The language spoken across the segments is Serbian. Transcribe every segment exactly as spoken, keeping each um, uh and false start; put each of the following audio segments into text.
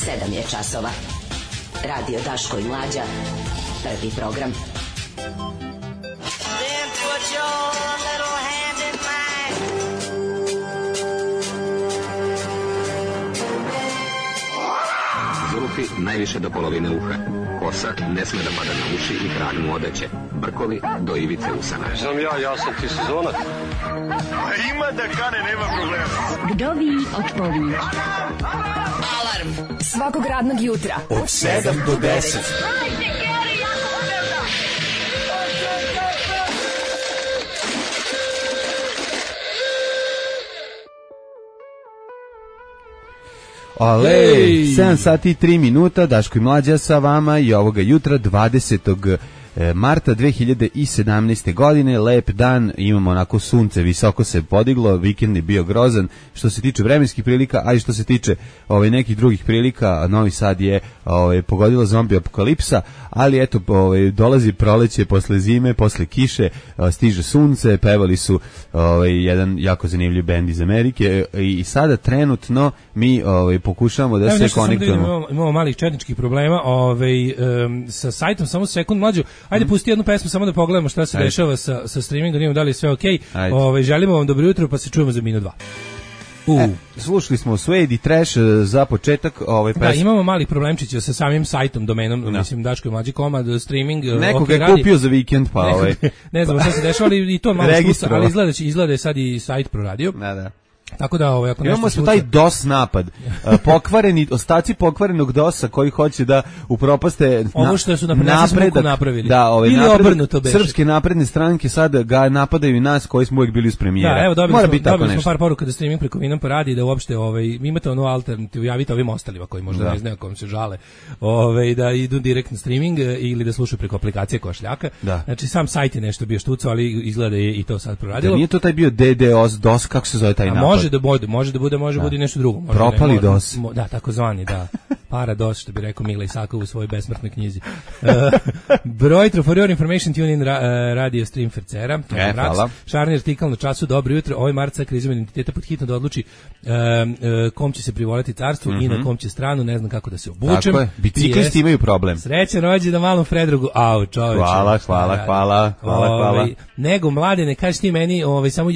sedam je časova. Radio Daško i Mlađa. Prvi program. Then put your little hand in mine. Zulufi najviše do polovine uha. Kosa ne sme da pada na uši i krag mu odeće. Brkovi do ivice usana. Znam ja, ja sam ti sezonac. Ima da kane, nema problema. Vdovi otpovi. Alarm svakog radnog jutra od sedam do deset. Ale, sedam sati i tri minuta, Daško i Mlađa sa vama i ovoga jutra dvadesetog marta dve hiljade sedamnaeste. godine, lep dan, imamo onako sunce, visoko se podiglo, vikend je bio grozan što se tiče vremenskih prilika, a i što se tiče ovaj, nekih drugih prilika. Novi Sad je ovaj, pogodila zombi apokalipsa, ali eto, ovaj, dolazi proleće posle zime, posle kiše, stiže sunce, pevali su ovaj, jedan jako zanimljiv bend iz Amerike i, i sada trenutno mi ovaj, pokušavamo da Evo, se konektujemo. Da imamo, imamo malih četničkih problema ovaj, um, sa sajtom, samo sekund Mlađu. Ajde, pusti jednu pesmu samo da pogledamo šta se Ajde. dešava sa, sa streamingom, da imamo da li je sve okej. Okay. Ovaj, želimo vam dobro jutro, pa se čujemo za minut dva. U. E, slušali smo Suede i Trash za početak. Ovaj, da, imamo malih problemčića sa samim sajtom, domenom, no. mislim, Daško i Mlađi komad, streaming. Neko okay, ga je kupio za vikend, pa ovaj. Ne znam šta se dešava, ali i to malo slusa, ali izgleda, izgleda sad i sajt proradio. Da, da. Tako da ovaj ako imamo smo taj DOS napad, pokvareni ostaci pokvarenog DOS-a koji hoće da upropaste ovo što su napredak napravili. Da, ovaj ili obrnuto beše. Srpske napredne stranke sad ga napadaju i nas koji smo uvijek bili uz premijera. Da, evo dobili Mora smo, biti dobili smo par poruka da streaming preko Vinampa radi, da uopšte ovaj imate onu alternativu, javite ovim ostalima koji možda da. ne znaju kom se žale. Ovaj da idu direktno streaming ili da slušaju preko aplikacije Košljaka. Da. Znači sam sajt je nešto bio štucao, ali izgleda je i to sad proradilo. Da nije to taj bio D D O S DOS, kako se zove taj napad? Može da bude, može da bude, može da bude nešto drugo. Može Propali ne, DOS. Mo, da, takozvani, da. Parados, što bi rekao Mila Isakov u svojoj besmrtnoj knjizi. Uh, broj for your information, tune in ra, uh, radio stream Fercera. E, hvala. Šarni artikal na času, dobro jutro. Ovaj marca kriza identiteta pod hitno da odluči uh, uh, kom će se privoliti carstvu mm-hmm. i na kom će stranu, ne znam kako da se obučem. Tako je, biciklisti imaju problem. Srećan rođendan malom Fredrogu. Au, čoveče. Hvala, hvala, hvala, hvala, hvala. Ovaj, nego, mlade, ne kažeš ti meni, ovaj, samo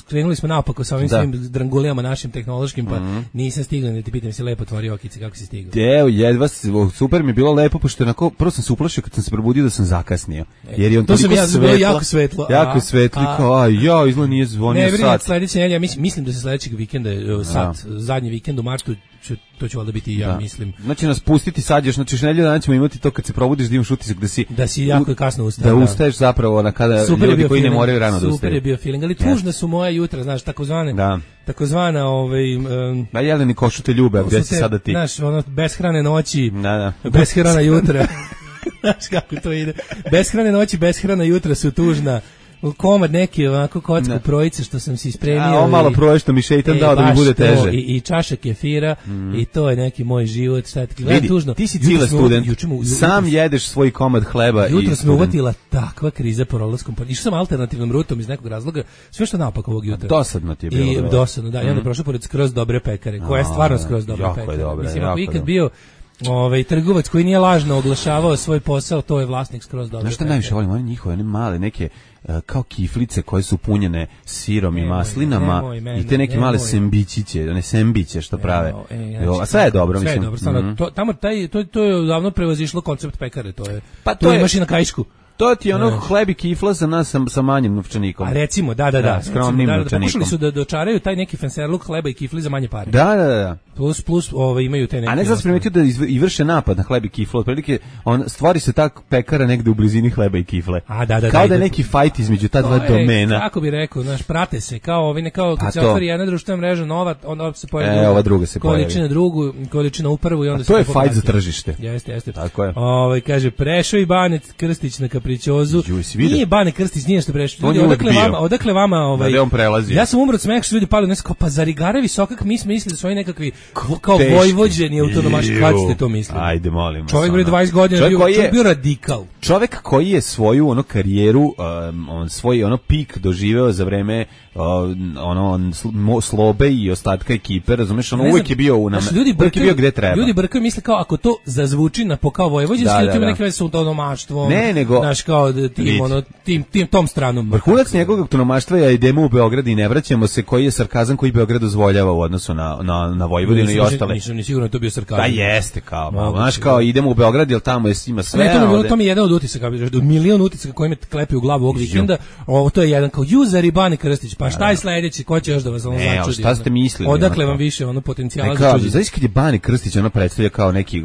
krenuli smo naopako sa ovim da. svim drangulijama našim tehnološkim, pa mm-hmm. nisam stigla, ne ti pitam si lepo otvori okice, kako si stigla? Evo, jedva, super mi je bilo lepo, pošto onako, prvo sam se uplašio kad sam se probudio da sam zakasnio. Jer je on to sam ja svetlo, jako svetlo. Jako a, svetli, a, kao, a ja, izgleda nije zvonio ne, sat. Ne, sledeće nedelje, mislim, mislim da se sledećeg vikenda, sat, zadnji vikend u martu, ću, to će valjda biti i ja, da. mislim. Znači nas pustiti sad još, znači nedelju dana ćemo imati to kad se probudiš da imaš utisak da si... Da si jako kasno ustao. Da, da ustaješ zapravo na kada super ljudi koji feeling, ne moraju rano da ustaju. Super je bio feeling, ali tužna su moja jutra, znaš, takozvane, da. takozvana, ovaj... Um, da, Jeleni košu te ljube, gdje si sada ti? Znaš, ono, beshrane noći, da, da. beshrana jutra. Znaš kako to ide. Beshrane noći, beshrana jutra su tužna. Komad neki ovako kocku projice što sam si spremio. A, ovo malo proje što mi šeitan e, dao da mi bude teže. To, i, I čaša kefira mm. i to je neki moj život. Šta ti gledam tužno. Ti si cile student, jučemu, sam jutros, jedeš svoj komad hleba. Jutro sam uvatila takva kriza po rolerskom. Išao sam alternativnom rutom iz nekog razloga. Sve što napak ovog jutra. A dosadno ti je bilo. I dosadno, da. Mm. I onda prošao pored skroz dobre pekare. Koja je stvarno skroz dobra pekara. Dobre, mislim, ako ikad bio ovaj trgovac koji nije lažno oglašavao svoj posao, to je vlasnik skroz dobro. Znaš šta najviše volim? One njihove, one male, neke uh, kao kiflice koje su punjene sirom nemoj, i maslinama nemoj, mene, i te neke nemoj. male sembićiće, one sembiće što prave. E, ja, jo, a sve je dobro, sve mislim. Sve je dobro, stvarno, mm-hmm. to, tamo taj, to, to je davno prevazišlo koncept pekare, to je, pa to, to je, imaš i na Kaišku. To ti je ono hleb i kifla za nas sa, sa manjim novčanikom. A recimo, da, da, da. da skromnim da, da, novčanikom. Pokušali su da dočaraju taj neki fanserluk hleba i kifli za manje pare. Da, da, da. Plus, plus ove, imaju te neke... A ne znam primetio da izv, i vrše napad na hleb i kiflu. Otprilike, on stvori se tak pekara negde u blizini hleba i kifle. A, da, da, kao da, da je neki fajt između ta dva je, domena. Kako bi rekao, znaš, prate se, kao ovi, ne kao kad se otvori jedna društvena mreža nova, onda se pojavi e, ova druga se pojavi. Količina drugu, količina u prvu i onda a to je fajt za tržište. Jeste, jeste. Tako je. Ovaj kaže, prešao i Banec Krstić na Kaprićozu. Nije Bane Krstić, nije što prešao. Ljudi, odakle vama, odakle vama, ovaj. Da on prelazi. Ja sam umro od smeha što ljudi pali, nešto kao pa Zarigare Visokak, mi smo mislili da su oni nekakvi kao vojvođeni autonomaš, kad ste to mislili? Ajde, molim. Čovjek bre dvadeset godina bio, je, čovjek bio radikal. Čovjek koji je svoju ono karijeru, um, on svoj ono pik doživeo za vreme uh, ono Slobe i ostatka ekipe, razumeš, ono uvijek je bio u nam, ljudi uvijek je bio gde treba. Ljudi brkaju misle kao ako to zazvuči na po kao vojvođanski, da, da, da. Ima neke veze sa autonomaštvom. Ne, nego znaš kao tim ono tim tim tom stranom. Vrhunac njegovog autonomaštva je idemo u Beograd i ne vraćamo se, koji je sarkazam koji Beograd dozvoljava u odnosu na na na Vojvodinu i ostale. Nisam ni sigurno to bio sarkazam. Da jeste kao, no, znaš kao idemo u Beograd jer tamo je ima sve. Ne, to mi bilo, to mi je jedan od utisaka, od milion utisaka koji me klepi u glavu ovog vikenda. Ovo to je jedan kao user i Bane Krstić. Pa šta je sledeći? Ko će još da vas ono začudi? Šta ste mislili? Odakle vam više ono potencijala za čuđenje? Znaš kad je Bane Krstić ono predstavlja kao neki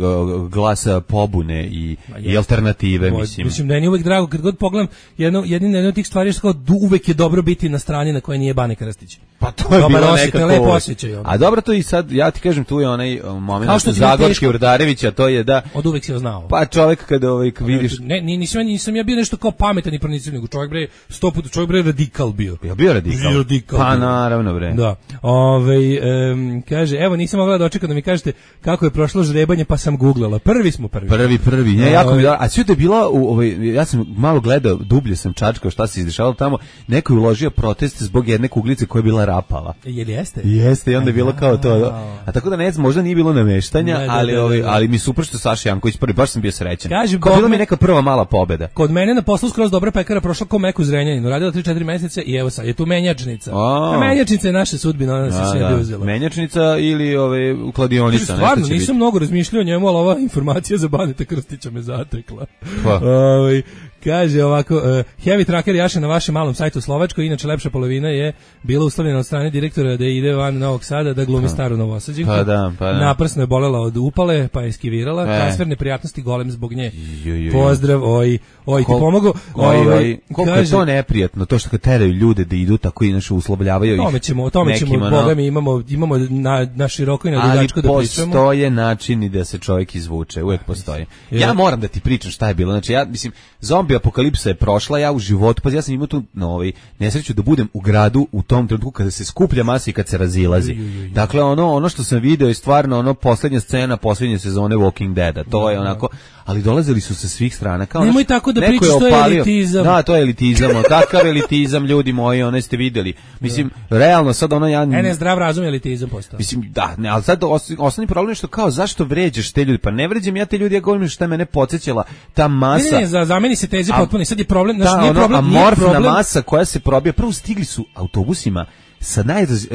glas pobune i, i alternative, Ovo, mislim. Mislim da je uvek drago kad god pogledam jedno jedina jedna od tih stvari je kao uvek je dobro biti na strani na kojoj nije Bane Krstić. Pa to je dobar bilo osjećaj, nekako. Lepo osjećaj. A dobro to i sad ja ti kažem tu je onaj moment što Zagorski Urdarevića, to je da od uvek se znao. Pa čovjek kada ovaj vidiš ne nisam nisam ja bio nešto kao pametan i pronicljiv, nego čovjek bre sto puta čovjek bre radikal bio. Ja bio radikal. Bio radikal pa bio. naravno bre. Da. Ovaj um, kaže evo nisam mogla dočekati da mi kažete kako je prošlo žrebanje pa sam guglala. Prvi smo prvi. Prvi prvi. Ne, jako mi da, a sve je bilo u ovaj ja sam malo gledao, dublje sam čačkao šta se izdešavalo tamo. Neko je uložio protest zbog jedne kuglice koja je bila rapala. Jel jeste? Jeste, i onda je bilo kao to. A tako da ne znam, možda nije bilo nameštanja, ne, ali da, da, ovaj da, da. ali mi super što Saša Janković prvi, baš sam bio srećan. Kažem, kao bila mi neka prva mala pobeda. Kod mene na poslu skroz dobra pekara prošla ko meku Zrenjaninu, radila tri četiri meseca i evo sad je tu menjačnica. A menjačnica je naša sudbina, ona se sve da. uzela. Menjačnica ili ove kladionica, nešto. Stvarno, nisam biti. mnogo razmišljao o njemu, ali ova informacija za Baneta Krstića me zatekla. Pa. Ovaj kaže ovako, uh, Heavy Tracker jaše na vašem malom sajtu u Slovačkoj, inače lepša polovina je bila uslovljena od strane direktora da ide van Novog Sada da glumi staru Novosađinku. Pa da, pa da. Naprsno je bolela od upale, pa je eskivirala. E. Transferne prijatnosti golem zbog nje. Ju, ju, ju. Pozdrav, oj, oj, ti pomogu. Oj, oj, oj. Koliko kaže, je to neprijatno, to što kad teraju ljude da idu tako i naše uslovljavaju ih. Tome ćemo, tome ćemo, no. Boga mi imamo, imamo na, na široko i na dugačko da pričamo. Ali postoje načini da se čovjek izvuče, uvijek postoji. Ja moram da ti pričam šta je bilo, znači ja, mislim, zombi apokalipsa je prošla, ja u životu, pa ja sam imao tu no, ovaj, nesreću da budem u gradu u tom trenutku kada se skuplja masa i kad se razilazi. Ju, ju, ju. Dakle, ono ono što sam video je stvarno ono posljednja scena posljednje sezone Walking Deada. To je onako, ali dolazili su sa svih strana. Kao nemoj naš, tako da pričaš, to je elitizam. Da, to je elitizam, takav elitizam, ljudi moji, one ste videli. Mislim, da. realno sad ono ja... Ne, ne, zdrav razum je elitizam postao. Mislim, da, ne, ali sad os, osnovni problem je što kao, zašto vređaš te ljudi? Pa ne vređam ja te ljudi, ja govorim što je mene podsjećala ta masa... Ne, ne, za, za meni se teze potpuno, sad je problem, znači, ta, nije ono, problem, nije amorfna problem. masa koja se probija, prvo stigli su autobusima sa najraz...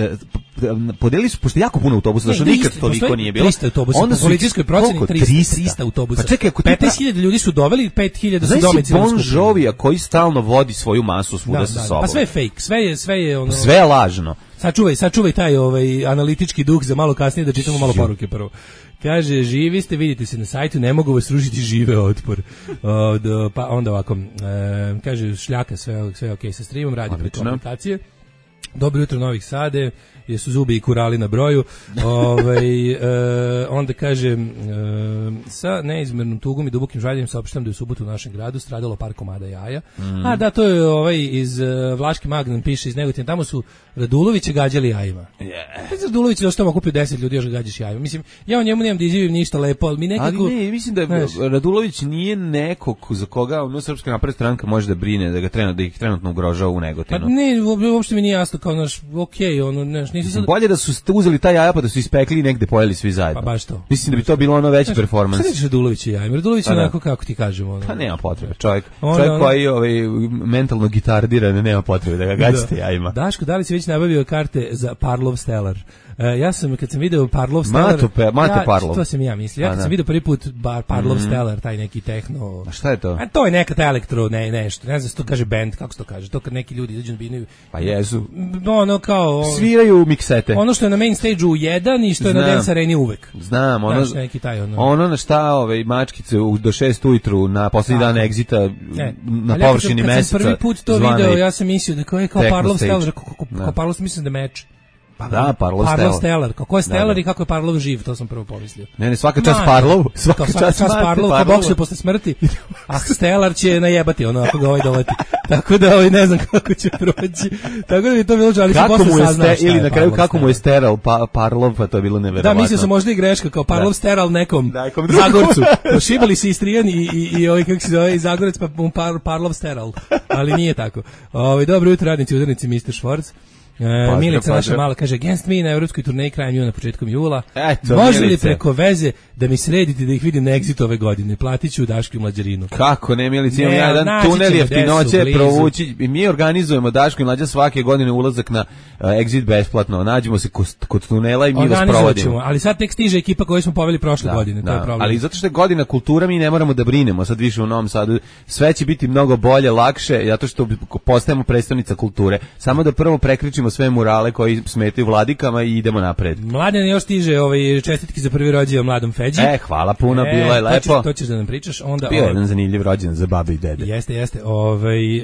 podelili su, pošto jako puno autobusa, zašto nikad toliko nije bilo. trista autobusa, onda po policijskoj proceni trista autobusa. Pa čekaj, ako petnaest hiljada ljudi su doveli, pet hiljada su domicilno skupili. Bon Jovija koji stalno vodi svoju masu svuda sa sobom. Pa sve je fake, sve je, sve je ono... Sve je lažno. Sačuvaj, sačuvaj taj ovaj analitički duh za malo kasnije da čitamo malo poruke prvo. Kaže, živi ste, vidite se na sajtu, ne mogu vas ružiti, žive otpor. Od, pa onda ovako, e, kaže, šljaka, sve, sve ok sa streamom, radi preko aplikacije. Dobro jutro Novih Sade, jesu zubi i kurali na broju. Ovaj e, onda kaže e, sa neizmernom tugom i dubokim žaljenjem saopštam da je u subotu u našem gradu stradalo par komada jaja. Mm. A da, to je ovaj iz uh, Vlaški Magnan piše iz Negotina, tamo su Raduloviće gađali jajima. Yeah. Radulović je došto kupio deset ljudi još ga gađaš jajima. Mislim, ja o njemu nemam da izjavim ništa lepo, ali mi nekako... Ali ne, mislim da znaš, Radulović nije neko za koga ono Srpska napredna stranka može da brine, da ga trenutno, da ih trenutno ugrožava u Negotinu. Pa ne, uopšte mi nije jasno kao naš, okej, ono, znaš, nisu sad... Bolje da su uzeli taj jaja pa da su ispekli i negde pojeli svi zajedno. Pa baš to. Mislim da bi to bilo ono veći performans. Šta reći Radulović i jajima? Radulović je onako kako ti kažemo. Ono. Pa nema potrebe, čovjek, čovjek ono, koji ovaj, mentalno gitardiran, nema potrebe da ga gađate da. jajima. Daško, da li si već nabavio karte za Parlov Stellar? Uh, ja sam, kad sam video Parlov Stellar... Mato, pe, Mate ja, Parlov. To sam ja mislio. Ja kad sam video prvi put bar, Parlov mm. Stellar, taj neki tehno... A šta je to? A to je neka ta elektro, ne, nešto. Ne znam se to kaže band, kako se to kaže. To kad neki ljudi izađu na binu... Pa jesu. Ono kao... Sviraju miksete. Ono što je na main stage-u jedan i što je Znam. na dance areni uvek. Znam, ono... Znaš, neki taj, ono... ono na šta ove mačkice do šest ujutru na posljednji dan egzita na površini meseca... Kad sam prvi put to video, ja sam mislio da kao je kao Parlov Stellar, kao Parlov mislim da meč. Pa da, Parlov Parlov Stellar. Stellar. Kako je Stellar Da, da. i kako je Parlov živ, to sam prvo pomislio. Ne, ne, svaka čast Ma, Parlov, svaka to, čast Mate Parlov, ko Parlov. bokse posle smrti, a Stellar će najebati ono ako ga ovaj doleti. Tako da ovaj ne znam kako će proći. Tako da bi to bilo žali, Kako posle mu je saznao ste, šta ili je na kraju Parlov kako mu je Stellar. steral pa, Parlov, pa to je bilo neverovatno. Da, mislio sam možda i greška, kao Parlov Da. Steral nekom, Da, nekom drugom. Zagorcu. Prošibali se Istrijan i, i, i ovaj, kako se zove, i Zagorec, pa mu par, Parlov Steral. Ali nije tako. Ovaj dobro jutro, radnici, udarnici, mister Švorc. E, Milica naša mala kaže against me na evropskoj turneji krajem juna, početkom jula. Eto, može li Milice. preko veze da mi sredite da ih vidim na Exitu ove godine? Platit ću Dašku i Mlađarinu. Kako ne, Milici, imam Ne, ja jedan naći tunel ćemo jeftinoće gde su, blizu. provući. I mi organizujemo Daško i Mlađa svake godine ulazak na uh, Exit besplatno. Nađemo se kod, kod tunela i mi vas Organizovat provodimo. ćemo, ali sad tek stiže ekipa koju smo poveli prošle godine, to je problem. Ali zato što je godina kultura, mi ne moramo da brinemo sad više u Novom Sadu. Sve će biti mnogo bolje, lakše, zato što postajemo predstavnica kulture. Samo da prvo prekričimo sve murale koji smetaju vladikama i idemo napred. Mladen još stiže ovaj čestitki za prvi rođendan mladom Feđi. E, hvala puno, E, bilo je to lepo. ćeš, to ćeš da nam pričaš. Onda, Bio je ovaj, jedan zanimljiv rođendan za babe i dede. Jeste, jeste. Ovaj,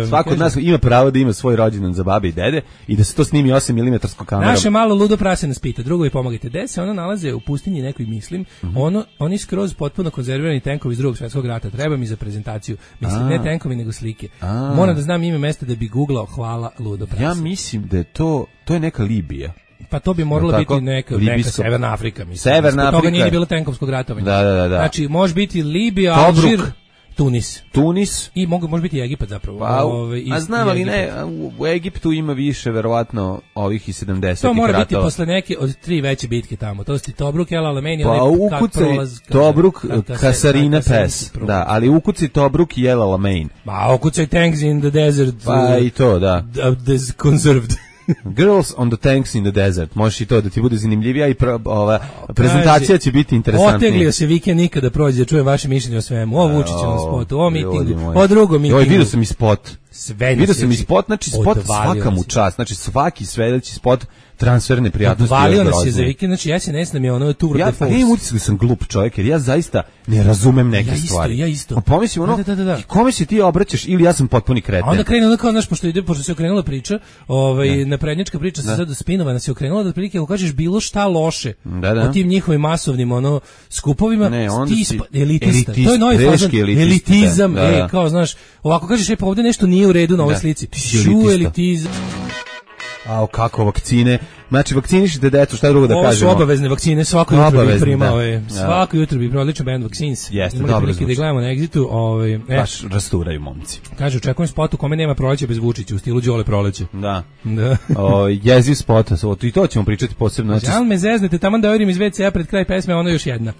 e, Svako od kaže, nas ima pravo da ima svoj rođendan za babe i dede i da se to snimi osam milimetara kamerom. Naše malo ludo prase nas pita, drugovi pomagajte, gde se ono nalaze u pustinji nekoj mislim, Mhm. ono, oni skroz potpuno konzervirani tenkovi iz drugog svjetskog rata, treba mi za prezentaciju, mislim, A. ne tenkovi nego slike. A. Moram da znam ime mesta da bi googlao, hvala ludo prase. Ja mislim da je to, to je neka Libija. Pa to bi moralo Jel tako? biti neka, neka Libijsko- Severna Afrika, mislim. Severna Zbog toga Afrika nije je- ni bilo tenkovskog ratovanja. Da, da, da, da. Znači, može biti Libija, Tobruk. Alžir, Tunis. Tunis. I mogu, može biti i Egipat zapravo. Pa, Ove, i- a znam, i ali ne, Egipat. u, u Egiptu ima više, verovatno, ovih i sedamdesetih To mora biti ratova. posle neke od tri veće bitke tamo. To su ti Tobruk, El Alamein, Pa onaj ka- ukucaj prolaz ka- Tobruk, ka- ka- Kasarina ka- ka- Pes. prolaz. Da, ali ukucaj Tobruk i El Alamein. Ma, ukucaj Tanks in the Desert. Pa uh, i to, da. uh, des- conserved. Girls on the Tanks in the Desert. Možeš i to da ti bude zanimljivija i pro, ova prezentacija će biti interesantnija. Oteglio se vikend nikada prođe, da čujem vaše mišljenje o svemu. O Vučićevom spotu, o ljudi mitingu, moji. o drugom mitingu. Joj, vidio sam i spot. Sve mi Vidio se sam i či- spot, znači spot odvalio svaka mu nas je. čast. Znači svaki sledeći spot transferne prijatnosti. Odvalio još nas je grozniji. za vikend, znači S N S nam je ono tour Ja, de pa force. imam utisak da sam glup čovjek, jer ja zaista ne razumem neke Ja isto, stvari. ja isto. A pomislim ono, Da, da, da, da. i kome se ti obraćaš ili ja sam potpuni kreten. A onda krene ono kao, znaš, pošto, ide, pošto se okrenula priča, ovaj, naprednjačka priča se sad spinovana se okrenula, da otprilike ako kažeš bilo šta loše Da, da. o tim njihovim masovnim ono, skupovima, Ne, onda ti si ispa- elitista. elitist, To je novi teški fazon, elitist, elitizam, da, da. e, kao, znaš, ovako kažeš, e, pa ovde nešto nije u redu na ovoj Da, slici. ti si Šu, elitista. elitizam. A kako vakcine? Znači vakcinišite decu, šta drugo da Ovo su kažemo? obavezne vakcine, svako jutro bi Obavezne, primao, da. je. Da. Svako jutro bi primao odličan band Vaccines. Jeste, Imali dobro prilike da zvuči. gledamo na Exitu, ovaj, e, Baš rasturaju momci. kaže, očekujem spot u kome nema proleća bez Vučića, u stilu Đole proleće. Da. Da. O, jeziv spot, so, i to ćemo pričati posebno. Znači, Jel me zeznete, tamo da odim iz ve ce a pred kraj pesme, ono još jedna.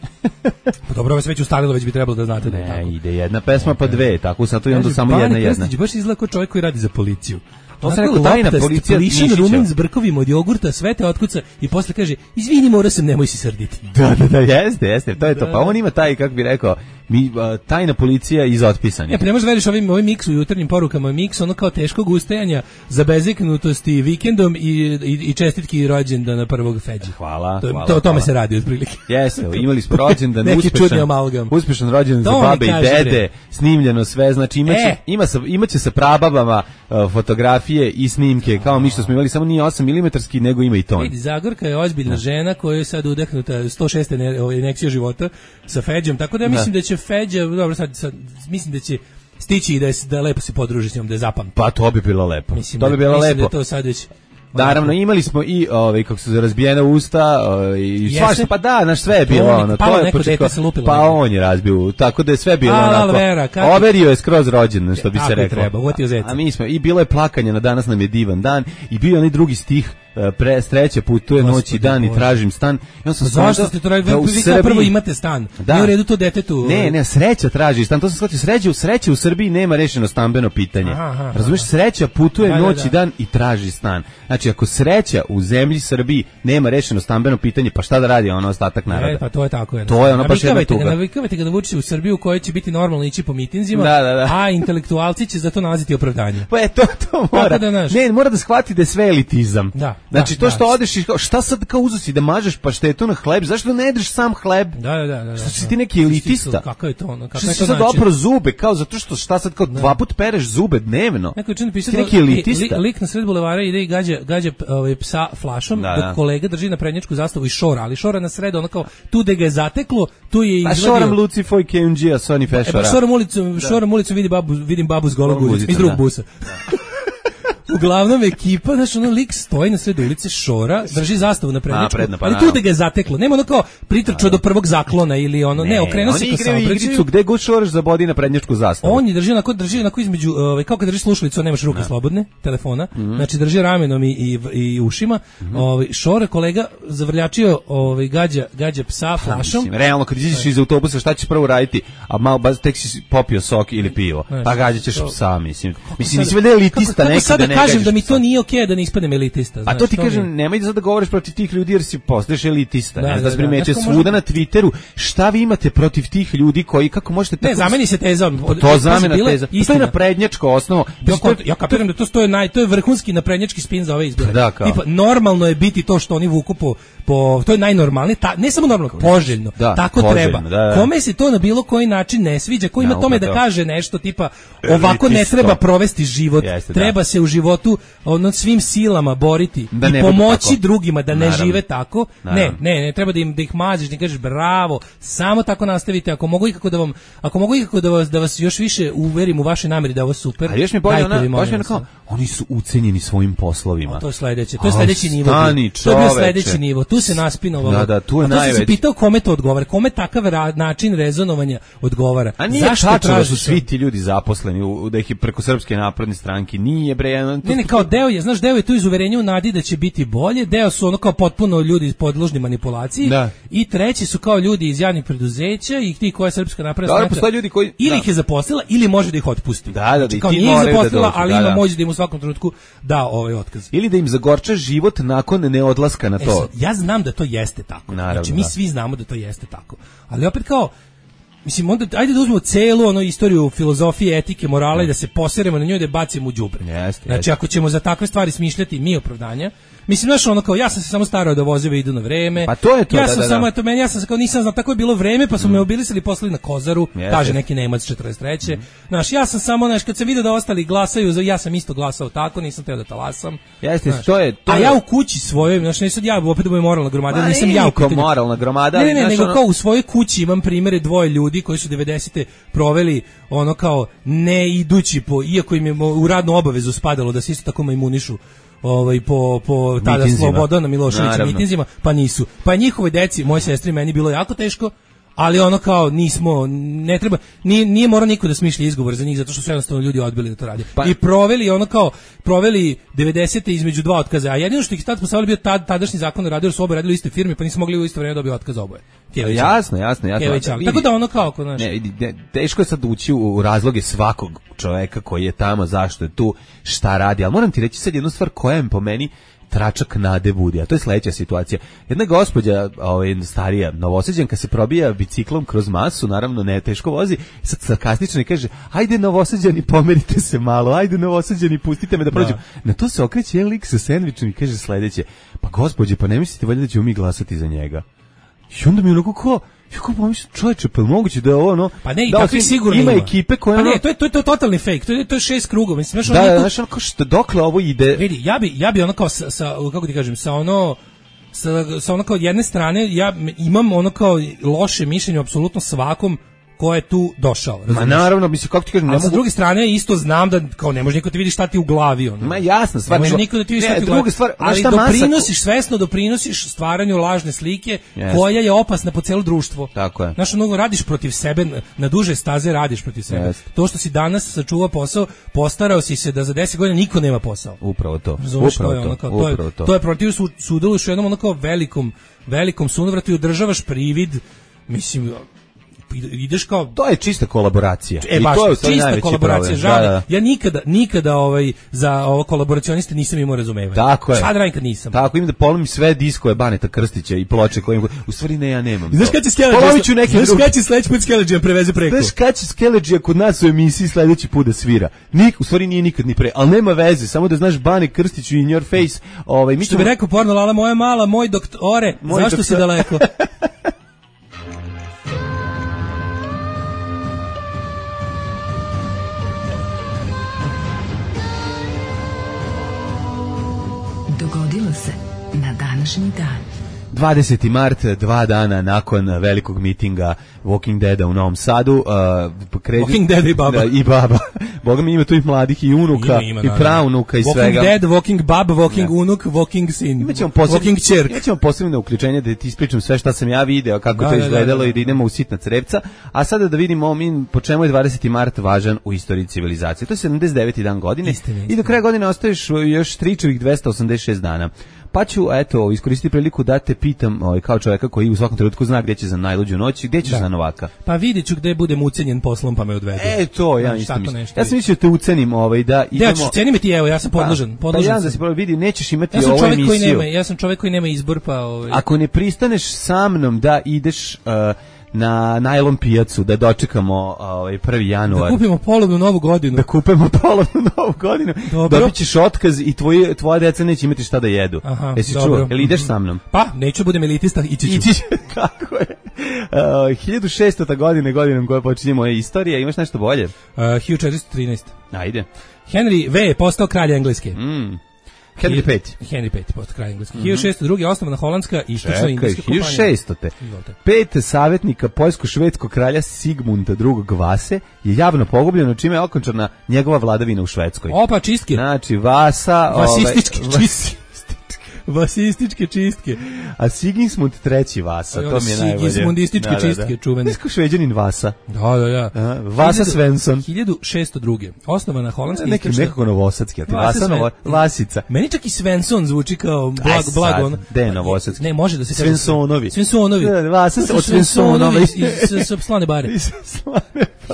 Pa dobro, ovo se već ustalilo, već bi trebalo da znate da je tako. ne, ide jedna pesma pa dve, tako sad to i onda Kaže, samo Bane jedna jedna. Krstić baš izgleda kao čovjek koji radi za policiju. To sam Onako rekao, tajna loptast, policija plišan Nišića. rumen s brkovima od jogurta, sve te otkuca i posle kaže, izvini, mora sam, nemoj se srditi. Da, da, da, jeste, jeste, to je to. Da. Pa on ima taj, kako bi rekao, mi, a, tajna policija iz otpisanja. Ja, pa ne možeš da veriš ovim, ovim miksu u jutarnjim porukama, miks ono kao teškog ustajanja, zabezeknutosti vikendom i, i, i čestitki rođendana prvog Feđa. Hvala, To, hvala, to, o tome hvala. se radi otprilike. Jeste, imali smo rođendan, Neki čudni uspešan, amalgam. uspešan rođendan za To mi babe i kaži, dede, bre. snimljeno sve, znači imaće, E. ima sa, imaće sa prababama uh, fotografije i snimke, kao mi što smo imali, samo nije osam milimetarski, nego ima i ton. Vidi, Zagorka je ozbiljna žena koja je sad udahnuta sto šest inekcija života sa Feđom, tako da ja mislim da će Feđa, dobro sad, sad mislim da će stići i da, je, da lepo se podruži s njom, da je zapamti. Pa to bi bilo lepo. Mislim, to bi da, bilo mislim lepo. da je to sad već... Naravno, imali smo i ovaj kako su razbijena usta, ovaj, i Jeste? svašta, pa da, naš sve je bilo Palo ono, palo to je neko početko- dete se lupilo pa neko. on je razbio, tako da je sve bilo A, onako. Alvera, kako- Overio je skroz rođendan, što bi Tako se je reklo. treba, uvatio zeca. A mi smo i bilo je plakanje na danas nam je divan dan i bio je onaj drugi stih e, pre sreće putuje noć i Gospodи dan i Bože. tražim stan. I on sam Zašto shvatio ste to radili? da u Vi kao Srbiji- prvo imate stan. Da. Nije u redu to detetu. Ne, ne, sreća traži stan. To sam shvatio, sreće u sreće u Srbiji nema rešeno stambeno pitanje. Aha, aha, Razumeš, sreća putuje Da, da, noć da. i dan i traži stan. Znači, ako sreća u zemlji Srbiji nema rešeno stambeno pitanje, pa šta da radi ono ostatak naroda? E, pa to je tako. Je, To je ono baš jedna Navikavajte tuga. ga, navikavajte ga da vuči u Srbiju u kojoj će biti normalno ići po mitinzima, Da, da, da. a intelektualci će za to nalaziti opravdanje. Pa je to, to mora. da, znaš. Ne, mora da shvati da je sve elitizam. Da. Znači da, to što da. odeš i kao, šta sad kao uzusi da mažeš paštetu na hleb, zašto ne jedeš sam hleb? Da, da, da, da. Što si ti neki elitista? Kako je to ono? Kako što je si to sad način? opro zube, kao zato što šta sad kao dva put pereš zube dnevno? Neko je čini pisao ti neki elitista. Li, lik na sred bulevara ide i gađa, gađa ovaj, psa flašom, da, dok da. kolega drži na prednjačku zastavu i šora, ali šora na sred, ono kao, tu da ga je zateklo, tu je A izvadio... šoram Luci Foj K M G-a, Sony E, Fešora. pa šoram ulicom, šoram ulicom vidi babu, vidim babu s golog guzica, iz drugog busa. Uglavnom ekipa, znači ono lik stoji na sred ulice, šora, drži zastavu na prednjačku, Napredno, pa ali tu da ga je zateklo. Nema ono kao pritrčao do prvog zaklona ili ono, ne, ne okrenuo se ka saobraćaju. Oni igraju igricu gde god šoraš zabodi na prednjačku zastavu. On je drži onako, drži onako između, ovaj, kao kad drži slušalicu, nemaš ruke slobodne, telefona, mm-hmm. znači drži ramenom i, i, i ušima, mm-hmm. ovaj, šora kolega zavrljačio, ovaj, gađa, gađa psa flašom. Mislim, realno, kad izađeš iz autobusa, šta ćeš prvo raditi? A malo, baz, tek si popio sok ili pivo, znači, pa gađaćeš to, psa, mislim. Mislim, nisi vede elitista neki da ne kažem da mi to nije okej okay da ne ispadnem elitista. A to ti kažem, mi... nemoj da sad da govoriš protiv tih ljudi jer si postaješ elitista. Da, ne, da, da, da primećeš svuda možda... na Twitteru šta vi imate protiv tih ljudi koji, kako možete... Ne, tako... zameni se teza. Od, to zamena teza. To je naprednjačko osnovo. Ja, to je... ja kapiram da to, stoje naj, to je vrhunski naprednjački spin za ove izbore. Da, kao. Tipa, normalno je biti to što oni vuku po... po to je najnormalnije, ta, ne samo normalno, poželjno. Da, tako poželjno, treba. Da, da. Kome se to na bilo koji način ne sviđa, ko ima no, tome da kaže nešto tipa ovako ne treba provesti život, Jeste, treba da. se u životu ono svim silama boriti da i pomoći drugima da ne Naravno. žive tako. Naravno. Ne, ne, ne treba da im da ih maziš, da kažeš bravo, samo tako nastavite. Ako mogu ikako da vam, ako mogu ikako da vas da vas još više uverim u vaše namere da je ovo super. A još mi bolje ona, baš mi onako, oni su ucenjeni svojim poslovima. O, to je sledeće, to je sledeći nivo. Stani, to je bio sledeći nivo. Tu se naspinovalo. Da, da, tu je najveći. Se pitao kome to odgovara, kome takav ra- način rezonovanja odgovara. A nije Zašto tačno da su svi ti ljudi zaposleni u, da ih je preko Srpske napredne stranke, nije bre. Ne, ne, kao deo je, znaš, deo je tu iz uverenja u nadi da će biti bolje, deo su ono kao potpuno ljudi podložni manipulaciji da. I treći su kao ljudi iz javnih preduzeća i ti koja je Srpska napredna stranka. Postoje ljudi koji ili da. ih je zaposlila ili može da ih otpusti. Da, da, da, znači, kao ti nije ih zaposlila, da ali da, ima da. moć da im u svakom trenutku da ovaj otkaz. Ili da im zagorča život nakon neodlaska na to. E sad, ja znam da to jeste tako. Naravno, znači mi da. svi znamo da to jeste tako. Ali opet kao mislim, onda, ajde da uzmemo celu ono istoriju filozofije, etike, morala i da se poseremo na njoj da je bacimo u đubre. Jeste, znači, jeste. ako ćemo za takve stvari smišljati mi opravdanja, mislim, znaš, ono kao, ja sam se samo starao da vozeve idu na vreme. Pa to je to, ja da, sam da, da. samo, eto, meni, ja sam kao, nisam znao, tako je bilo vreme, pa su mm. me obilisali i poslali na Kozaru, Jeste. kaže neki Nemac četrdeset treće Mm. Znaš, ja sam samo, znaš, kad sam vidio da ostali glasaju, ja sam isto glasao tako, nisam teo da talasam. Jeste, znaš, to je, to a je... ja u kući svojoj, znaš, nisam ja, opet da je moralna gromada, Ma, nisam ja u pitanju. moralna gromada. Ne, ne, ne, znaš, nego ono... kao u svojoj kući imam primere dvoje ljudi koji su devedesete proveli ono kao ne idući po, iako im je u radnu obavezu spadalo da se isto tako imunišu ovaj po po tada Slobodana Miloševića mitinzima, pa nisu. Pa njihovoj deci, moje sestri, meni bilo jako teško, ali ono kao nismo, ne treba, nije, nije mora niko da smišlja izgovor za njih, zato što su jednostavno ljudi odbili da to rade. Pa, I proveli ono kao, proveli devedesete između dva otkaza, a jedino što ih tad postavili bio tad, tadašnji zakon o radu, jer su oba radili u istoj firmi, pa nisu mogli u isto vreme dobiti otkaz oboje. Kević, jasno, jasno, jasno. Kević, da, tako da ono kao, kao ne, ne, teško je sad ući u, u razloge svakog čoveka koji je tamo, zašto je tu, šta radi, ali moram ti reći sad jednu stvar koja je po meni tračak nade budi, a to je sledeća situacija. Jedna gospođa, ovaj, starija Novosađanka, se probija biciklom kroz masu, naravno ne teško vozi, sad sarkastično i kaže, ajde Novosađani, pomerite se malo, ajde Novosađani, pustite me da prođem. Da. Na to se okreće jedan lik sa sendvičem i kaže sledeće, pa gospođe, pa ne mislite valjda da ćemo mi glasati za njega? I onda mi onako ko, kako pa mislim, čovječe, pa moguće da je ovo, no, pa ne, i da, takvi sigurno ima ima ekipe koje... Pa ne, to je, to je, to je totalni fake, to je, to je šest krugova, mislim, znaš, da, ono... znaš, ono, kao što, dokle ovo ide... Vidi, ja bi, ja bi ono kao, sa, sa, kako ti kažem, sa ono... Sa, sa ono kao jedne strane, ja imam ono kao loše mišljenje apsolutno svakom ko je tu došao. Razumiješ? Ma naravno, mislim, kako ti kažem, ne a mogu... sa druge strane isto znam da kao ne može niko ti vidi šta ti u glavi, ono. Ma jasno, stvar, ne može niko da ti vidi šta ti u glavi. Stvar, ali doprinosiš masa... svesno doprinosiš stvaranju lažne slike yes. koja je opasna po celo društvo. Tako je. Znaš, ono, radiš protiv sebe, na duže staze radiš protiv sebe. Yes. To što si danas sačuvao posao, postarao si se da za deset godina niko nema posao. Upravo to. Razumeš, upravo to je ono kao, to, to, je, upravo to. to je protiv su, sudjeluješ u jednom ono kao velikom, velikom sunovratu i održavaš privid, mislim, ideš kao... To je čista kolaboracija. E, I baš, to je čista kolaboracija, žao. Da, da. Ja nikada, nikada ovaj, za ovo kolaboracioniste nisam imao razumevanja. Tako je. Šta da radim kad nisam? Tako, im da polomim sve diskove Baneta Krstića i ploče koje im... U stvari ne, ja nemam. Znaš kada će Skeleđija, znaš kada će sledeći put Skeleđija preveze preko? Znaš kada će Skeleđija kod nas u emisiji sledeći put da svira? Nik, u stvari nije nikad ni pre, ali nema veze, samo da znaš Bane Krstiću in your face. Ovaj, mi što bi rekao porno Lala, moja mala, moj doktore, moj zašto doktor... si daleko? Dogodilo se na današnji dan. dvadeseti mart, dva dana nakon velikog mitinga Walking Deada u Novom Sadu. Uh, kredi... Walking Dead i baba. Da, i baba. Boga mi ima tu i mladih i unuka, ima, ima, i praunuka i walking svega. Walking Dead, Walking Bab, Walking da. Unuk, Walking Sin, Walking Čerk. Ja ćemo posebno uključenje da ti ispričam sve šta sam ja video, kako da, to izgledalo da, da, da. I da idemo u sitna crevca. A sada da vidimo mi po čemu je dvadeseti mart važan u istoriji civilizacije. To je sedamdeset deveti dan godine istine, i do kraja godine ostaješ još tričevih dvesta osamdeset šest dana. Pa ću, eto, iskoristiti priliku da te pitam, ovaj, kao čovjeka koji u svakom trenutku zna gdje će za najluđu noć, gdje ćeš da. za Novaka? Pa vidjet ću gdje budem ucenjen poslom pa me odvedu. E, to, ja isto mislim. Ja sam mislio te ucenim, ovaj, da idemo... Ja ću, ceni me ti, evo, ja sam podložen. Pa, podložen pa ja da si prvo vidi, nećeš imati ja ovu emisiju. Koji nema, ja sam čovjek koji nema izbor, pa... Ovaj... Ako ne pristaneš sa mnom da ideš... Uh, na najlon pijacu da dočekamo ovaj prvi januar. Da kupimo polovnu novu godinu. Da kupimo polovnu novu godinu. Dobićeš otkaz i tvoji tvoja deca neće imati šta da jedu. Aha, jesi čuo? Jel ideš sa mnom? Pa, neću budem elitista, ići ću. Ići, kako je. Uh, hiljadu šestota godine, godinom koje počinje moja istorija, imaš nešto bolje? Uh, hiljadu četiristo trinaeste. Ajde. Henry V je postao kralj Engleske. Mm. Henry peti. Henry peti postao kralj Engleske. Mm-hmm. hiljadu šeststo druge osnovana holandska istočno indijska kompanija. hiljadu šesto Pet savjetnika poljsko-švedskog kralja Sigmunda drugog Vase je javno pogubljeno, čime je okončana njegova vladavina u Švedskoj. Opa, čistke. Znači, Vasa... Vasističke ove, čistke. Vasističke čistke. A Sigismund treći Vasa, to mi je najbolje. Sigismundističke da, da, da. čistke, čuvene. Nesko šveđanin Vasa. Da, da, da. A, Vasa Svensson. hiljadu šeststo druge Osnovana holandska neki istočna... Nekako novosadski, a ti Vasa, Vasa Novo... Vasica. Meni čak i Svensson zvuči kao blag, blagon. Gde je novosadski? Ne, može da se... Svensonovi. Svensonovi. Da, Vasa od Svensonovi. Iz Slane bare.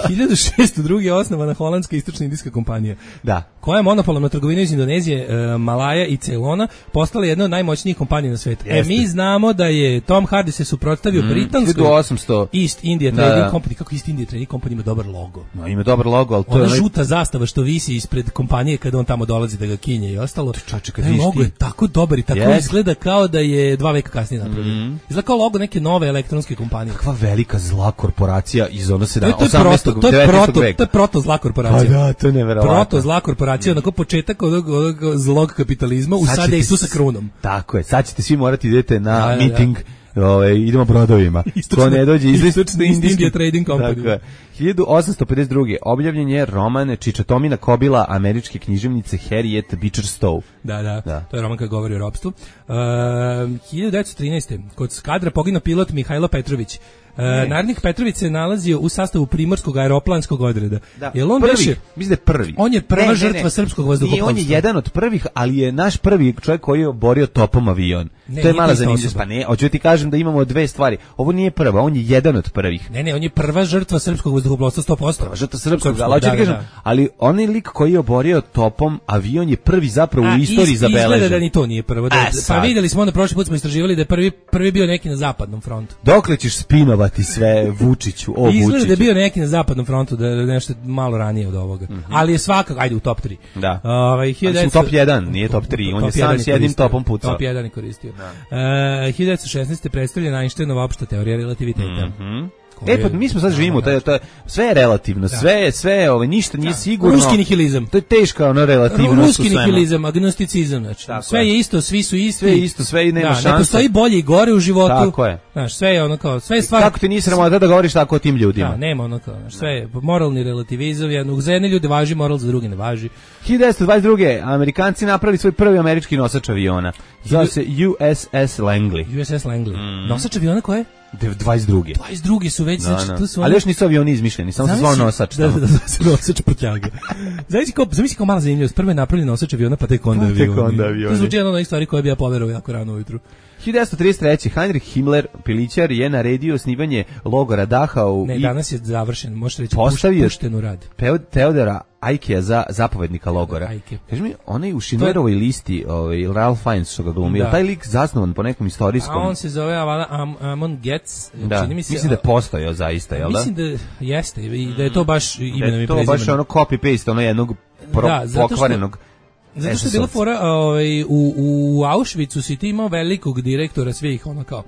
hiljadu šeststo druge osnovana holandska istočna indijska kompanija. Da. Koja je monopolom na trgovinu iz Indonezije, e, Malaja i Ceylona postala jedna od najmoćnijih kompanija na svetu. Jeste. E, mi znamo da je Tom Hardy se suprotstavio mm, britanskoj hiljadu osamsto East India Trading da. Company. Kako East India Trading Company ima dobar logo? No, ima dobar logo, ali to ona je... Ona žuta zastava što visi ispred kompanije kada on tamo dolazi da ga kinje i ostalo. Čače, kad taj logo je tako dobar i tako yes. izgleda kao da je dva veka kasnije napravljen. Mm. Izgleda kao logo neke nove elektronske kompanije. Kakva velika zla korporacija iz ono osamnaestog devetnaestog veka. To je proto zla korporacija. Pa da, to je neverovatno. Proto zla korporacija, onako početak onog, onog zlog kapitalizma u sada Isusa krunom. Tako je, sad ćete svi morati idete na da, miting, da, da. Ove, idemo brodovima. Ko ne dođe iz India Trading Company. hiljadu osamsto pedeset druge objavljen je roman Čičatomina Kobila američke književnice Harriet Beecher Stowe. Da, da, da, to je roman koji govori o ropstvu. Uh, hiljadu devetsto trinaeste kod skadra poginuo pilot Mihajlo Petrović. Uh, Narodnik Petrović se nalazio u sastavu primorskog aeroplanskog odreda. Da. Jel on prvi, beše, mislim da je prvi. On je prva ne, žrtva ne, ne. srpskog vazduhoplovstva. I on je jedan od prvih, ali je naš prvi čovjek koji je oborio topom avion. Ne, to je mala zanimljivost. Pa ne, hoću ti kažem da imamo dve stvari. Ovo nije prva, on je jedan od prvih. Ne, ne, on je prva žrtva srpskog vazduhoplovstva sto posto. Prva žrtva srpskog, ali hoću ti kažem, ali onaj lik koji je oborio topom avion je prvi zapravo A, u istoriji is, zabeležen. Izgleda da ni to nije prvo. Da, pa vidjeli smo onda prošli put smo istraživali da je prvi prvi bio neki na zapadnom frontu. Dokle ćeš spinovati sve Vučiću, o Vučiću? Izgleda da je bio neki na zapadnom frontu, da je nešto malo ranije od ovoga. Mm -hmm. Ali je svakako, ajde u top tri. Da. Ovaj hiljadu top jedan, nije top tri, on je sam s jednim topom pucao. Top jedan je koristio. Uh, hiljadu devetsto šesnaeste predstavljena Einsteinova opšta teorija relativiteta. Mhm. E pa mi smo sad živimo, to je, to je, sve je relativno, sve je, sve, ovaj, ništa nije sigurno. Ruski nihilizam. To je teška ono relativnost. Ruski nihilizam, agnosticizam, znači. Tako sve je. je isto, svi su isti. Sve je isto, sve i nema da, šanse. Ne postoji bolje i gore u životu. Tako je. Znaš, sve je ono kao, sve je stvar. Kako ti nisi sramota da govoriš tako o tim ljudima? Da, nema ono kao, znaš, sve je moralni relativizam, jednog za jedne ljude važi, moral za druge ne važi. hiljadu devetsto dvadeset druge Amerikanci napravili svoj prvi američki nosač aviona. Zove se U S S Langley. U S S Langley. Mm. Nosač aviona koje? dvadeset druge dvadeset druge su već, znači, no, tu su oni... Ali još nisu avioni izmišljeni, samo se zvao nosač. Da, da, da, se nosač prtljaga. Zamisli kao, zamisli kao mala zanimljivost, prvo je napravljen nosač aviona, pa tek onda avion. Tek onda avion. To zvuči jedna od onih stvari koje bi ja poverovao jako rano ujutru. hiljadu devetsto trideset treće. Heinrich Himmler, pilićar, je naredio osnivanje logora Dachau. Ne, i danas je završen, možete reći postavio pušten u rad. Teodora Ajkea za zapovednika logora. Ajke. Kaži mi, onaj u Schindlerovoj listi, ovaj, Ralph Fiennes što ga glumio, da. Taj lik zasnovan po nekom istorijskom... A on se zove Am, Amon Getz. Da, čini mi se, mislim da je postojao zaista, jel da? Mislim da jeste, i da je to baš imenom i prezimenom. Da je to baš ono copy-paste, ono jednog pro, da, pokvarenog... Zato što je bila fora, ovaj, u, u Auschwitzu si ti imao velikog direktora svih, ono kao,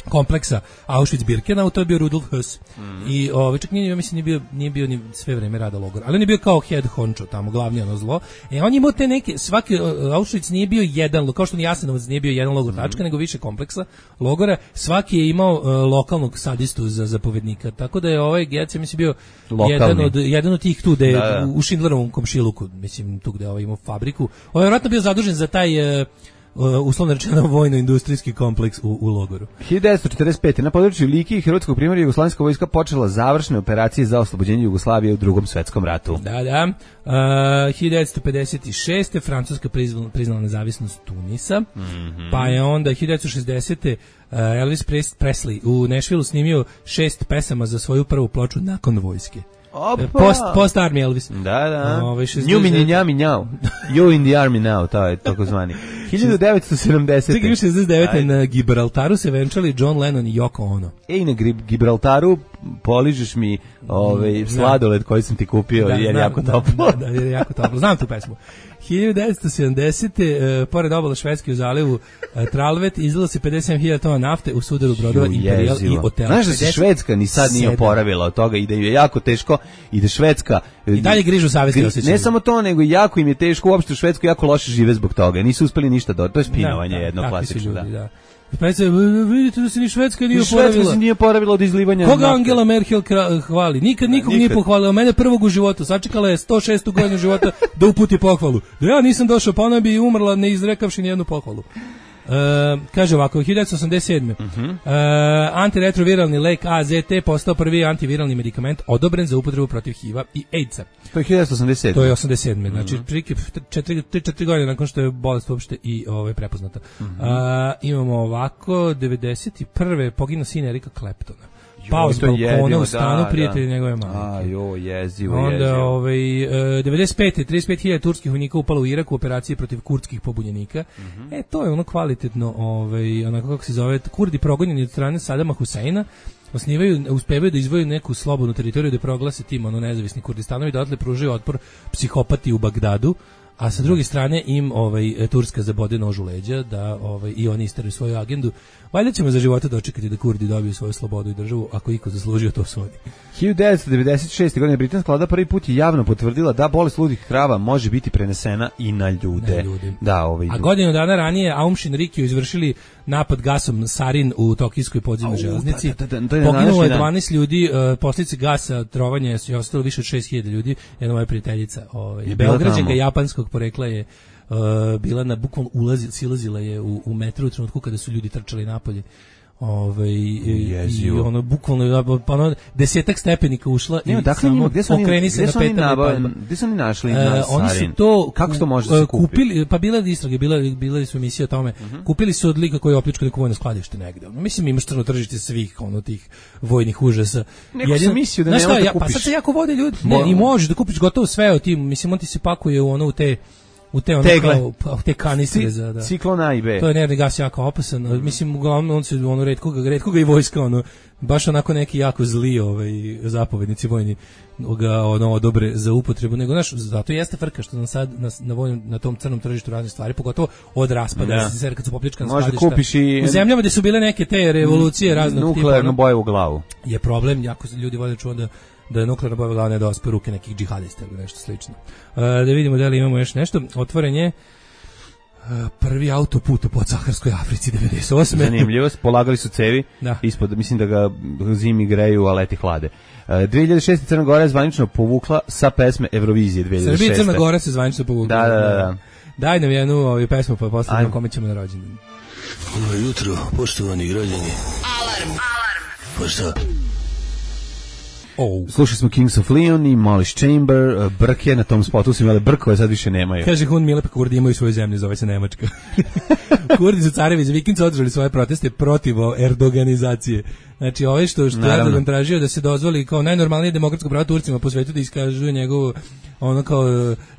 kompleksa Auschwitz-Birkenau, to je bio Rudolf Höss. Mm. I ovaj, čak nije, mislim, nije bio, nije bio ni sve vreme rada logora, ali on je bio kao head honcho tamo, glavni ono zlo. E, on je imao te neke, svaki Auschwitz nije bio jedan, kao što ni Jasenovac nije bio jedan logor tačka, mm. nego više kompleksa logora. Svaki je imao uh, lokalnog sadistu za zapovednika, tako da je ovaj Getz, mislim, bio jedan od, jedan od tih tu, de, da, da. u Schindlerovom komšiluku, mislim, tu gde ovaj imao fabriku. On je vjerojatno bio zadužen za taj... Uh, Uh, uslovno rečeno vojno-industrijski kompleks u, u logoru. hiljadu devetsto četrdeset pete. Na području Like i Hrvatskog primorja Jugoslavijska vojska počela završne operacije za oslobođenje Jugoslavije u Drugom svetskom ratu. Da, da. Uh, hiljadu devetsto pedeset šeste. Francuska priznala, priznala nezavisnost Tunisa. Mm-hmm. Pa je onda hiljadu devetsto šezdesete. Uh, Elvis Presley u Nashvilleu snimio šest pesama za svoju prvu ploču nakon vojske. Opa. Post, post Army Elvis. Da, da. Ove, Nju mi nja mi njao. You in the army now, to je tako zvani. hiljadu devetsto sedamdesete. Čekaj, šezdeset devete. Na Gibraltaru se venčali John Lennon i Yoko Ono. Ej, na Gibraltaru poližeš mi ovaj, sladoled koji sam ti kupio, da, jer je jako toplo. Da, da, jer je jako toplo. Znam tu pesmu. hiljadu devetsto sedamdesete. Uh, pored obala Švedske u zalivu uh, Tralvet izlilo se pedeset sedam hiljada tona nafte u sudaru brodova Imperial i Otel. Znaš da se Švedska ni sad nije oporavila od toga i da ju je jako teško i da Švedska... I dalje grižu savjesti osjećaju. Ne samo to, nego jako im je teško, uopšte u Švedskoj jako loše žive zbog toga. Nisu uspeli ništa do... To je spinovanje da, da, jedno klasično. Ljudi, da. Pa vidite da se ni Švedska nije oporavila. Švedska se nije oporavila od izlivanja. Koga nafte? Angela Merkel hvali? Nikad nikog nije pohvalila. Mene prvog u životu. Sačekala je sto šestu godinu života da uputi pohvalu. Da ja nisam došao, pa ona bi umrla ne izrekavši nijednu pohvalu. Uh, kaže ovako, hiljadu devetsto osamdeset sedme. Uh-huh. uh, antiretroviralni lek A Z T postao prvi antiviralni medikament odobren za upotrebu protiv H I V-a i AIDS-a. To je hiljadu devetsto osamdeset sedme. To je osamdeset sedme. Znači, četiri godine nakon što je bolest uopšte i ovaj, prepoznata. Uh-huh. uh, imamo ovako, devedeset prve poginu sin Erika Claptona. Pao s balkona u stanu, da, prijatelji da. njegove majke. A, jo, jezivo, Onda, jezivo. Ovaj, uh, devedeset pete. trideset pet hiljada turskih vojnika upalo u Iraku u operaciji protiv kurdskih pobunjenika. Mm-hmm. E, to je ono kvalitetno, ovaj, onako kako se zove, Kurdi progonjeni od strane Sadama Huseina, osnivaju, uspevaju da izvoju neku slobodnu teritoriju da proglase tim ono nezavisni Kurdistanovi, da odatle pružaju otpor psihopati u Bagdadu. A sa druge strane im ovaj Turska zabode nož u leđa da ovaj i oni isteraju svoju agendu. Valjda ćemo za života dočekati da Kurdi dobiju svoju slobodu i državu, ako iko zaslužio to svodi. hiljadu devetsto devedeset šeste. godine britanska vlada prvi put je javno potvrdila da bolest ludih krava može biti prenesena i na ljude. Na ljude. Da, ovaj. A godinu dana ranije Aum Shinrikyo izvršili napad gasom sarin u tokijskoj podzemnoj železnici. Da, da, da, da, poginulo je dvanaest ljudi, uh, posljedice gasa, trovanja su ostalo više od šest hiljada ljudi. Jedna moja prijateljica, ovaj Beograđanka japanskog porekla je uh, bila na bukvalno ulazi, silazila je u, u metro u trenutku kada su ljudi trčali napolje. Ove, i, i ono bukvalno pa ono desetak stepenika ušla i dakle, samo gdje su oni, okreni se na petama. Gdje su oni našli na uh, oni su to kako to može se kupili, pa bila je istrage, bila bila su emisije o tome. Uh-huh. Kupili su od lika koji je opljačkao neko vojno skladište negde. Mislim imaš crno tržište svih ono tih vojnih užasa. Jedino mislio da ne možeš da kupiš. Pa sad se jako vode ljudi. Ne, i možeš da kupiš gotovo sve od tim. Mislim on ti se pakuje u ono u te u te ono kao, pa, te kanistre za da. Ciklon A i B. To je nervni gas jako opasan. Mm. Mislim uglavnom on se ono retko ga retko ga i vojska ono baš onako neki jako zli ovaj zapovednici vojni ga ono dobre za upotrebu nego naš zato jeste frka što nam sad na na, vojnom, na tom crnom tržištu razne stvari pogotovo od raspada da se kad su popljačkana skladišta. Kupiš i u zemljama gde su bile neke te revolucije raznog tipa nuklearnu boju u glavu. Je problem jako se ljudi vole čuo da da je nuklearna bomba glavne da ospe ruke nekih džihadista ili nešto slično. Uh, da vidimo da li imamo još nešto. Otvoren je uh, prvi autoput u podsaharskoj Africi devedeset osme. Zanimljivo, polagali su cevi da. Ispod, mislim da ga zimi greju, a leti hlade. Uh, dve hiljade šeste. Crna Gora je zvanično povukla sa pesme Eurovizije dve hiljade šeste. Srbija Crna Gora se zvanično povukla. Da, da, da. da. Daj nam jednu ovu pesmu pa posle kome ćemo na rođendan. Dobro jutro, poštovani građani. Alarm. Alarm. Pa šta? Oh. Slušali smo Kings of Leon i Molly's Chamber, Brke na tom spotu su imali brkove, sad više nemaju. Kaže Hun Milep, Kurdi imaju svoju zemlju, zove se Nemačka. Kurdi su carevi za vikend održali svoje proteste protiv erdoganizacije. Znači, ove što, što Erdogan tražio da se dozvoli kao najnormalnije demokratsko pravo Turcima po svetu da iskažuje njegovo ono kao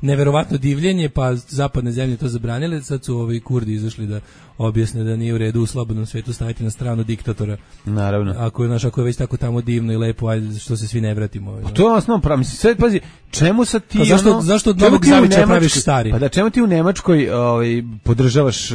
neverovatno divljenje, pa zapadne zemlje to zabranile, sad su ovi Kurdi izašli da objasne da nije u redu u slobodnom svetu staviti na stranu diktatora. Naravno. Ako je, naš, ako je već tako tamo divno i lepo, ajde što se svi ne vratimo. Pa to je osnovno pravo. Mislim, sve, pazi, čemu sad ti... Pa zašto, ono, zašto od Novog Zavića praviš stari? Pa da, čemu ti u Nemačkoj ovaj, podržavaš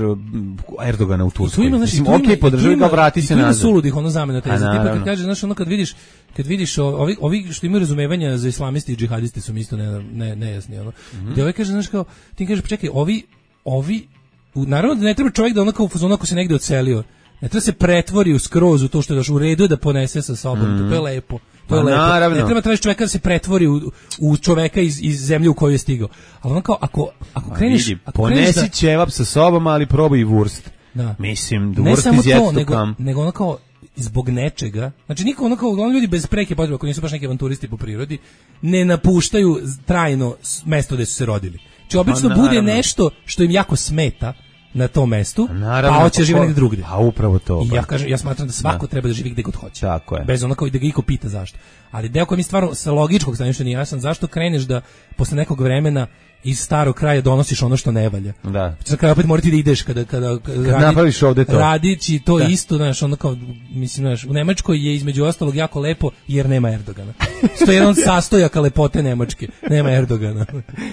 Erdogana u Turskoj? Ima, znači, mislim, okej, okay, podržavaj ga, vrati se nazad. Tu ima suludih, ono zamena teza. Tipa kad kaže, znaš, ono kad vidiš, kad vidiš ovi, ovi što imaju razumevanja za islamisti i džihadisti su mi isto ne, ne, nejasni. Ono. Mm-hmm. Gde ovaj kaže, znaš, kao, ti kaže, pa čekaj, ovi, ovi, u, naravno da ne treba čovjek da onako, onako se negde odselio, ne treba se pretvori u skroz u to što je došlo, u redu da ponese sa sobom, mm-hmm. to je lepo. To je lepo. Naravno. Ne treba tražiti čovjeka da se pretvori u, u čoveka iz, iz zemlje u koju je stigao. Ali ono kao, ako, ako kreneš... Vidi, ako ponesi kreneš da... ćevap sa sobom, ali probaj i vurst. Da. Mislim, da ne vurst samo iz to, nego, kam. nego ono kao zbog nečega, znači niko ono kao oni ljudi bez preke potrebe, ako nisu baš neki avanturisti po prirodi, ne napuštaju trajno mesto gde su se rodili. Znači obično pa, bude nešto što im jako smeta na tom mestu, naravno, pa hoće živjeti negdje drugdje. A upravo to. I ja kažem, ja smatram da svako da. treba da živi gde god hoće. Tako je. Bez onako i da ga iko pita zašto. Ali deo koji mi stvarno sa logičkog stanovišta nije jasan, zašto kreneš da posle nekog vremena iz starog kraja donosiš ono što ne valja. Da. Za kraj opet morati da ideš kada kada, kada radi, napraviš ovde to. Radići to da. isto, znaš, ono kao mislim, znaš, u Nemačkoj je između ostalog jako lepo jer nema Erdogana. To je jedan od sastojaka lepote Nemačke. Nema Erdogana.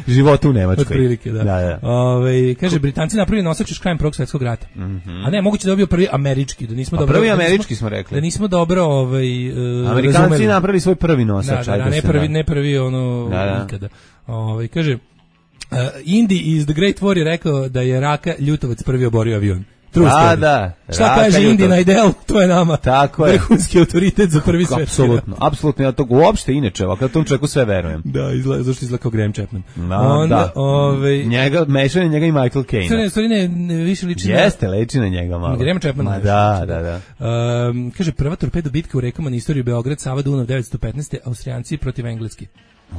Život u Nemačkoj. Otprilike, da. da, da. Ove, kaže, Britanci napravili nosač još krajem Prvog svjetskog rata. Mm-hmm. A ne, moguće da je bio prvi američki, da nismo pa dobro. Prvi da američki nismo, smo rekli. Da nismo dobro ovaj uh, Amerikanci razumeli. napravili svoj prvi nosač. Da, da, da, ne prvi, ne prvi ono da, da. nikada. Ovaj kaže Uh, Indy iz The Great War je rekao da je Raka Ljutovac prvi oborio avion. True story. Da, šta kaže Indy na idel, to je nama. Tako je. Vrhunski autoritet za prvi svetski. Apsolutno, apsolutno, ja to uopšte inače, ovako tom čovjeku sve verujem. Da, izgleda, zašto izgleda kao Graham Chapman. No, onda, da. Ovaj njega, mešanje njega i Michael Caine. Stvari, stvari ne, ne, više liči na... Jeste, liči na njega malo. Graham Chapman. Ma da, da, da. Um, kaže, prva torpedo bitka u rekama na istoriju Beograd, Sava Dunav devetsto petnaeste. Austrijanci protiv Engleski.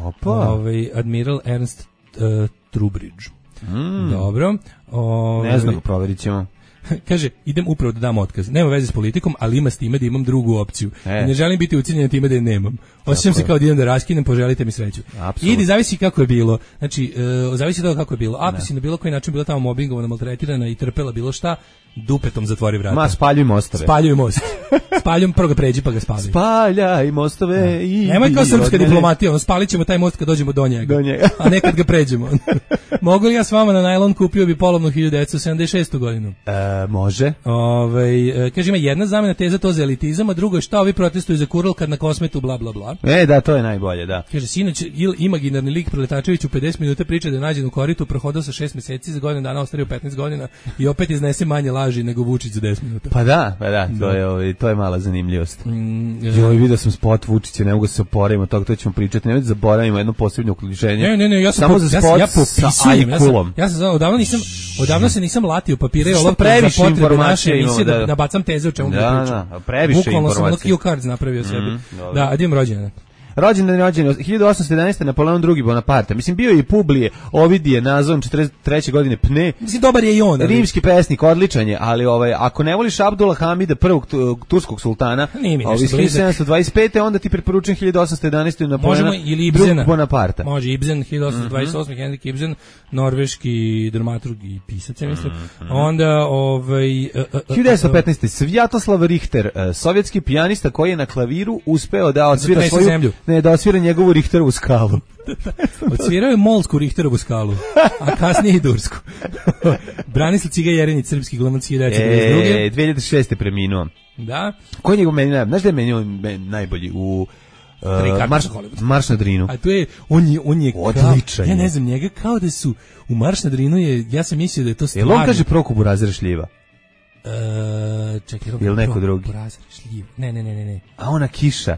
Opa. Ovaj, Admiral Ernst uh, Trubridge. Mm. Dobro. Ove, ne znam, provjerit ćemo. Kaže, idem upravo da dam otkaz. Nema veze s politikom, ali ima s time da imam drugu opciju. E. I ne želim biti ucijenjen time da je nemam. Osjećam se kao da idem da raskinem, poželite mi sreću. Absolutno. Idi, zavisi kako je bilo. Znači, uh, zavisi od kako je bilo. Ako ne. si na bilo koji način bila tamo mobbingovana, maltretirana i trpela bilo šta, dupetom zatvori vrata. Ma, spaljuj mostove. Spaljuj most. Spaljujem, prvo ga pređi pa ga spali. Spaljaj mostove da. i... Nemoj kao srpska diplomatija, ono, spalit ćemo taj most kad dođemo do njega. Do njega. A nekad ga pređemo. Mogu li ja s vama na najlon, kupio bi polovnu hiljadu devetsto sedamdeset šestu godinu? E, može. Ove, kaže, ima jedna zamena teza, to za elitizam, a drugo je šta ovi protestuju za Kurl kad na Kosmetu, bla, bla, bla. E, da, to je najbolje, da. Kaže, sinoć il imaginarni lik Preletačević u pedeset minuta priča da je nađen u koritu, prohodao sa šest meseci, za godinu dana ostario petnaest godina i opet iznese manje laži nego Vučić za deset minuta. Pa da, pa da, to je, ovaj, to je mala zanimljivost. Mm, Joj, vidio sam spot Vučića, ne mogu da se oporavimo od toga, to ćemo pričati, nemojte zaboravimo jedno posebno uključenje. Ne, ne, ne, ja sam samo po, za ja spot ja sa ajkulom. Ja sam, ja sam odavno nisam, odavno se nisam latio papire i olovke za potrebe naše emisije da, da nabacam teze o čemu da, da pričam. Da, previše bukvalno informacija. Bukvalno sam ono cue cards napravio sebi. Mm, da, idem rođendan. Rođendan rođendan hiljadu osamsto jedanaeste. Napoleon drugi Bonaparte. Mislim bio je i Publije, Ovidije, nazvan četrdeset treće godine Pne. Mislim dobar je i on. Ali... Rimski pesnik, odličan je, ali ovaj ako ne voliš Abdullah Hamida prvog turskog sultana, ovaj hiljadu sedamsto dvadeset pete. onda ti preporučujem hiljadu osamsto jedanaeste. Napoleona drugog Bonaparte. Može Ibsen hiljadu osamsto dvadeset osme. Mm-hmm. Henrik Ibsen, norveški dramaturg i pisac, ja mislim. Mm-hmm. Onda ovaj uh, uh, hiljadu devetsto petnaeste. Svjatoslav Richter, uh, sovjetski pijanista koji je na klaviru uspeo da odsvira svoju zemlju. Ne, da osvira njegovu Richterovu skalu. Odsvirao je molsku Richterovu skalu, a kasnije i dursku. Branislav Ciga Jerinić, srpski glumac hiljadu devetsto pedeset druge. E, dve hiljade šeste. preminuo. Da. Ko je njegov meni najbolji? Znaš da je meni najbolji u uh, Marš, Marš na Drinu? A to je, on je, on je odličan. Kao, ja ne znam, njega kao da su, u Marš na Drinu je, ja sam mislio da je to stvarno. Jel on kaže Prokubu Burazira šljiva? Uh, čekaj, ili neko drugi? Burazira šljiva. Ne, ne, ne, ne, ne. A ona kiša.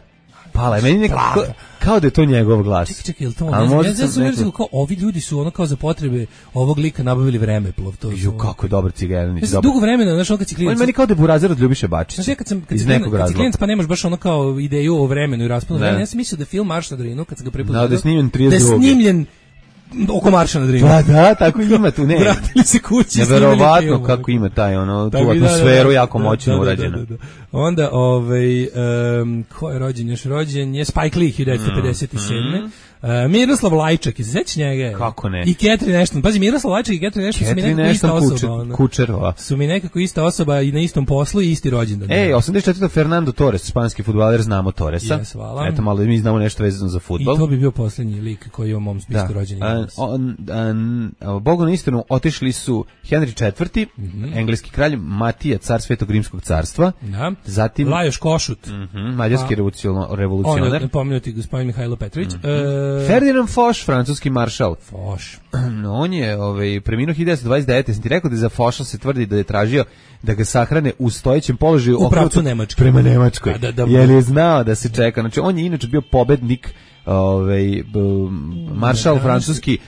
Pa pala je. Meni nekako, kao da je to njegov glas. Čekaj, čekaj, je li to on? Ja, ja sam neko... kao, ovi ljudi su ono kao za potrebe ovog lika nabavili vremeplov. To ju, kako je dobar Cigeranić. Ja dugo vremena, znaš, on kad si klijent... On meni kao da je Burazer od Ljubiše Bačića. Znaš, kad sam, kad si klijent, pa nemaš baš ono kao ideju o vremenu i rasponu vremena, ja sam mislio da film Marš na Drinu, kad sam ga prepozgledao, da je snimljen trideset druge. Da je snimljen oko Marša na Drinu. Pa da, tako ima tu, ne. Vratili se kući. Neverovatno kako ima taj, ono, tu atmosferu da, da, jako moćno da, urađena. Da, da, da. Onda, ovaj, um, ko je rođen, još rođen je Spike Lee, hiljadu devetsto pedeset sedme. Mm. Uh, Miroslav Lajčak, se sećaš njega? Kako ne? I Catherine Ashton. Pazi, Miroslav Lajčak i Catherine Ashton su mi nekako ista osoba. Kučer, Kučerova. Su mi nekako ista osoba i na istom poslu i isti rođendan. Ej, osamdeset četvrte Fernando Torres, španski fudbaler, znamo Torresa. Yes, hvala. Eto, malo mi znamo nešto vezano za fudbal. I to bi bio poslednji lik koji je u mom spisku rođenja. Bogu na istinu, otišli su Henry četvrti, mm-hmm. engleski kralj, Matija, car Svetog Rimskog carstva. Da. Zatim Lajoš Košut. Mm-hmm, mađarski revolucionar. On je pomenuti gospodin Mihajlo Petrović. Mm-hmm. E... Ferdinand Foch, francuski maršal. Foch. No, on je ovaj, preminuo hiljadu devetsto dvadeset devete. Sam ti rekao da za Focha se tvrdi da je tražio da ga sahrane u stojećem položaju u pravcu Nemačke. Prema Nemačkoj. Da, da, jer je znao da se čeka. Znači, on je inače bio pobednik, ovaj, maršal da, francuski,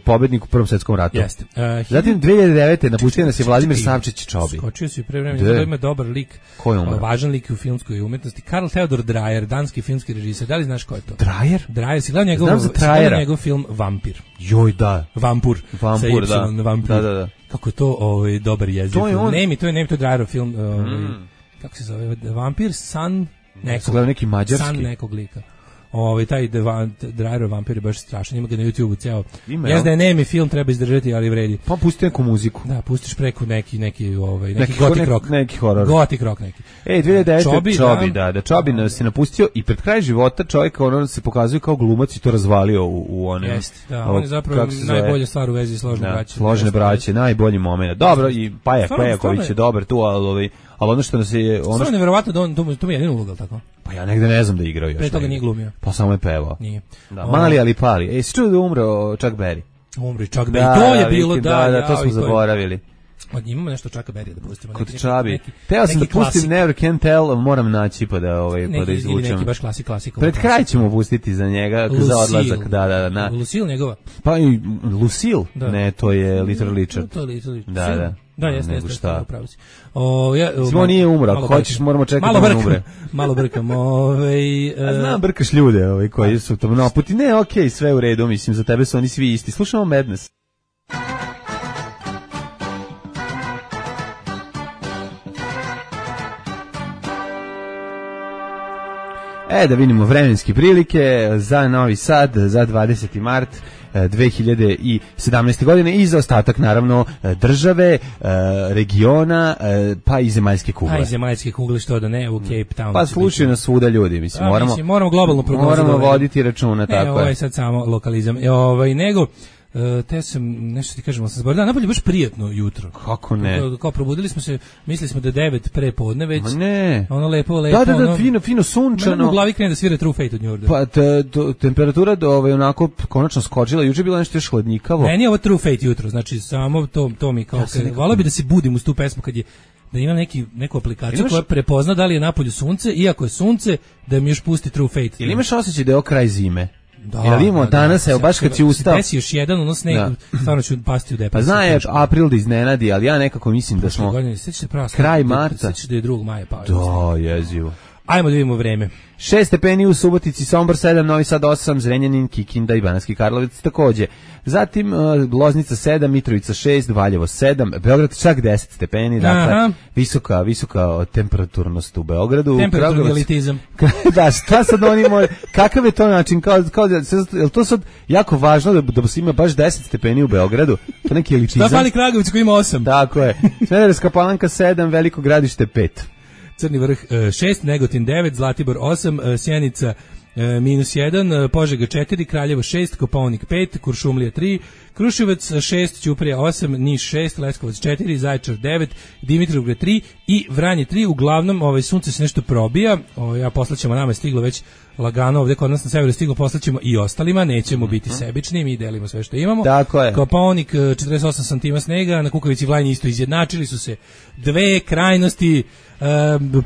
pobednik u Prvom svetskom ratu. Jeste. Uh, Zatim dve hiljade devete napustio nas je Vladimir Savčić Čobi. Skočio si pre vremena, da ima dobar lik. Ko je umro? Važan lik u filmskoj umetnosti. Karl Theodor Dreyer, danski filmski režiser. Da li znaš ko je to? Dreyer? Dreyer, si gledao njegov, si gledao njegov film Vampir. Joj, da. Vampur. Vampur, da. Vampir. Da, da, da. Kako je to ovaj, dobar jezik. To je on. Nemi, to je Nemi, to je Dreyerov film. Ovaj, mm. Kako se zove? Vampir, san nekog. Gledao neki mađarski. San nekog lika. Ovaj taj Dreyer Vampir je baš strašan, ima ga na YouTubeu ceo. Ja da je nemi film, treba izdržati, ali vredi. Pa pusti neku muziku. Da, pustiš preko neki neki ovaj neki, neki gotik rock, neki horor. Gotik rock neki. Ej, dve hiljade devete Čobi, Čobi da, da, da Čobi nas se napustio i pred kraj života čovjek ono se pokazuje kao glumac i to razvalio u u onom. Jeste, da, on je zapravo najbolja stvar u vezi složne da, braće. Složne braće, najbolji momenat. Dobro, i Paja Pejaković je dobar tu, al ovaj ali ono što nas je ono što je neverovatno da on to, to mi je jedino uloga tako. Pa ja negde ne znam da je igrao još. Pre toga nije glumio. Pa samo je pevao. Nije. Da, mali ali pali. Ej, si čuo da umro Chuck Berry? Umri Chuck Berry. To je bilo da, da, da, to smo zaboravili. Od imamo nešto Chucka Berrya da pustimo. Kod Čabi. Teo sam da pustim Never Can Tell, moram naći pa da ovaj pa da izvučem. Neki baš klasik klasika. Pred kraj ćemo pustiti za njega za odlazak, da, da, da. Lucille njegova. Pa i Lucille? Ne, to je Little Richard. To je Little Richard. Da, da. Da, jeste, jeste, upravo si. O, ja, Simo nije umro, ako hoćeš moramo čekati da on umre. Malo brkam, ovaj... Uh... Znam, brkaš ljude ovaj, koji su to naputi. Ne, okej, okay, sve u redu, mislim, za tebe su oni svi isti. Slušamo Madness. E, da vidimo vremenske prilike za Novi Sad, za dvadeseti mart dve hiljade sedamnaeste. godine i za ostatak naravno države, regiona, pa i zemaljske kugle. Pa i zemaljske kugle, što da ne, u Cape Town. Pa slušaju nas svuda ljudi, mislim, A, moramo, mislim, moramo globalno prognozu. Moramo voditi računa, ne, tako ovo je. je sad samo lokalizam. E, ovaj, nego, Uh, te sam, nešto ti kažemo, sam zborio, da, napolje baš prijatno jutro. Kako ne? Kao, kao probudili smo se, mislili smo da je devet pre podne već. Ma ne. Ono lepo, lepo. Da, da, da, ono, fino, fino sunčano. U glavi krene da svira True Fate od New Order. Pa te, to, temperatura do ovaj onako konačno skočila, juče je bilo nešto još hladnjikavo. Meni je ovo True Fate jutro, znači samo to, to mi kao, ja nekako... volao bi da se budim uz tu pesmu kad je, da ima neki, neku aplikaciju imaš... koja prepozna da li je napolju sunce, iako je sunce, da mi još pusti True Fate. Ili imaš osjećaj da je ovo kraj zime? Da, ja vidimo da, danas, da, evo, baš kad si ustao. Desi još jedan, ono sneg, da. Stvarno ću pasti u depresiju. Pa zna je april da iznenadi, ali ja nekako mislim da smo godine, se kraj marta. Sećaš da je drugog maja pao. Da, jezivo. Ajmo da vidimo vreme. šest stepeni u Subotici, Sombor sedam, Novi Sad osam, Zrenjanin, Kikinda i Banatski Karlovac takođe. Zatim uh, Loznica sedam, Mitrovica šest, Valjevo sedam, Beograd čak deset stepeni, dakle aha, visoka, visoka temperaturnost u Beogradu. Temperaturni elitizam. Da, šta sad oni moji, kakav je to način, kao, kao da, je to sad jako važno da, da ima baš deset stepeni u Beogradu, to neki elitizam. Šta fali Kragovic koji ima osam? Tako je, Smederevska Palanka sedam, Veliko Gradište pet. Crni vrh šest, Negotin devet, Zlatibor osam, Sjenica minus jedan, Požega četiri, Kraljevo šest, Kopaonik pet, Kuršumlija tri, Kruševac šest, Ćuprija osam, Niš šest, Leskovac četiri, Zaječar devet, Dimitrovgrad tri i Vranje tri. Uglavnom, ovaj sunce se nešto probija. Ovaj ja poslaćemo, nama je stiglo već lagano ovdje kod nas na severu stiglo, poslaćemo i ostalima, nećemo biti sebični, mi delimo sve što imamo. Tako je. Kopaonik četrdeset osam santima snega, na Kukavici Vlajni isto izjednačili su se dve krajnosti e,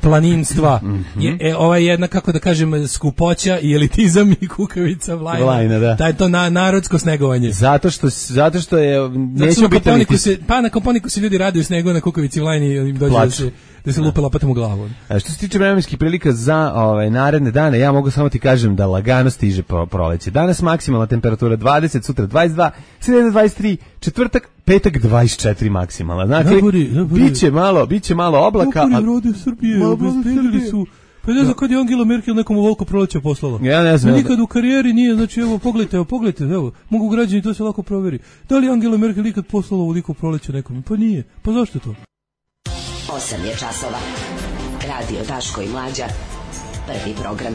planinstva. Mm-hmm. Je, e, ova jedna, kako da kažem, skupoća i elitizam i Kukavica Vlajna. Vlajna, da. Taj to na, narodsko snegovanje. Zato što, zato što je nećemo biti se, pa na Koponiku se ljudi raduju snegu, na Kukavici Vlajni im dođe da se da se lupe lopatom u glavu. A što se tiče vremenskih prilika za ovaj naredne dane, ja mogu samo ti kažem da lagano stiže proleće. Danas maksimalna temperatura dvadeset, sutra dvadeset dva, sreda dvadeset tri, četvrtak, petak dvadeset četiri maksimalna. Znači, biće malo, biće malo oblaka. Kako je rode Srbije, obezbedili su. Pa ne znam kad je Angela Merkel nekom ovoliko proleća poslala. Ja ne znam. Nikad u karijeri nije, znači evo pogledajte, evo pogledajte, evo, mogu građani to se lako proveri. Da li Angela Merkel nikad poslala ovoliko proleća nekom? Pa nije. Pa zašto to? osam je časova. Radio Daško i Mlađa. Prvi program.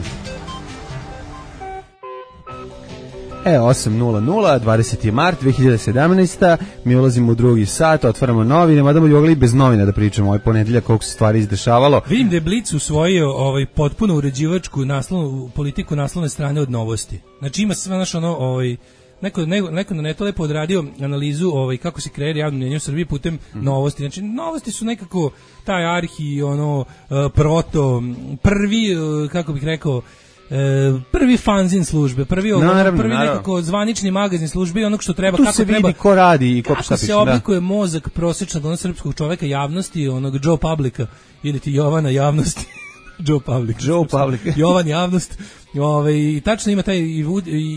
E, osam nula nula, dvadeseti mart dve hiljade sedamnaeste. Mi ulazimo u drugi sat, otvaramo novine, mada bi mogli bez novina da pričamo ovaj ponedeljak koliko se stvari izdešavalo. Vidim da je Blic usvojio ovaj potpuno uređivačku naslovnu politiku naslovne strane od Novosti. Znači ima sve naš ono ovaj Neko, neko, neko na neto lepo odradio analizu ovaj, kako se kreira javno mnjenje u Srbiji putem mm. Novosti. Znači, Novosti su nekako taj arhi, ono, uh, proto, prvi, uh, kako bih rekao, uh, prvi fanzin službe, prvi, naravno, prvi naravno. nekako zvanični magazin službe i onog što treba, tu kako se treba, vidi ko radi i ko kako se oblikuje da. Mozak prosječnog onog srpskog čoveka javnosti, onog Joe Publica ili ti Jovana javnosti. Joe Public. Joe Public. Jovan javnost. Ovaj i tačno ima taj i,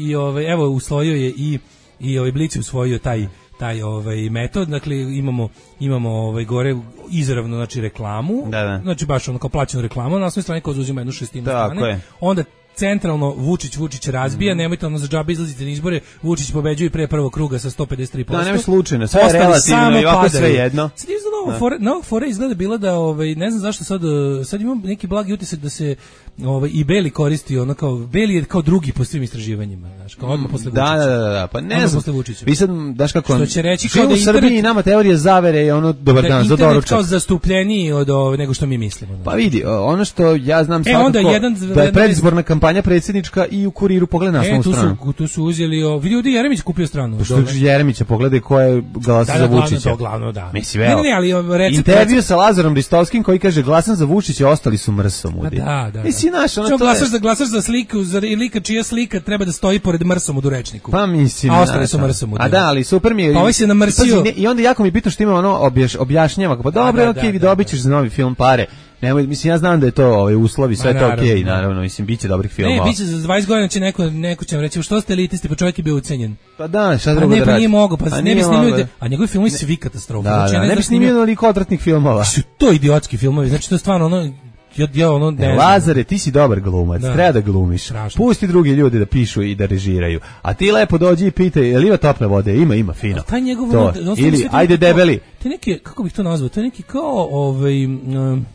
i ovaj evo usvojio je i i ovaj Blic usvojio taj taj ovaj metod. Dakle imamo imamo ovaj gore izravno znači reklamu. Da, da. Znači baš ono kao plaćenu reklamu, na svojoj strani ko uzima jednu šestinu strane. Je. Onda centralno Vučić Vučić razbija, mm. nemojte ono za džabe izlazite na izbore, Vučić pobeđuje pre prvog kruga sa sto pedeset tri posto. Da, nema slučajno, sve je relativno i ovako sve jedno. Sad je za novo fore, novog fore izgleda bila da ovaj ne znam zašto sad sad imam neki blagi utisak da se ovaj i Beli koristi ono kao Beli je kao drugi po svim istraživanjima, znači kao odmah posle Vučića. Da, da, da, da, pa ne znam. Vi sad daš kako što će reći kao da u Srbiji nama teorija zavere je ono dobar dan za doručak. Kao zastupljeniji od ove, nego što mi mislimo. Znači. Pa vidi, ono što ja znam svakako e, jedan, da je predizborna kampanja predsjednička i u Kuriru pogleda naslovnu e, stranu. Su, tu su uzeli, o, vidi ovdje Jeremić kupio stranu. Što Jeremića pogledaj ko je glasa da, za da, Vučića. Da, glavno, da. Mislim, evo, ne, ne, ali recept, intervju sa Lazarom Ristovskim koji kaže glasan za Vučića, ostali su mrsomudi. Da, da. Mislim, naš, ono to glasaš, da, glasaš za sliku, za lika čija slika treba da stoji pored mrsomudu rečniku. Pa mislim. A ostali su mrsomudi. A da, ali super mi je. Pa ovaj se namrsio. I onda jako mi bitno što ima ono objaš, objašnjava. Pa dobro, okej, vi dobićeš za novi film pare. Nemoj, mislim, ja znam da je to ovaj uslovi, sve Ma, to okej, okay, naravno, mislim, biće dobrih filmova. Ne, biće za dvadeset godina će neko, neko će vam reći, što ste elitisti, pa čovjek je bio ucenjen. Pa da, šta drugo da radi? Ne, pa nije mogo, pa ne bi snimio, da, a njegovi filmovi svi katastrofa. Da, znači, da, ne, ne bi snimio onoliko odvratnih filmova. Su to idiotski filmovi, znači to je stvarno ono, ja, ja ono ne, ne Lazare, ti si dobar glumac, da. treba da glumiš. Strašno. Pusti drugi ljudi da pišu i da režiraju. A ti lepo dođi i pitaj, je li ima tople vode? Ima, ima, fino. Taj njegov to. On, on ili, ajde debeli. To je neki, kako bih to nazvao, to je neki kao, ovaj, um,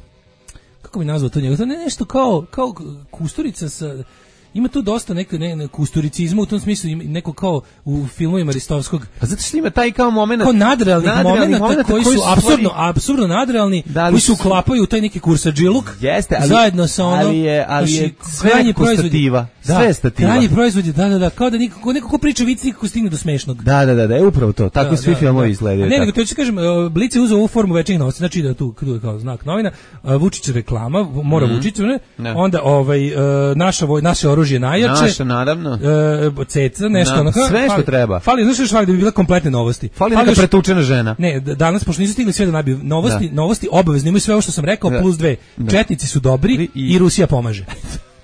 kako bi nazvao to njegov, to je nešto kao, kao Kusturica sa... Ima tu dosta neke ne, ne, kusturicizma u tom smislu, neko kao u filmovima Ristovskog. Pa zato što ima taj kao moment, kao nadrealnih momenata koji, koji su apsurdno, apsurdno nadrealni, da, koji se uklapaju u taj neki kursadžiluk. Jeste, ali zajedno sa ono, ali je, ali je sve stativa, da, sve stativa. Krajnji proizvod je, da, da, da, kao da niko, neko ko priča vici kako stigne do smešnog. Da, da, da, da, je upravo to. Tako da, svi da, filmovi da. izgledaju. Ne, nego to ću kažem, Blic je uzeo ovu formu večernjih novosti, znači da tu kao znak novina, Vučić reklama, mora mm. Vučić, ne? Ne. Onda ovaj naša voj, naše oružje najjače. Naravno. E, ceca, nešto onako. Sve što fali, treba. Fali, znaš što fali da bi bile kompletne novosti. Fali, fali neka pretučena žena. Ne, danas pošto nisu stigli sve da nabiju novosti, da. novosti obavezno imaju sve ovo što sam rekao da. plus dve. Da. Četnici su dobri i, i Rusija pomaže.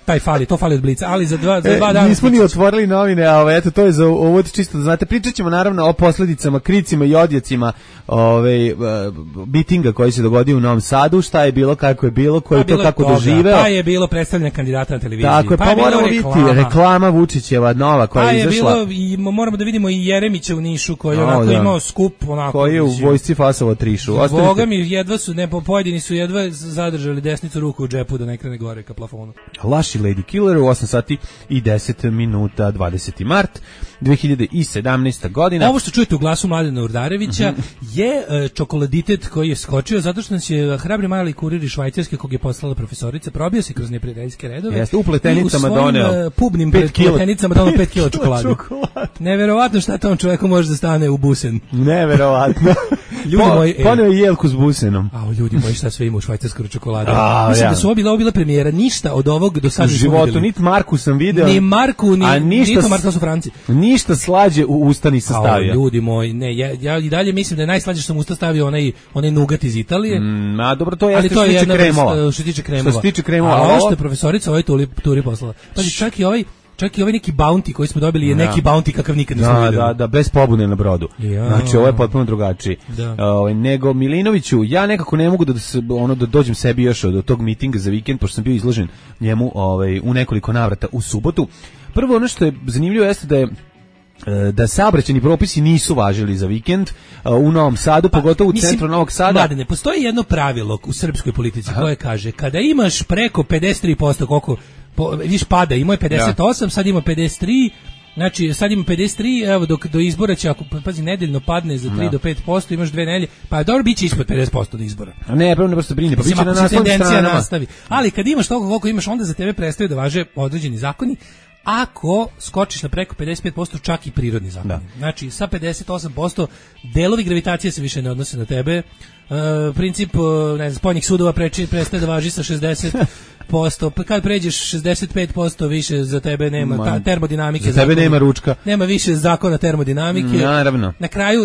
Taj fali, to fali od Blica, ali za dva, za dva e, dana... Nismo ni otvorili novine, a ovo, eto, to je za ovo čisto da znate. Pričat ćemo naravno o posljedicama, kricima i odjecima ove, bitinga koji se dogodio u Novom Sadu, šta je bilo, kako je bilo, ko je to kako toga, doživeo. Pa je bilo predstavljanje kandidata na televiziji. Tako je, pa, pa moramo vidjeti reklama Vučićeva nova koja pa je izašla. Pa je bilo, i moramo da vidimo i Jeremića u Nišu koji je onako da. imao skup. Onako, koji je u vojsci fasovo trišu. Boga mi, jedva su, ne, pojedini su jedva zadržali desnicu ruku u džepu da ne krene gore ka plafonu. Laši Lady Killer u osam sati i deset minuta, dvadeseti mart dve hiljade sedamnaesta godina. Ovo što čujete u glasu Mladena Urdarevića mm-hmm. je uh, čokoladitet koji je skočio zato što nas je hrabri mali kurir iz Švajcarske kog je poslala profesorica, probio se kroz neprijateljske redove. Jeste, u pletenicama doneo uh, pubnim pletenicama doneo pet kila čokolade. Neverovatno šta tom čoveku može da stane u busen. Neverovatno. Ljudi po, moji, poneo je jelku s busenom. A ljudi moji, šta sve ima u švajcarskoj čokoladi. Mislim ja. da su ovo bila, ovo bila premijera, ništa od ovog do sada u životu, niti Marku sam video. Ni Marku, ni, a ništa, ni Marku su Franci. Ništa slađe u usta nisam stavio. A ljudi moji, ne, ja, ja i dalje mislim da je najslađe što sam usta stavio onaj, onaj nugat iz Italije. Mm, a dobro, to je ali to je jedna kremova. Što se tiče kremova. Što se tiče kremova. A ovo što je profesorica ovaj turi, turi poslala. Pazi, čak i ovaj Čak i ovaj neki bounty koji smo dobili je da. neki bounty kakav nikad nismo da, videli. Da, da, bez pobune na brodu. Ja. Znači, ovo je potpuno drugačiji. Da. Ovaj nego Milinoviću, ja nekako ne mogu da, da se, ono da dođem sebi još od tog mitinga za vikend, pošto sam bio izložen njemu ovaj u nekoliko navrata u subotu. Prvo ono što je zanimljivo jeste da je da saobraćajni propisi nisu važili za vikend u Novom Sadu, pa, pogotovo u mislim, centru Novog Sada. Mladene, postoji jedno pravilo u srpskoj politici Aha. koje kaže, kada imaš preko pedeset tri posto koliko po, viš pada, imao je pedeset osam, ja. sad ima pedeset tri, znači sad ima pedeset tri, evo dok do izbora će, ako pazi, nedeljno padne za tri do pet posto, imaš dve nedelje, pa dobro biće ispod pedeset posto do izbora. A ne, prvo ne prosto brini, pa biće na naslovnim stranama. Nastavi. Ali kad imaš toliko koliko imaš, onda za tebe prestaju da važe određeni zakoni. Ako skočiš na preko pedeset pet posto, čak i prirodni zakon. Da. Znači, sa pedeset osam posto delovi gravitacije se više ne odnose na tebe. Uh, princip, uh, ne znam, spoljnih sudova preči, prestaje da važi sa šezdeset posto. Kad pređeš šezdeset pet posto više, za tebe nema ta, termodinamike. Za tebe zakona, nema ručka. Nema više zakona termodinamike. Naravno. Na kraju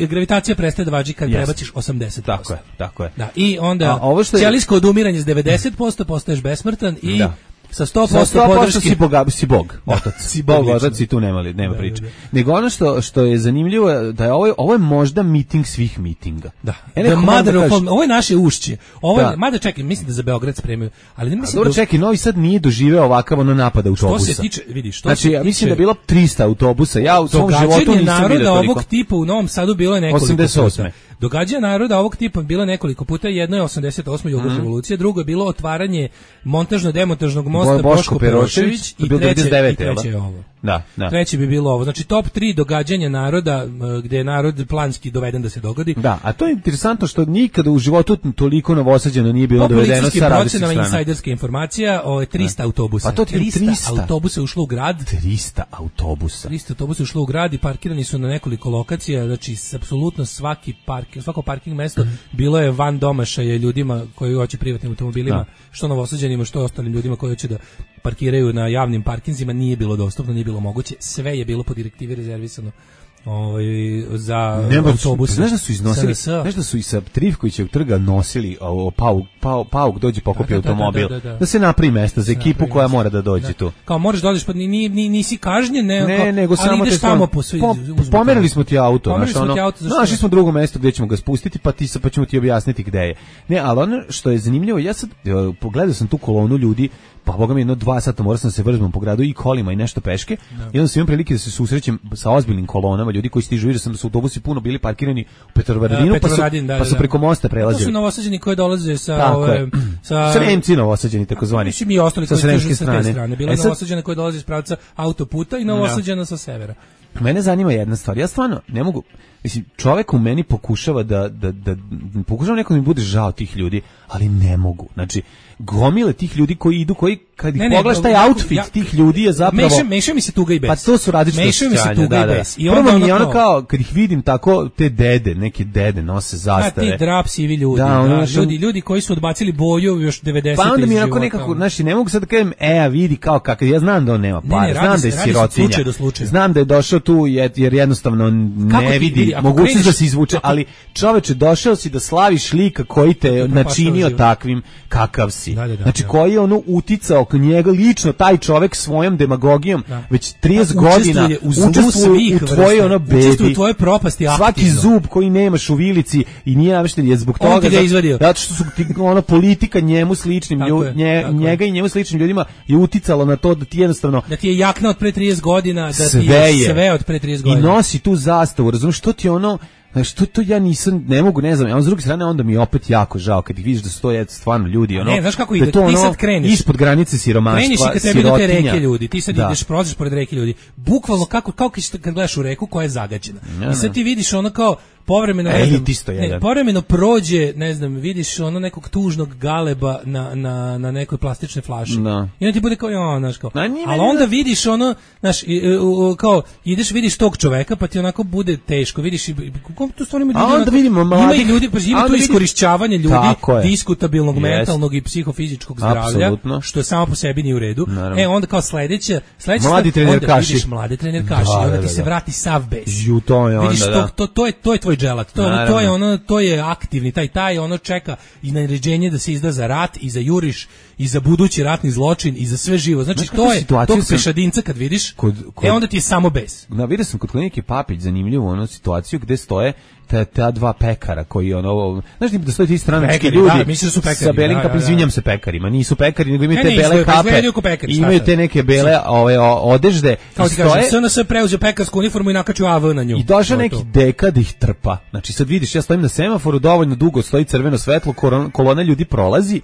gravitacija prestaje da važi kad yes. prebaciš osamdeset posto. Tako je, tako je. Da, i onda ovo što je... ćelijsko odumiranje s devedeset posto, postaješ besmrtan i... Da. Sa sto posto podrške si Bog, si Bog, otac. Si Bog, otac i tu nema li, nema priče. Nego ono što što je zanimljivo da je ovo ovo je možda miting svih mitinga. Da. The mother of all, ovo je naše ušće. Ovo je, mada čekaj, mislim da za Beograd spremaju, ali ne mislim. Dobro, čekaj, Novi Sad nije doživeo ovakav ono napad autobusa. Što se tiče, vidi, što znači, se ja mislim tiče, da je bilo trista autobusa. Ja u svom životu nisam vidio toliko. Ovog tipa u Novom Sadu bilo je nekoliko osamdeset osme. Događanja naroda ovog tipa bilo nekoliko puta, jedno je osamdeset osme Jugoslavijska mm. revolucija, drugo je bilo otvaranje montažno-demontažnog mosta Boško Perošević i treće, i treće je ovo. Da, da. Treće bi bilo ovo. Znači top tri događanja naroda gdje je narod planski doveden da se dogodi. Da, a to je interesantno što nikada u životu toliko Novosađana nije bilo dovedeno sa različitih strana. Insajderska informacija o trista autobusa. Pa to trista, trista autobusa ušlo u grad. trista autobusa. trista autobusa ušlo u grad i parkirani su na nekoliko lokacija, znači apsolutno svaki parking, svako parking mesto mm. bilo je van domašaja ljudima koji hoće privatnim automobilima, da. Što Novosađanima, što ostalim ljudima koji hoće da parkiraju na javnim parkinzima, nije bilo dostupno, nije bilo moguće, sve je bilo po direktivi rezervisano ovaj za Nema, autobuse. Znaš da su iznosili, znaš da su i sa Trivkovićevog trga nosili o, pauk, pauk, pauk dođe pokupi da, da, automobil, da, da, da, da. da se napravi mesto za ekipu koja mesta. Mora da dođe da. Tu. Kao možeš dođeš, pa ni, ni, nisi kažnjen, ne, ne kao, nego samo ideš tamo po sve. Po, pomerili smo ti auto, znaš, ono, našli smo drugo mesto gdje ćemo ga spustiti, pa ti sa pa ćemo ti objasniti gde je. Ne, ali ono što je zanimljivo, ja sad pogledao sam tu kolonu ljudi, pa boga mi jedno dva sata morao sam se vrzmom po gradu i kolima i nešto peške. No. I onda sam imao prilike da se susrećem sa ozbiljnim kolonama, ljudi koji stižu, vidio sam da su autobusi puno bili parkirani u Petrovaradinu, pa, da, pa su da, preko mosta prelazili. To su Novosađani koji dolaze sa ove, sa Sremci Novosađani takozvani. Mislim i ostali koji stižu sa te strane. Bilo je Novosađana koji dolaze iz pravca autoputa i Novosađana sa severa. Mene zanima jedna stvar. Ja stvarno ne mogu, mislim, čovjek u meni pokušava da da da, da pokušava nekom mi bude žao tih ljudi, ali ne mogu. Znači, gomile tih ljudi koji idu, koji kad ih pogledaš taj outfit ja, tih ljudi je zapravo meša, meša mi se tuga i bes. Pa to su različite meša mi se tuga da, i bes. I onda mi je ono kao kad ih vidim tako te dede, neke dede nose zastave. A ti drap sivi ljudi, da, ono, da, ljudi, ljudi koji su odbacili boju još devedesetih. Pa onda mi je onako nekako, znači ne mogu sad da kažem, e, a vidi kao kakav, ja znam da on nema para, ne, ne, znam se, da je sirotinja. Znam da je došao tu jer, jer jednostavno ne vidi mogućnost da se izvuče, ako, ali čoveče, došao si da slaviš lika koji te načinio takvim kakav si. Da, da, da, znači da. koji je ono uticao k njega lično taj čovjek svojom demagogijom da. Već trideset godina učestvuje u tvojoj ono bedi, u tvojoj propasti aktivno. Svaki zub koji nemaš u vilici i nije namešten je zbog on toga za, zato što su ti, ono politika njemu sličnim ljud, je, nje, njega je. I njemu sličnim ljudima je uticalo na to da ti jednostavno da ti je jakna od pre trideset godina, da sve ti je sve od pre trideset godina i nosi tu zastavu, razumiješ, što ti ono Znaš, to, to ja nisam, ne mogu, ne znam, a s druge strane onda mi je opet jako žao kad ih vidiš da su to je stvarno ljudi, ono, ne, znaš kako da ide, to ti ono, sad kreneš, ispod granice siromaštva, kreneš i kad tebi do te reke ljudi, ti sad da. ideš, prođeš pored reke ljudi, bukvalno kako, kao kad gledaš u reku koja je zagađena, ja, i sad ti vidiš ono kao, povremeno, e, znam, ne, povremeno prođe, ne znam, vidiš ono nekog tužnog galeba na, na, na nekoj plastičnoj flaši. No. I onda ti bude kao, ja, znaš, kao. Na, ali onda vidiš ono, znaš, kao, ideš, vidiš tog čoveka, pa ti onako bude teško, vidiš, kako tu stvarno ima ljudi, a onda vidimo mladih, ima ljudi, pa ima tu iskorišćavanje ljudi, diskutabilnog yes. mentalnog i psihofizičkog zdravlja, apsolutno. što je samo po sebi nije u redu. Naravno. E, onda kao sledeće, sledeće mladi trenerkaši. Vidiš mlade trenerkaši, da, onda ti da, da. se vrati sav bes. Ju, to je onda, vidiš, da. to, to, to, je, to je tvoj dželat, to, ono, to je ono, to je aktivni, taj taj ono čeka i naređenje da se izda za rat i za juriš i za budući ratni zločin i za sve živo. Znači znaš, to je tog pešadinca kad vidiš, kod, kod, e onda ti je samo bes. Na vidio sam kod klinike Papić zanimljivu onu situaciju gde stoje ta, ta dva pekara koji ono, znaš da stoje ti stranački pekari, ljudi da, mislim da su pekari, sa belim da, kapom, da, da. Izvinjam se pekarima, nisu pekari, nego imaju ne, te nisu, bele kape, pekari, imaju te neke bele ove odežde. Kao ti kažem, S N S preuzeo pekarsku uniformu i nakačio A V na nju. I došao neki deka da ih trpa. Znači sad vidiš, ja stojim na semaforu, dovoljno dugo stoji crveno svetlo, kolona ljudi prolazi.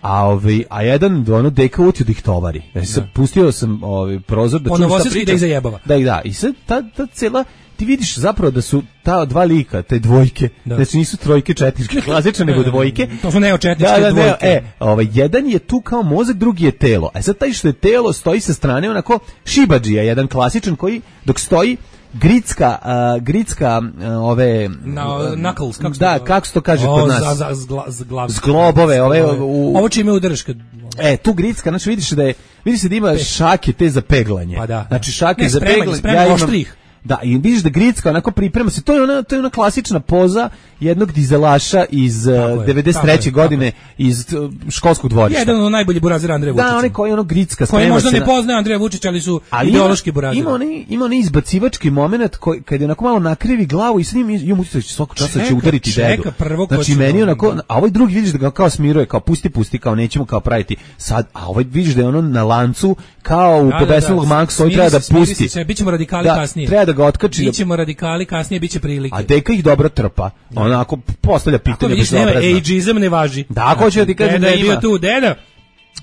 A ovaj a jedan ono deka utio da ih tovari. Znači sad pustio sam ovaj prozor da čujem šta priča. Da ih zajebava. Da, da. I sad ta, ta cela ti vidiš zapravo da su ta dva lika, te dvojke, da. Znači nisu trojke, četničke, klasične, nego dvojke. To su neočetničke da, da, dvojke. Ne, e, ovaj, jedan je tu kao mozak, drugi je telo. A sad taj što je telo stoji sa strane onako šibadžija, jedan klasičan koji dok stoji Gritska, uh, gritska uh, ove no, knuckles, kako da, to, kako se to kaže o, kod nas? Za, za, zgla, zglav, zglobove, ove u, ovo čime udreš kad e, tu gritska, znači vidiš da je vidiš se da ima Pe. šake te za peglanje. Pa da. Znači šake ne, za spremanje, peglanje. Spremanje, ja imam, da, i vidiš da Gritska onako priprema se, to je ona, to je ona klasična poza jednog dizelaša iz uh, devedeset treće godine iz uh, školskog dvorišta. Jedan od najboljih burazira Andreja Vučića. Da, onaj koji ono Gritska sprema koji možda se ne poznaje Andreja Vučića, ali su ali ideološki buraziri. Ima onaj ima onaj izbacivački momenat koji kad je onako malo nakrivi glavu i s njim i mu će svakog časa će udariti dedu. Znači meni onako, a ovaj drugi vidiš da ga kao smiruje, kao pusti pusti, kao nećemo kao praviti sad, a ovaj vidiš da je ono na lancu kao u Pobesnelog Maxa, treba da pusti. Se, bićemo radikali kasnije. Treba da ga otkači. Bićemo radikali kasnije, biće prilike. A deka ih dobro trpa. Onako postavlja pitanje bez obrazna. Ageizam ne važi. Da, hoće da ti kažem da je bio tu deda.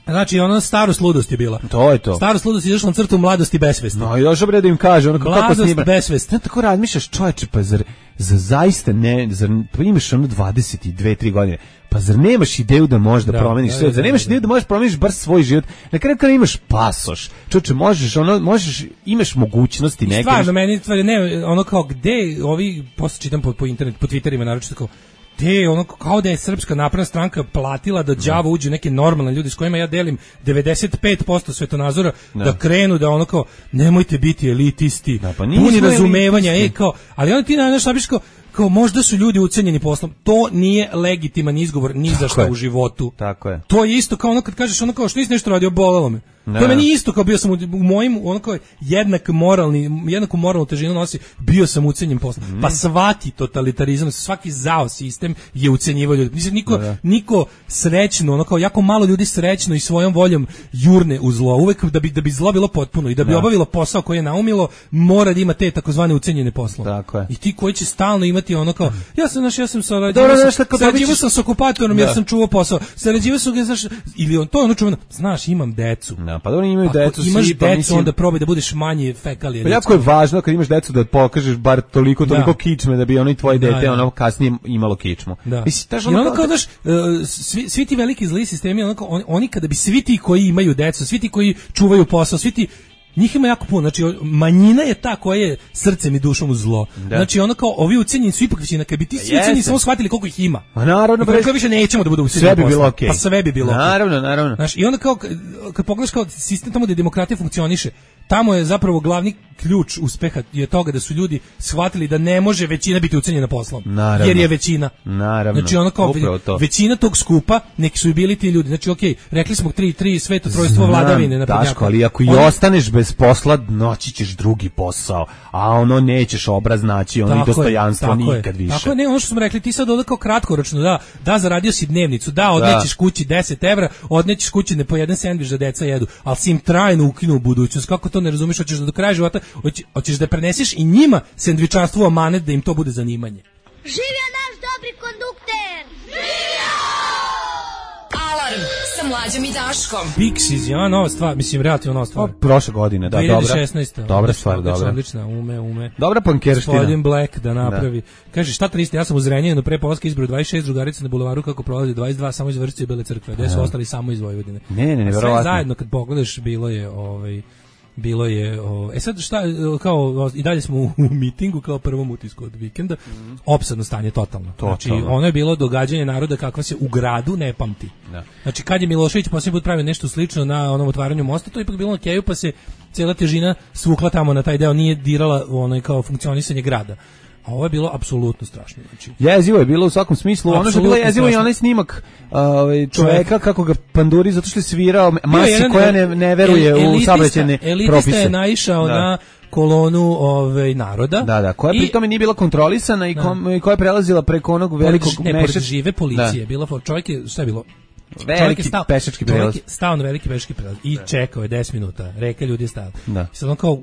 Znači, ono starost ludost je bila. To je to. Starost ludost je izašla na crtu mladosti besvesti. No, i došao bre da im kaže, ono kako snima. Mladost besvesti. Ja tako razmišljaš, čoveče, pa zar, za zaista ne, zar, pa imaš ono dvadeset dve tri godine, pa zar nemaš ideju da možeš da, da promeniš sve, zar nemaš ideju da možeš promeniš bar svoj život, na kraju kada imaš pasoš, čoveče, možeš, ono, možeš, imaš mogućnosti neke. Stvarno, meni, ne, ono kao, gde, ovi, posle čitam po, po internetu, po Twitterima, naročito kao, te ono kao da je Srpska napredna stranka platila da đavo uđu neke normalne ljudi s kojima ja delim devedeset pet posto svetonazora da, da krenu da ono kao nemojte biti elitisti, da, pa puni razumevanja, e kao, ali onda ti na šta biš kao, kao možda su ljudi ucenjeni poslom. To nije legitiman izgovor ni za šta u životu. Tako je. To je isto kao ono kad kažeš ono kao što nisi nešto radio, bolelo me. Ne. To je meni isto kao bio sam u, u mojim ono kao jednak moralni, jednaku moralnu težinu nosi, bio sam ucenjen poslom. Mm. Pa svaki totalitarizam, svaki zao sistem je ucenjivao ljudi. Mislim niko ne. niko srećno, ono kao jako malo ljudi srećno i svojom voljom jurne u zlo. Uvek da bi da bi zlo bilo potpuno i da bi ne. obavilo posao koji je naumilo, mora da ima te takozvane ucenjene poslove. Tako je. I ti koji će stalno imati ono kao ja sam naš ja sam sarađivao sam, sarađivao sam s okupatorom da. jer sam čuvao posao. Sarađivao sam ga znaš ili on to ono čuveno, znaš imam decu. Da, pa dobro imaju decu imaš svi, decu, pa mislim, onda probaj da budeš manje fekalije. Pa jako je važno kad imaš decu da pokažeš bar toliko, toliko da. kičme da bi ono i tvoje dete da, ono kasnije imalo kičmu. Da. Mislim, ono, ono kao, daš, uh, svi, svi ti veliki zli sistemi, onako, oni, oni kada bi svi ti koji imaju decu, svi ti koji čuvaju posao, svi ti njih ima jako puno, znači manjina je ta koja je srcem i dušom u zlo. Da. Znači ono kao ovi ucenjeni su ipak većina, kad bi ti svi ucenjeni samo shvatili koliko ih ima. A naravno, bre, kao više nećemo da bude ucenjeni. Sve bi bilo okej. Okay. Pa sve bi bilo. Naravno, okay. naravno. Znači i onda kao kad pogledaš kao sistem tamo gde demokratija funkcioniše, tamo je zapravo glavni ključ uspeha je toga da su ljudi shvatili da ne može većina biti ucenjena poslom. Naravno. Jer je većina. Naravno. Znači ono kao to. većina tog skupa, neki su i bili ti ljudi. Znači okej, okay, rekli smo tri tri sveto trojstvo vladavine na Daško, ali ako i On... ostaneš bez posla, noći ćeš drugi posao, a ono nećeš obraz naći, ono i dostojanstvo nikad više. Tako je, ne, ono što smo rekli, ti sad ovdje kao kratkoročno, da, da, zaradio si dnevnicu, da, odnećeš kući deset evra, odnećeš kući ne po jedan sendvič da deca jedu, ali si im trajno ukinuo budućnost, kako to to ne razumeš, hoćeš da do kraja života, hoće, hoćeš da preneseš i njima sendvičarstvo amanet da im to bude zanimanje. Živio naš dobri kondukter! Živio! Alarm sa Mlađom i Daškom. Pixies, ja, nova stvar, mislim, relativno nova stvar. O, prošle godine, da, dvije hiljade šesnaeste. dobra. Dobra stvar, dobra. Odlična, ume, ume. Dobra pankerština. Gospodin Black da napravi. Da. Kaže, šta triste, ja sam u Zrenjaninu pre polaska izbro dvadeset šest drugarica na bulevaru kako prolazi dvadeset dva, samo iz Vršće i Bele Crkve, gde su ostali samo iz Vojvodine. Ne, ne, ne, verovatno. Sve zajedno, kad pogledaš, bilo je, ovaj, bilo je, o, e sad šta, kao, i dalje smo u, u mitingu, kao prvom utisku od vikenda, mm. opsadno stanje, totalno. totalno. Znači, ono je bilo događanje naroda kakva se u gradu ne pamti. Da. Znači, kad je Milošević posljednji put pravio nešto slično na onom otvaranju mosta, to je ipak bilo na keju, pa se cijela težina svukla tamo na taj deo, nije dirala onaj kao funkcionisanje grada. A ovo je bilo apsolutno strašno. Znači, jezivo je bilo u svakom smislu. Ono što je bilo jezivo i onaj snimak ovaj čoveka kako ga panduri zato što je svirao masi jedan, koja ne, ne veruje el, u saobraćajne propise. Elitista je naišao da. na kolonu ovaj naroda. Da, da, koja pri tome nije bila kontrolisana i, kom, i koja je prelazila preko onog velikog ne, pored žive policije. Da. Bila čovjek je, šta je bilo? Veliki stao, pešački prelaz. Čovjek je stao na veliki pešački prelaz i da. čekao je deset minuta. Reka ljudi je stao. Da. I sad on kao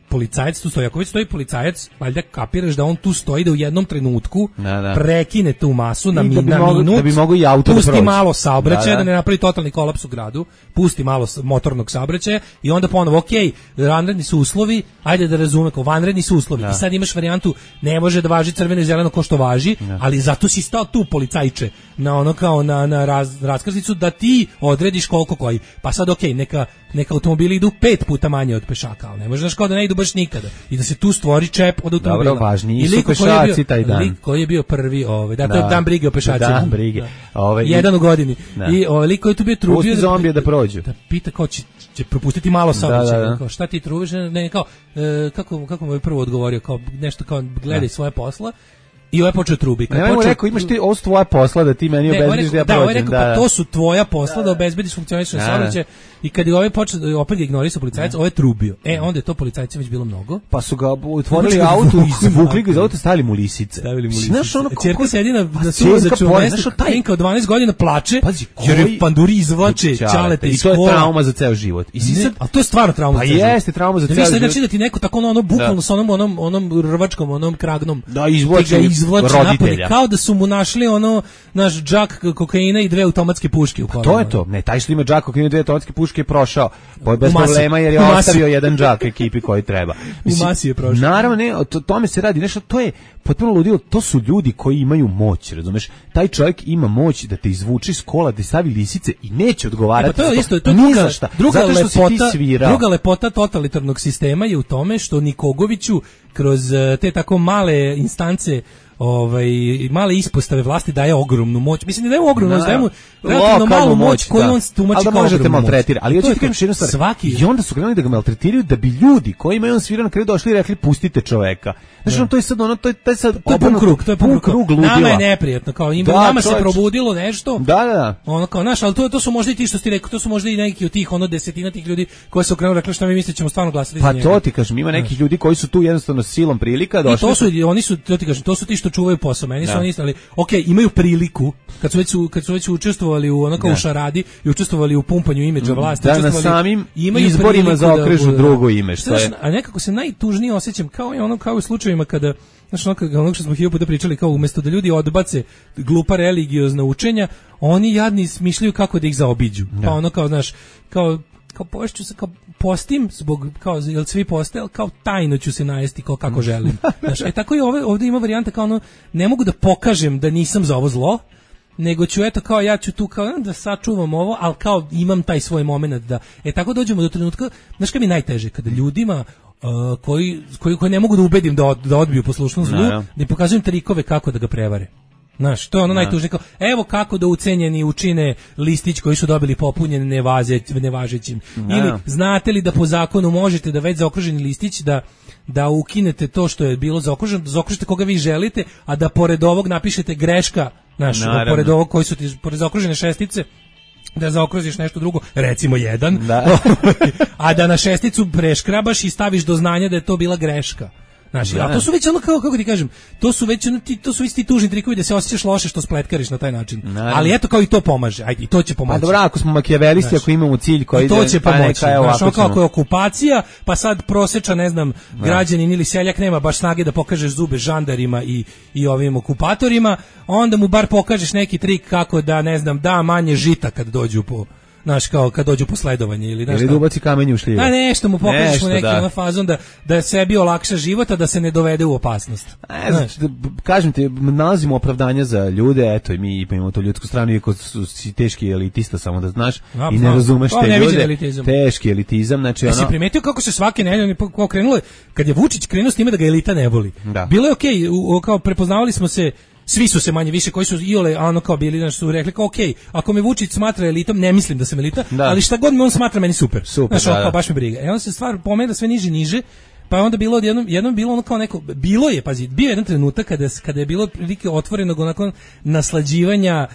policajac tu stoji, ako već stoji policajac, valjda kapiraš da on tu stoji da u jednom trenutku da, da. prekine tu masu na, mi, da bi na mogu, minut, da bi mogu i auto pusti da malo saobraćaja, da, da. da ne napravi totalni kolaps u gradu, pusti malo motornog saobraćaja i onda ponovo, ok, vanredni su uslovi, ajde da razume, kao vanredni su uslovi. Da. I sad imaš varijantu, ne može da važi crveno i zeleno ko što važi, da. ali zato si stao tu policajče na ono kao na, na raz, raskrsnicu da ti odrediš koliko koji. Pa sad ok, neka, neka automobili idu pet puta manje od pešaka, ali ne može znaš kao da ne idu baš nikada. I da se tu stvori čep od automobila. Dobro, važniji su pešaci taj dan. Lik koji je bio prvi, ovaj, da, to je dan brige o pešacima. Dan brige. Da. Ovaj, jedan u godini. Da. I ovaj lik koji je tu bio trubio da, zombije da prođu. Da pita kao će, će propustiti malo saobraćaja. Da, da, da. Kao šta ti trubiš? Ne, kao, e, kako, kako mu je prvo odgovorio? Kao, nešto kao, gledaj da. svoje posla. I ovaj počeo trubi. Ne, počeo, rekao, imaš ti ovo tvoja posla da ti meni obezbediš da ja prođem. Da, ovaj rekao, da, pa to su tvoja posla da, da obezbediš funkcionisanje saobraćaja. I kad je ovaj počeo, opet ga ignorisao policajac, ovaj trubio. E, onda je to policajcima već bilo mnogo. Pa su ga otvorili auto, vukli ga iz auta, stavili mu lisice. Stavili mu lisice. Znaš ono ćerka sedi na na suvozaču mestu, Tenka od dvanaest godina plače, jer je panduri izvlače ćalete iz kola. I to je trauma za ceo život. I sad, a to je stvarno trauma za ceo život. Pa jeste trauma za ceo život. Znači da ti neko tako ono bukvalno sa onom onom onom rvačkom, onom kragnom. Da izvlači roditelja. Kao da su mu našli ono naš džak kokaina i dve automatske puške u kolima. To je to. Ne, taj što ima džak kokaina i dve automatske puške je prošao. Bez problema jer je ostavio jedan džak ekipi koji treba. Mislim, u masi je prošao. Naravno, ne, to tome se radi. Nešto to je potpuno ludilo. To su ljudi koji imaju moć, razumeš? Taj čovjek ima moć da te izvuče iz kola, da stavi lisice i neće odgovarati. E pa to je isto, to je druga, druga lepota, druga lepota totalitarnog sistema je u tome što Nikogoviću kroz te tako male instance ovaj male ispostave vlasti daje ogromnu moć. Mislim da daje ogromnu, daje mu relativno malu moć koju da. on tumači kao možete maltretirati. Ali hoćete kažem jednu stvar. Svaki... I onda su krenuli da ga maltretiraju da bi ljudi koji imaju on svira na kraju došli i rekli pustite čoveka. Znači ono to je sad ono to je taj sad to je pun krug, to je pun krug ludila. Nama je neprijatno, kao ima da, nama čovječ... se probudilo nešto. Da, da, da. Ono kao naš, al to to su možda i ti što ti rekao, to su možda i neki od tih ono desetina tih ljudi koji su krenuli rekli šta mi mislite ćemo stvarno glasati pa za njega. Pa to ti kažem, ima nekih ljudi koji su tu jednostavno silom prilika došli. I to su oni su to ti kažem, to su ti što čuvaju posao. Meni su oni ali okej, okay, imaju priliku kad su već kad su već učestvovali u onako u šaradi i učestvovali u pumpanju imidža vlasti, da, na samim izborima zaokružu da, drugo ime, što je. A nekako se najtužnije osjećam kao i ono kao u slučajevima kada znači ono, ono što smo hiljadu puta pričali, kao umjesto da ljudi odbace glupa religiozna učenja, oni jadni smišljaju kako da ih zaobiđu. Da. Pa ono kao, znaš, kao, kao pošću se, kao postim, zbog, kao, jel svi poste, ali kao tajno ću se najesti kao kako želim. Znaš, e tako i ove, ovdje ima varijanta kao ono, ne mogu da pokažem da nisam za ovo zlo, nego ću eto kao ja ću tu kao da sačuvam ovo, ali kao imam taj svoj moment da, e tako dođemo do trenutka, znaš kad mi je najteže, kada ljudima Uh, koji, koji, koji ne mogu da ubedim da, od, da odbiju poslušnost zlu, no, da im pokazujem trikove kako da ga prevare. Znaš, to je ono no. najtužnije, kao, evo kako da ucenjeni učine listić koji su dobili popunjen nevaze, nevažećim. No. Ili znate li da po zakonu možete da već zaokruženi listić da, da ukinete to što je bilo zaokruženo, da zaokružite koga vi želite, a da pored ovog napišete greška, znaš, da pored ovog koji su ti, pored zaokružene šestice, da zaokružiš nešto drugo, recimo jedan, da. a da na šesticu preškrabaš i staviš do znanja da je to bila greška. Znaš, a to su već ono kao, kako ti kažem, to su već ono, ti, to su isti tužni trikovi da se osjećaš loše što spletkariš na taj način. Naravno. Ali eto kao i to pomaže, ajde, i to će pomoći. Pa dobro, ako smo makijavelisti, ako imamo cilj koji ide, to će pa pomoći. Neka, znaš, ono kao ako je okupacija, pa sad proseča, ne znam, da. građanin ili seljak nema baš snage da pokažeš zube žandarima i, i ovim okupatorima, onda mu bar pokažeš neki trik kako da, ne znam, da manje žita kad dođu po... Znaš, kao kad dođu po sledovanje ili znaš, ili da ubaci kamenje u šljive. A nešto mu pokažeš u neki da. fazon da, da sebi olakša život, a da se ne dovede u opasnost. E, znaš, da, kažem ti, nalazimo opravdanja za ljude, eto i mi imamo tu ljudsku stranu, iako su si teški elitista, samo da znaš, a, i ne razumeš te ne ljude. Elitizam. Teški elitizam, znači ono... Jesi primetio kako se svake nedelje krenulo, kad je Vučić krenuo s time da ga elita ne voli. Da. Bilo je okej, okay, kao prepoznavali smo se. Svi su se manje više koji su iole ono kao bili znači su rekli kao okej, okay, ako me Vučić smatra elitom, ne mislim da sam elita, da. ali šta god me on smatra meni super. Super, znači, da, da. baš me briga. I onda se stvar pomera sve niže niže. Pa je onda bilo odjednom, jednom bilo ono kao neko, bilo je, pazi, bio jedan trenutak kada, kada je bilo prilike otvorenog onako naslađivanja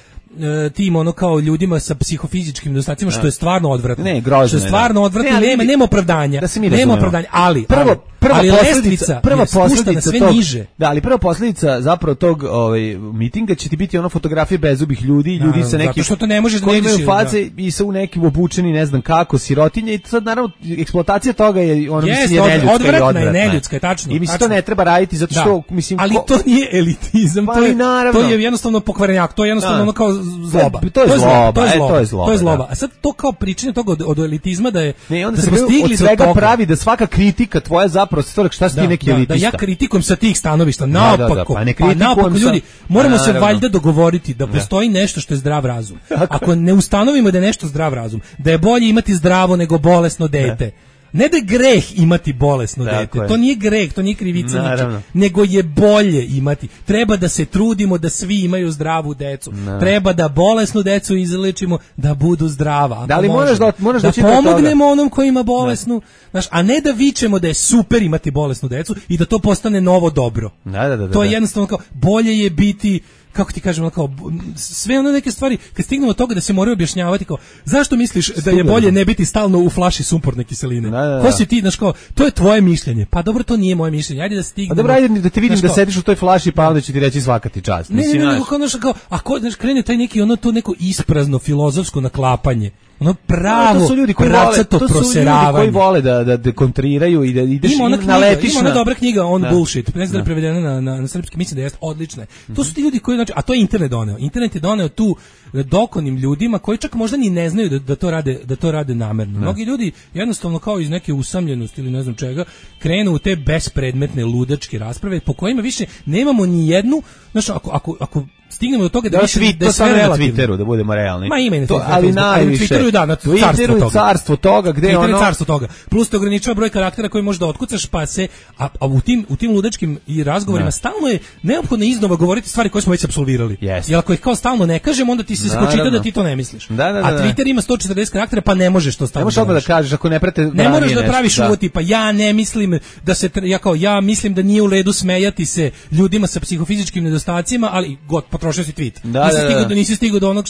tim ono kao ljudima sa psihofizičkim nedostacima, što je stvarno odvratno. Ne, grozno. Što je stvarno ne, odvratno, ne, nema nema opravdanja. Da nema opravdanja, ali prvo ali, prva ali posljedica, prva posljedica sve tog, niže. Da, ali prva posljedica zapravo tog ovaj mitinga će ti biti ono fotografije bezubih ljudi, ljudi da, sa nekim zato što to ne može da koji imaju face i sa u nekim obučeni, ne znam kako, sirotinje i sad naravno eksploatacija toga je ono yes, mislim je neljudska odvratna i odvratna. Je neljudska, je tačno. I mislim to ne treba raditi zato što da. mislim ali to nije elitizam, pa, to je naravno. to je jednostavno pokvarenjak, to je jednostavno ono kao zloba. To je zloba, to je zloba. To je zloba. To je zloba. A sad to kao pričanje toga od, od elitizma da je ne, onda da se smo stigli od svega do toga. Pravi da svaka kritika tvoja zapravo stvark šta si ti neki elitista. Da ja kritikujem sa tih stanovišta naopako. Da, da, da, pa ne kritikujem pa naopako, ljudi, moramo se valjda dogovoriti da postoji da. nešto što je zdrav razum. Ako ne ustanovimo da je nešto zdrav razum, da je bolje imati zdravo nego bolesno dete. Da. Ne da je greh imati bolesno Tako dete, je. to nije greh, to nije krivica, ničeg, nego je bolje imati. Treba da se trudimo da svi imaju zdravu decu. No. Treba da bolesnu decu izlečimo da budu zdrava. Da li možeš da, možeš da, da pomognemo onom koji ima bolesnu, znaš, a ne da vičemo da je super imati bolesnu decu i da to postane novo dobro. Da, da, da, to je da. jednostavno kao, bolje je biti kako ti kažemo kao sve one neke stvari kad stignemo od toga da se moraju objašnjavati kao zašto misliš da je bolje ne biti stalno u flaši sumporne kiseline. Da, da, da. Ko si ti, znaš kao, to je tvoje mišljenje. Pa dobro, to nije moje mišljenje. Ajde da stignemo. Pa dobro, ajde da te vidim da sediš u toj flaši, pa onda će ti reći svaka ti čast. Ne, ne, ne, nego kao, znaš, kao, ako znaš, krene taj neki ono to neko isprazno filozofsko naklapanje. Ono pravo, to su ljudi koji vole, to su ljudi koji vole da da dekontriraju i da ideš ima na knjiga, letiš. Ima ona dobra knjiga On da. Bullshit, ne znam da je prevedena na, na, na srpski, mislim da jeste odlična. Mm-hmm. To su ti ljudi koji, znači, a to je internet doneo. Internet je doneo tu dokonim ljudima koji čak možda ni ne znaju da, da to rade da to rade namerno. Mnogi ljudi jednostavno kao iz neke usamljenosti ili ne znam čega krenu u te bespredmetne ludačke rasprave po kojima više nemamo ni jednu, znači ako ako ako stignemo do toga da, da više tweet, da je sve na relativno. Twitteru, da budemo realni. Ma ima i na to, ali najviše. Twitteru da, na Twitteru carstvo, carstvo toga, gde Twitter ono... carstvo toga. Plus te ograničava broj karaktera koji možeš da otkucaš, pa se, a, a u tim u tim ludačkim i razgovorima da. Stalno je neophodno iznova govoriti stvari koje smo već apsolvirali. Yes. Jer ako ih kao stalno ne kažemo, onda ti se spočita da ti to ne misliš. Da, da, da, a Twitter ima sto četrdeset karaktera, pa ne možeš to stalno. Ne možeš odmah da kažeš ako ne prate. Ne moraš da praviš uvod tipa ja ne mislim da se ja kao ja mislim da nije u redu smejati se ljudima sa psihofizičkim nedostacima, ali god potrošio si tweet. Da, nisi stigao da nisi stigao do onog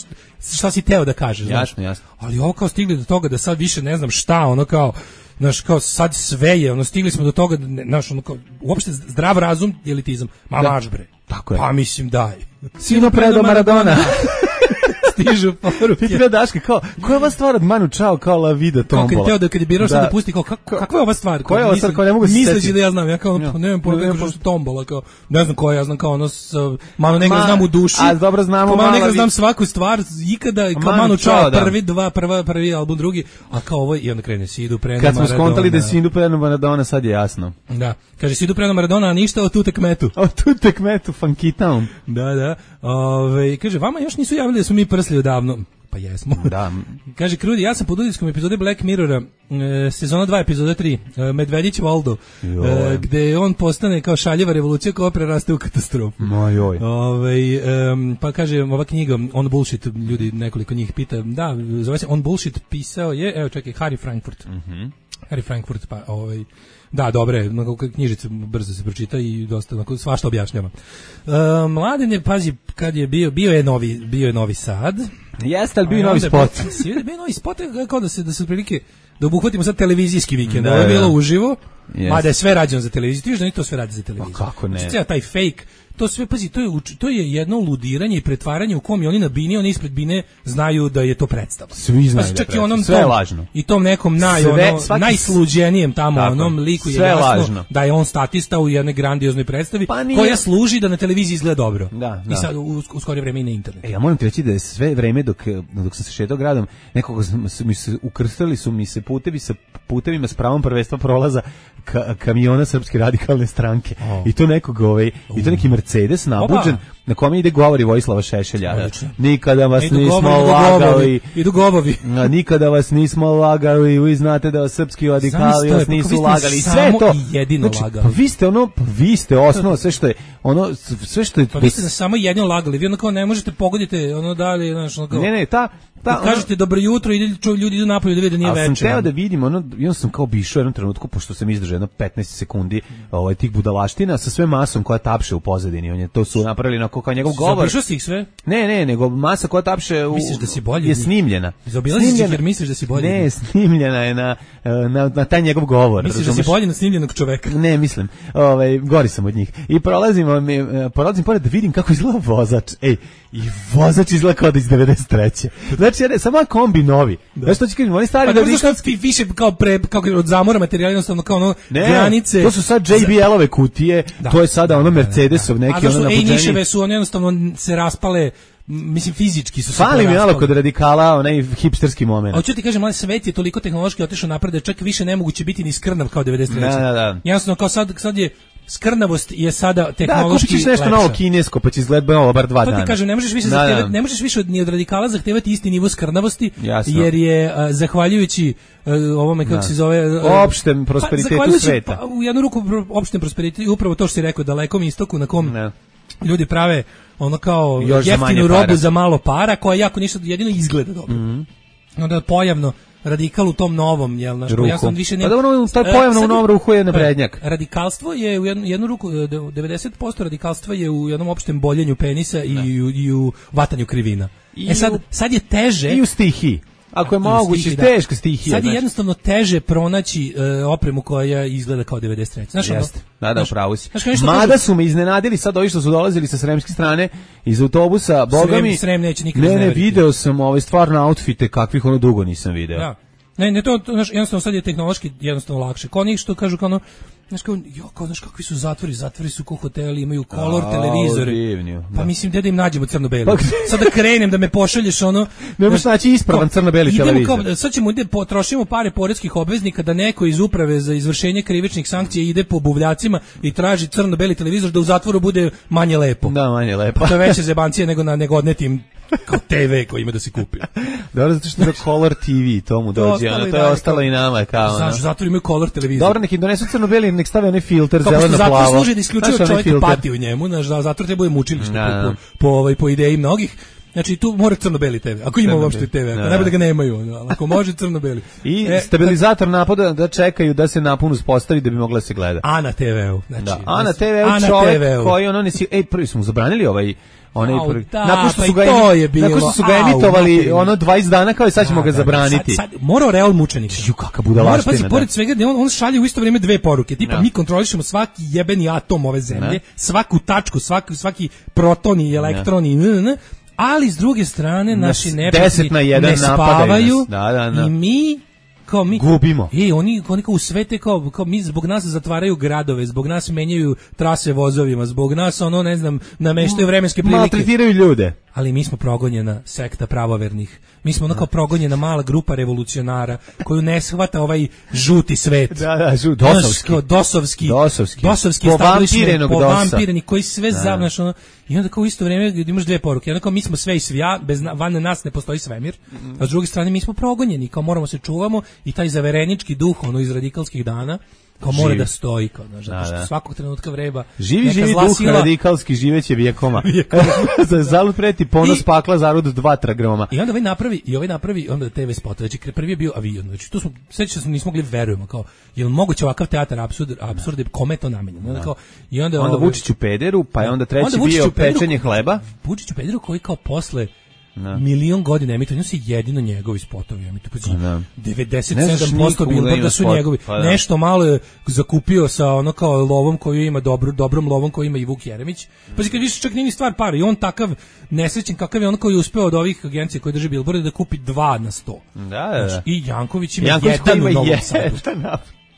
šta si teo da kažeš, jasno, znaš. Jasno. Ali ovo kao stigli do toga da sad više ne znam šta, ono kao znaš, kao sad sve je, ono stigli smo do toga da, znaš, ono kao uopšte zdrav razum i elitizam. Ma da. Maš bre. Tako je. Pa mislim daj. Sino predo Maradona. Stižu poruke. Ti Daška, kao, koja je ova stvar od Manu Čao kao La Vida Tombola? Kako je teo da kad je birao šta da pusti, kao, kako, kakva je ova stvar? Koja je ova stvar, kao ne mogu se setiti? Misleći da ja znam, ja kao, ja. Ne znam pojma kako što Tombola, kao, ne znam koja, ja znam kao ono, s, Manu Negra Ma, znam u duši. A dobro znamo Manu Negra znam svaku stvar, ikada, kao Manu, Manu Čao, da. prvi, dva, prva, prvi album, drugi, a kao ovo, i onda krene, Sidu Preno Maradona. Kad smo skontali da je Sidu Preno Maradona, sad je jasno. Da, kaže Sidu Preno Maradona, a ništa o tu tekmetu. O tu tekmetu, Funky Town. Da, da, ove, kaže, vama još nisu javili da smo mi prsli odavno. Pa jesmo. Da. Kaže Krudi, ja sam pod utiskom epizode Black Mirrora, e, sezona dva, epizoda tri, e, Medvedić Valdo, e, gde on postane kao šaljeva revolucija koja preraste u katastrofu. Mojoj. Ove, e, pa kaže, ova knjiga, On Bullshit, ljudi, nekoliko njih pita, da, zove se On Bullshit, pisao je, evo čekaj, Harry Frankfurt. Mhm. Harry Frankfurt, pa ovaj... Da, dobre, knjižica brzo se pročita i dosta onako svašta objašnjava. E, Mladen je, pazi, kad je bio, bio je novi, bio je Novi Sad, Jeste, ali bio novi spot. Svi bio novi spot, kao da se, da se prilike, da obuhvatimo sad televizijski vikend. Ovo je bilo uživo, mada je sve rađeno za televiziju. Ti viš da ni to sve radi za televiziju. Pa kako ne? Znači, taj fake, to sve, pazi, to je, to je jedno ludiranje i pretvaranje u kom i oni na bini, oni ispred bine znaju da je to predstava. Svi znaju pa, da je predstava. Onom sve je tom, lažno. I tom nekom naj, sve, ono, najsluđenijem tamo, tako, onom liku je sve jasno lažno. Da je on statista u jednoj grandioznoj predstavi, pa koja služi da na televiziji izgleda dobro. Da, da. I sad u, u skorije vreme i na internetu. E, ja moram ti reći da je sve vreme dok, dok sam se šetao gradom, nekoga su mi se ukrstali su mi se putevi sa putevima s pravom prvenstva prolaza ka, kamiona Srpske radikalne stranke. Oh. I to nekog ovaj, uh. i to neki Mercedes nabuđen na kome ide govori Vojislava Šešelja. Odlično. Nikada vas idu nismo govori, lagali. Idu govovi. A, nikada vas nismo lagali. Vi znate da vas srpski radikali vas nisu lagali. I sve to. Jedino znači, lagali. Pa vi ste ono, pa vi ste osnova, sve što je ono, sve što je. Pa vi ste samo jedino lagali. Vi ono kao ne možete pogoditi ono dalje, znači ono kao. Ne, ne, ta Da, kažete dobro jutro i ljudi idu napolje da vide da nije večer. Ali sam teo da vidim, ono, ja sam kao bišao jednom trenutku, pošto sam izdržao jedno petnaest sekundi ovaj, tih budalaština sa sve masom koja tapše u pozadini. On je, to su napravili na kao njegov govor. Zaobišao si ih sve? Ne, ne, nego masa koja tapše u, misliš da si bolji je snimljena. Zaobilaziš ih jer misliš da si bolji? Ne, snimljena je na, na, na taj njegov govor. Misliš razumeš? Da si bolji na snimljenog čoveka? Ne, mislim. Ovaj, gori sam od njih. I prolazimo, mi, prolazim pored da vidim kako izgleda vozač. Ej, i vozač izgleda kao da iz devedeset treće Znači, ja, samo kombi novi. Da. Znaš što ću kažem, oni stari pa, da radikal... više kao pre, kao od zamora materijala, jednostavno kao ono ne, granice. To su sad J B L-ove kutije, da. To je sada ono Mercedesov neki ono nabuđenje. A zašto E-niševe su one jednostavno se raspale, mislim fizički su se fali mi malo kod radikala onaj hipsterski moment. A hoću ti kažem, ali svet je toliko tehnološki otišao napred da čak više nemoguće biti ni skrnav kao devedeset treće Da, da, da. Jednostavno kao sad, sad je skrnavost je sada tehnološki da, kupiš nešto novo kinesko, pa će izgledati ovo bar dva dana. To ti kažem, ne možeš više da, zahtevati, da. ne možeš više od, ni od radikala zahtevati isti nivo skrnavosti, jasno. Jer je a, zahvaljujući a, ovome kako da. se zove a, opštem prosperitetu pa, sveta. Pa, u jednu ruku opštem prosperitetu, upravo to što si rekao, dalekom istoku na kom ne. ljudi prave ono kao još jeftinu robu para. Za malo para, koja jako ništa jedino izgleda dobro. Mm-hmm. Onda pojavno radikal u tom novom, jel, znaš, ja sam više ne. Pa dobro, taj pojavno u novom ruhu je naprednjak. Radikalstvo je u jednu, jednu ruku devedeset posto radikalstva je u jednom opštem boljenju penisa i, i, u, i u vatanju krivina. I e sad, sad je teže i u stihiji. Ako je moguće, teško stihija. Sad je jednostavno teže pronaći uh, opremu koja izgleda kao devedeset treće Znaš, jeste, da, da, upravo si. Mada kažu... su me iznenadili sad ovi što su dolazili sa sremske strane iz autobusa, boga mi... Srem neće nikad ne, ne, video sam ove stvarno outfite kakvih ono dugo nisam video. Da. Ne, ne, to, to znaš, jednostavno sad je tehnološki jednostavno lakše. Kao njih što kažu kao ono, znaš, kao, jo, kao, znaš kakvi su zatvori, zatvori su ko hoteli, imaju color televizore. Divnju, pa mislim, gde da im nađemo crno-beli. Pa, sad da krenem, da me pošalješ ono... Ne možeš naći ispravan crno-beli televizor. Kao, sad ćemo da potrošimo pare poreskih obveznika da neko iz uprave za izvršenje krivičnih sankcija ide po buvljacima i traži crno-beli televizor da u zatvoru bude manje lepo. Da, manje lepo. To je veće zebancije nego na nego odnetim kao te ve koji ima da se kupi. Dobro, zato što je Color T V, to mu dođe, ono, to je ostalo i nama. Kao, znaš, zato imaju Color televizor. Dobro, neki donesu crno-beli, nek stave onaj filter zeleno-plavo. Zato služi da isključuje čovjek pati u njemu, znaš, zato treba bude mučilište po, po, po, ovaj, po ideji mnogih. Znači tu mora crno-beli te ve. Ako ima uopšte te ve, ako ne bude ga nemaju, ali ako može crno-beli. I e, stabilizator napada da čekaju da se napun uspostavi da bi mogla se gleda. A na te veu, znači. Da, a na te veu čovjek koji ono ne si, ej, prvi smo zabranili ovaj onaj prvi. Nakon što su ga nakon što su ga emitovali ono dvadeset dana kao i sad ćemo ga zabraniti. Sad, sad mora real mučenika. Ju kakav budalaština. Mora, pazi, pored svega, on, on šalje u isto vrijeme dve poruke. Tipa, mi kontrolišemo svaki jebeni atom ove zemlje, svaku tačku, svaki, svaki proton i elektron i n, ali s druge strane naši neprijatelji ne spavaju da, da, da. I mi kao mi gubimo. Ej, oni oni kao u svete kao kao mi zbog nas zatvaraju gradove, zbog nas menjaju trase vozovima, zbog nas ono ne znam nameštaju vremenske prilike. Maltretiraju ljude. Ali mi smo progonjena sekta pravovernih. Mi smo ono kao progonjena mala grupa revolucionara koju ne shvata ovaj žuti svet. Da, da, žut, dosovski. Kao dosovski. Dosovski. Dosovski povampirenog dosa. Povampireni koji sve zavnaš ono. I onda kao u isto vrijeme imaš dve poruke. Onda kao mi smo sve i svija, bez van nas ne postoji svemir. A s druge strane mi smo progonjeni, kao moramo se čuvamo i taj zaverenički duh ono iz radikalskih dana kao mora živi. Da stoji kao znaš, zato što svakog trenutka vreba. Živi živi duh sila... radikalski živeće vijekoma. Za zalud preti ponos I... pakla zarud dva tragama. I onda ovaj napravi i ovaj napravi onda te ve spot. Znači prvi je bio avion. Znači tu smo sećam se nismo mogli verujemo kao jel moguće ovakav teatar apsurd apsurd kome to namenjeno. Onda kao i onda onda ovaj, Vučić u pederu, pa je onda treći onda bio pečenje hleba. Vučić u pederu koji kao posle No. Milion godina emituje, ono se jedino njegovi spotovi emituju. No. devedeset sedam posto Billboarda su spot. njegovi. Pa, nešto malo je zakupio sa ono kao lovom koju ima, dobro, dobrom lovom koju ima i Vuk Jeremić. Pa kad više čak nije ni stvar para, i on takav nesrećen kakav je on koji je uspeo od ovih agencija koji drže Billboarda da kupi dva na sto. Da, da, da. I Janković ima Janković jedan ima u Novom jedan. Sadu.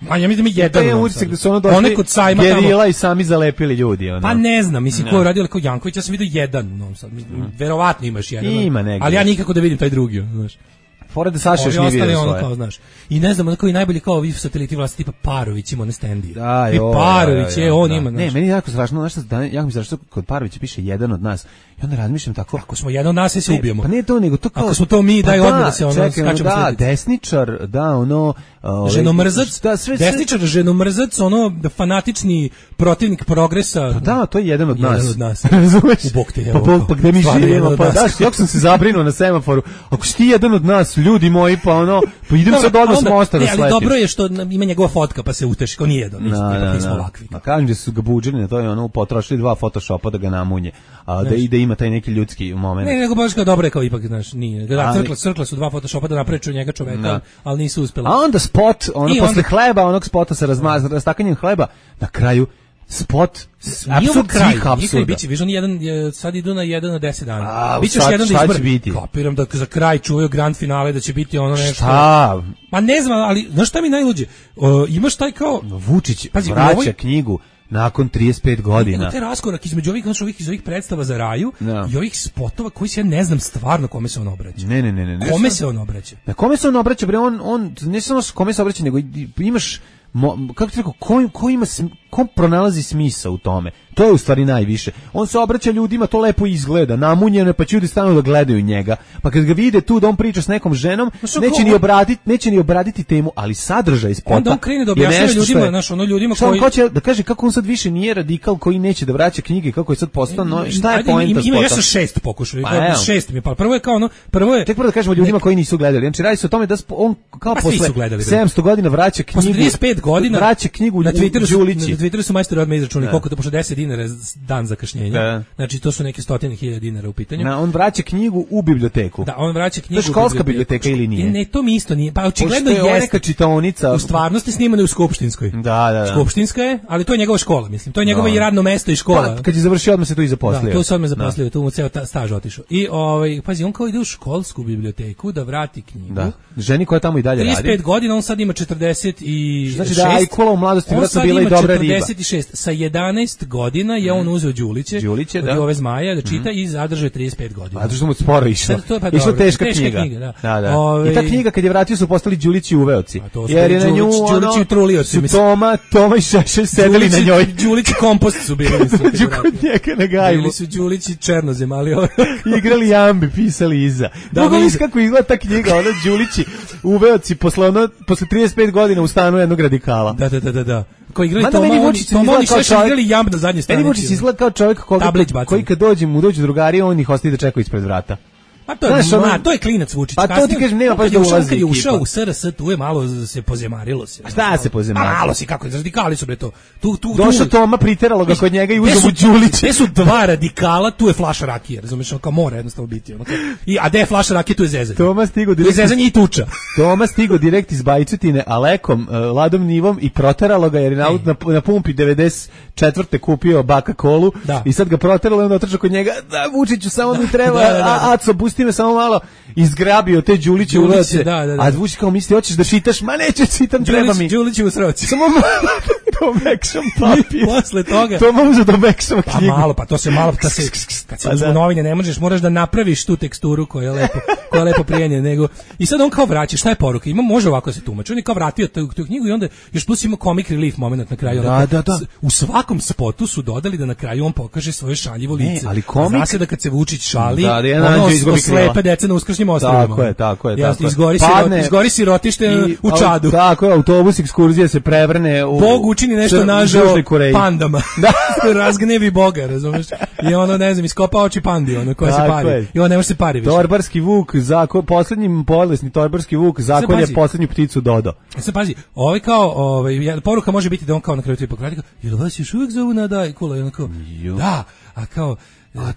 A ja mislim da mi jedan. To je utisak da su ono došli gerila i sami zalepili ljudi. Ono. Pa ne znam, mislim, no. ko je radio kao Janković, ja sam vidio jedan u Novom Sadu. Mm. Verovatno imaš jedan. Ima negdje. Ali ja nikako da vidim taj drugi, znaš. Fora da Saša još nije vidio svoje. Kao, znaš. I ne znam, onako i najbolji kao ovi sateliti vlasti tipa Parović ima one stendije. Da, I Parović je, on ima. Ne, meni je jako strašno, znaš šta, jako mi strašno kod Parovića piše jedan od nas. I onda razmišljam tako. Ako smo jedan od nas, se ubijemo. Pa ne to, nego to kao... Ako smo to mi, daj odmah da se ono skačemo slediti. Da, desničar, da, ono... Uh, ženomrzac, da, sve, desničar, sve... ženomrzac, ono, da fanatični protivnik progresa. Pa da, to je jedan od nas. Jedan od nas. Razumeš? U bok te, evo. Pa, pa, pa gde mi živimo, pa daš, jako sam se zabrinuo na semaforu. Ako si ti jedan od nas, ljudi moji, pa ono, pa idem sad odmah s mosta da sletim. Ali dobro je što ima njegova fotka, pa se uteši, kao nije jedan, nismo ovakvi. A kažem da su ga buđili na to je ono, potrošili dva photoshopa da ga namunje. A da ide ima taj neki ljudski moment. Ne, nego baš kao dobro je kao ipak, znaš, nije. Da, crkla, crkla su dva photoshopa da napreću njega čoveka, ali nisu uspeli. A onda spot, ono posle hleba, onog spota sa rastakanjem hleba, na kraju spot apsurd svih apsurda. Biće, viš, oni jedan, sad idu na jedan na deset dana. Biće još jedan da izbor. Kapiram da za kraj čuvaju grand finale, da će biti ono nešto. Šta? Ma ne znam, ali znaš šta mi najluđe? Imaš taj kao... Vučić pazi, vraća ovoj... knjigu nakon trideset pet godina. Ima taj raskorak između ovih, znači, ovih, iz ovih predstava za raju no. i ovih spotova koji se ja ne znam stvarno kome se on obraća. Ne, ne, ne. ne, ne kome se on obraća? Na kome se on obraća, bre, on, on ne samo kome se obraća, nego imaš... Mo, kako ti rekao, ko, ko ima, ko pronalazi smisao u tome? To je u stvari najviše. On se obraća ljudima, to lepo izgleda, namunjeno, pa će ljudi stanu da gledaju njega. Pa kad ga vide tu da on priča s nekom ženom, no, neće ni obraditi, neće ni obraditi temu, ali sadržaj spota. Onda on krene da objašnjava ljudima, znaš, ono ljudima koji hoće da kaže kako on sad više nije radikal koji neće da vraća knjige, kako je sad postao, no, šta je poenta spota? Ima još šest pokušaja, pa, šest mi pa. Prvo je kao ono, prvo je tek prvo da kažemo ljudima koji nisu gledali. Znači radi se o tome da on kao posle sedamsto godina vraća knjigu. Posle trideset pet godina vraća knjigu na Twitteru su, na Twitteru su majstori odmah izračunali koliko to pošto deset dinara dan zakašnjenja. Da. Znači to su neke stotine hiljada dinara u pitanju. Na, on vraća knjigu u biblioteku. Da, on vraća knjigu. To je školska biblioteka ili nije? Ne, to mi isto nije. Pa očigledno je neka čitaonica. U stvarnosti snimana u skupštinskoj. Da, da, da. Skupštinska je, ali to je njegova škola, mislim. To je njegovo i radno mesto i škola. Pa, kad je završio odmah se tu i zaposlio. Da, tu se odmah zaposlio, tu mu ceo staž otišao. I ovaj pazi, on kao ide u školsku biblioteku da vrati knjigu. Da. Ženi koja tamo i dalje radi. trideset pet godina, on sad ima četrdeset i šest. Znači da Ajkula u mladosti vjerojatno bila i dobra riba. četrdeset šest Sa jedanaest godina je on uzeo Đuliće, Đuliće da. ove zmaja da čita mm. i zadržao trideset pet godina. A to što mu sporo išlo. Pa išla teška, teška knjiga. knjiga da. Da, da. Ove... I ta knjiga kad je vratio su postali Đulići uveoci. Jer je na nju Đulići utrulioci. Su Toma, Toma i Šešelj sedeli na njoj. Đulići kompost su bili. Dođu kod njega na gajbu. Bili su Đulići černozem, ali igrali jambi, pisali iza. Mogu li kako izgleda ta knjiga, ona Đulići uveoci posle ono posle trideset pet godina u stanu jednog radikala. Da, da, da, da. Koji igrali Toma, oni, Toma, oni sve što igrali jamb na zadnje stranici. Meni Vučić izgleda kao čovjek koga, koji kad dođe mu dođu drugari, on ih ostaje da čekaju ispred vrata. Pa to je, znaš, ma, to je klinac Vučić. Pa to ti kažem, nema baš da ulazi. Kad je ušao u S R S, tu je malo se pozemarilo se. A šta se pozemarilo? Malo se, kako, radikali su bre to. Tu, tu, došao Toma, priteralo ga kod njega i uzeo mu Đulić. Te su dva radikala, tu je flaša rakije, razumiješ, kao mora jednostavno biti. Ono, I, a gde je flaša rakije, tu je zezanje. Toma stigo direkt, zezanje i tuča. Toma stigo direkt iz Bajcutine, Alekom, uh, Ladom Nivom i proteralo ga jer je na, na, na pumpi devedeset četvrte kupio baka kolu da. I sad ga proteralo i onda otrčao kod njega, da Vučiću, samo mi treba, da, da, da. A, Aco, pusti me samo malo. Izgrabio te Đuliće u roce, da, da, da. A Vučić kao misli, hoćeš da čitaš, ma neću čitam, treba mi. Đulić u sroci. Samo to mekšam papir. Posle toga. To može da mekšam knjigu. Pa malo, pa to se malo, kad se, kad se pa uzmu da. novine, ne možeš, moraš da napraviš tu teksturu koja je lepo, koja je lepo prijenje, nego. I sad on kao vraća, šta je poruka? Ima, može ovako se tumači. On je kao vratio tu, tu knjigu i onda još plus ima comic relief moment na kraju. Da, da, da. U svakom spotu su dodali da na kraju on pokaže svoje šaljivo lice. Ne, ali komik. Zna se da kad se Vučić šali, da, ono slepe deca na uskršnjim ostrvima. Tako je, tako je, tako je. Izgori, Padne, izgori sirotište i, u Čadu. Tako je, autobus ekskurzije se prevrne u... Bog učini nešto nažao pandama. Da. Razgnevi Boga, razumiješ? I ono, ne znam, iskopa oči pandi, ono, koja se pari. Je. I on ne može se pari više. Torbarski vuk, zako, posljednji bolesni torbarski vuk, zakolje posljednju pticu Dodo. Sad pazi, ovaj kao, ovaj, poruka može biti da on kao na kraju tu hipokratika, jer vas još uvijek zovu na daj, kula, i on kao, da, a kao,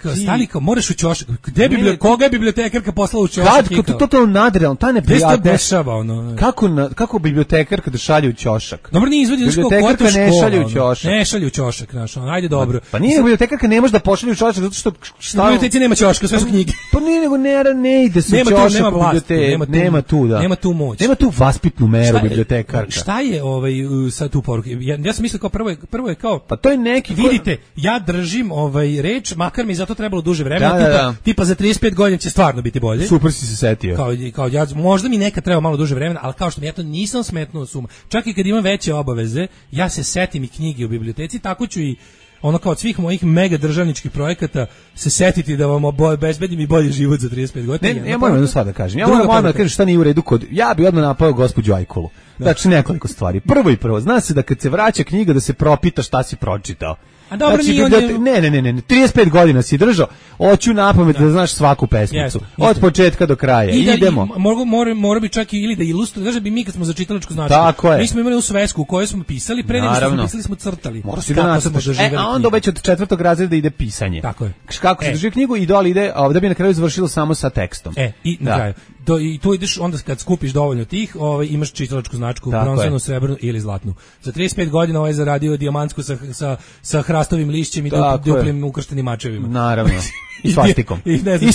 Kao, stani kao, moraš u ćošak. Gde bi koga je bibliotekarka poslala u ćošak? Kad, to to to nadrealno, ta neprijatno. Gde se to dešava, ono? Kako, na, kako bibliotekarka da šalje u ćošak? Dobro, nije izvodi, znači kako bibliotekarka ne šalje u ćošak. Ne šalje u ćošak, znaš, ono, ajde dobro. Pa nije, bibliotekarka ne može da pošalje u ćošak, zato što... U biblioteci nema ćoška, sve su knjige. Pa nije, nego ne, ne ide se u ćošak u biblioteci. Nema tu, da. Nema tu moć. Nema tu vaspitnu meru bibliotekarka. Šta je ovaj, sad tu poruka? Ja, ja sam mislio kao prvo je, prvo je kao... Pa to je neki... Vidite, ja držim ovaj reč, makar mi zato trebalo duže vremena, da, tipa, da, da. tipa za trideset pet godina će stvarno biti bolje. Super si se setio. Kao, kao ja, možda mi nekad treba malo duže vremena, ali kao što mi ja to nisam smetnuo suma. Čak i kad imam veće obaveze, ja se setim i knjige u biblioteci, tako ću i ono kao od svih mojih mega državničkih projekata se setiti da vam obezbedim i bolji život za trideset pet godina. Ne, ne, ja moram jedno sad da kažem. Ja moram odmah da kažem šta nije u redu kod... Ja bi odmah napao gospođu Ajkulu. Znači nekoliko stvari. Prvo i prvo, zna se da kad se vraća knjiga da se propita šta si pročitao. A dobro, znači, nije bibliote... on... ne, ne, ne, ne, trideset pet godina si držao, hoću napamet da. da znaš svaku pesmicu. Yes, od početka do kraja. I da, idemo. I, mora, mora, mora bi čak i ili da ilustruje, da bi mi kad smo za čitalačku značku. Tako je. Mi smo imali u svesku u kojoj smo pisali, pre nego što smo pisali smo crtali. Mora si da nacrtaš. E, a onda već od četvrtog razreda ide pisanje. Tako je. Kako se e. drži knjigu i dole ide, a da bi na kraju završilo samo sa tekstom. E, i na kraju. Do, i tu ideš onda kad skupiš dovoljno tih, ovaj imaš čitalačku značku, bronzanu, srebrnu ili zlatnu. Za trideset pet godina ovaj zaradio dijamantsku sa sa sa hrastovim lišćem i duplim ukrštenim mačevima. Naravno. I svastikom. I, ne znam, I,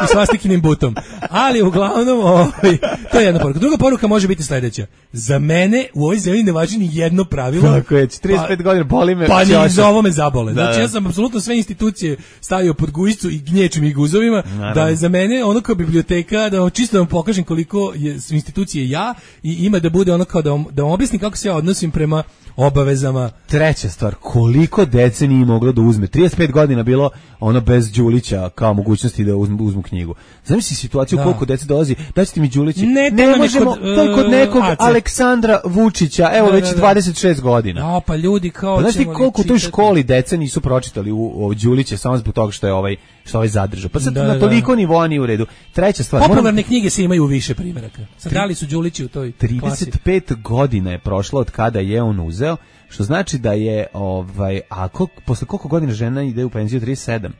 i svastikinim butom. Ali uglavnom, ovaj, to je jedna poruka. Druga poruka može biti sledeća. Za mene u ovoj zemlji ne važi ni jedno pravilo. Tako je, trideset pet pa, godina boli me. Pa ni za ovo me zabole. Da, znači da. Ja sam apsolutno sve institucije stavio pod gujicu i gnječim ih guzovima. Naravno. Da je za mene ono kao biblioteka, da čisto vam pokažem koliko je, su institucije ja i ima da bude ono kao da vam, da vam objasnim kako se ja odnosim prema obavezama. Treća stvar, koliko dece nije moglo da uzme? trideset pet godina bilo ono bez Đulića kao mogućnosti da uzmu, uzmu knjigu. Zamisli situaciju da. Koliko dece dolazi, daćete mi Đulići. Ne, ne možemo, kod, to je kod nekog uh, Aleksandra Vučića, evo da, već da, da. dvadeset šest godina. No, pa ljudi kao pa, znaš ti koliko u toj školi dece nisu pročitali u, u Đuliće samo zbog toga što je ovaj što ovaj zadržao. Pa sad da, na toliko da. Nivoa nije u redu. Treća stvar, popularne moram... knjige se imaju više primjeraka. Sad da li su Đulići u toj trideset pet klasi? Godina je prošlo od kada je on uzeo, što znači da je ovaj a koliko, posle koliko godina žena ide u penziju? trideset sedam.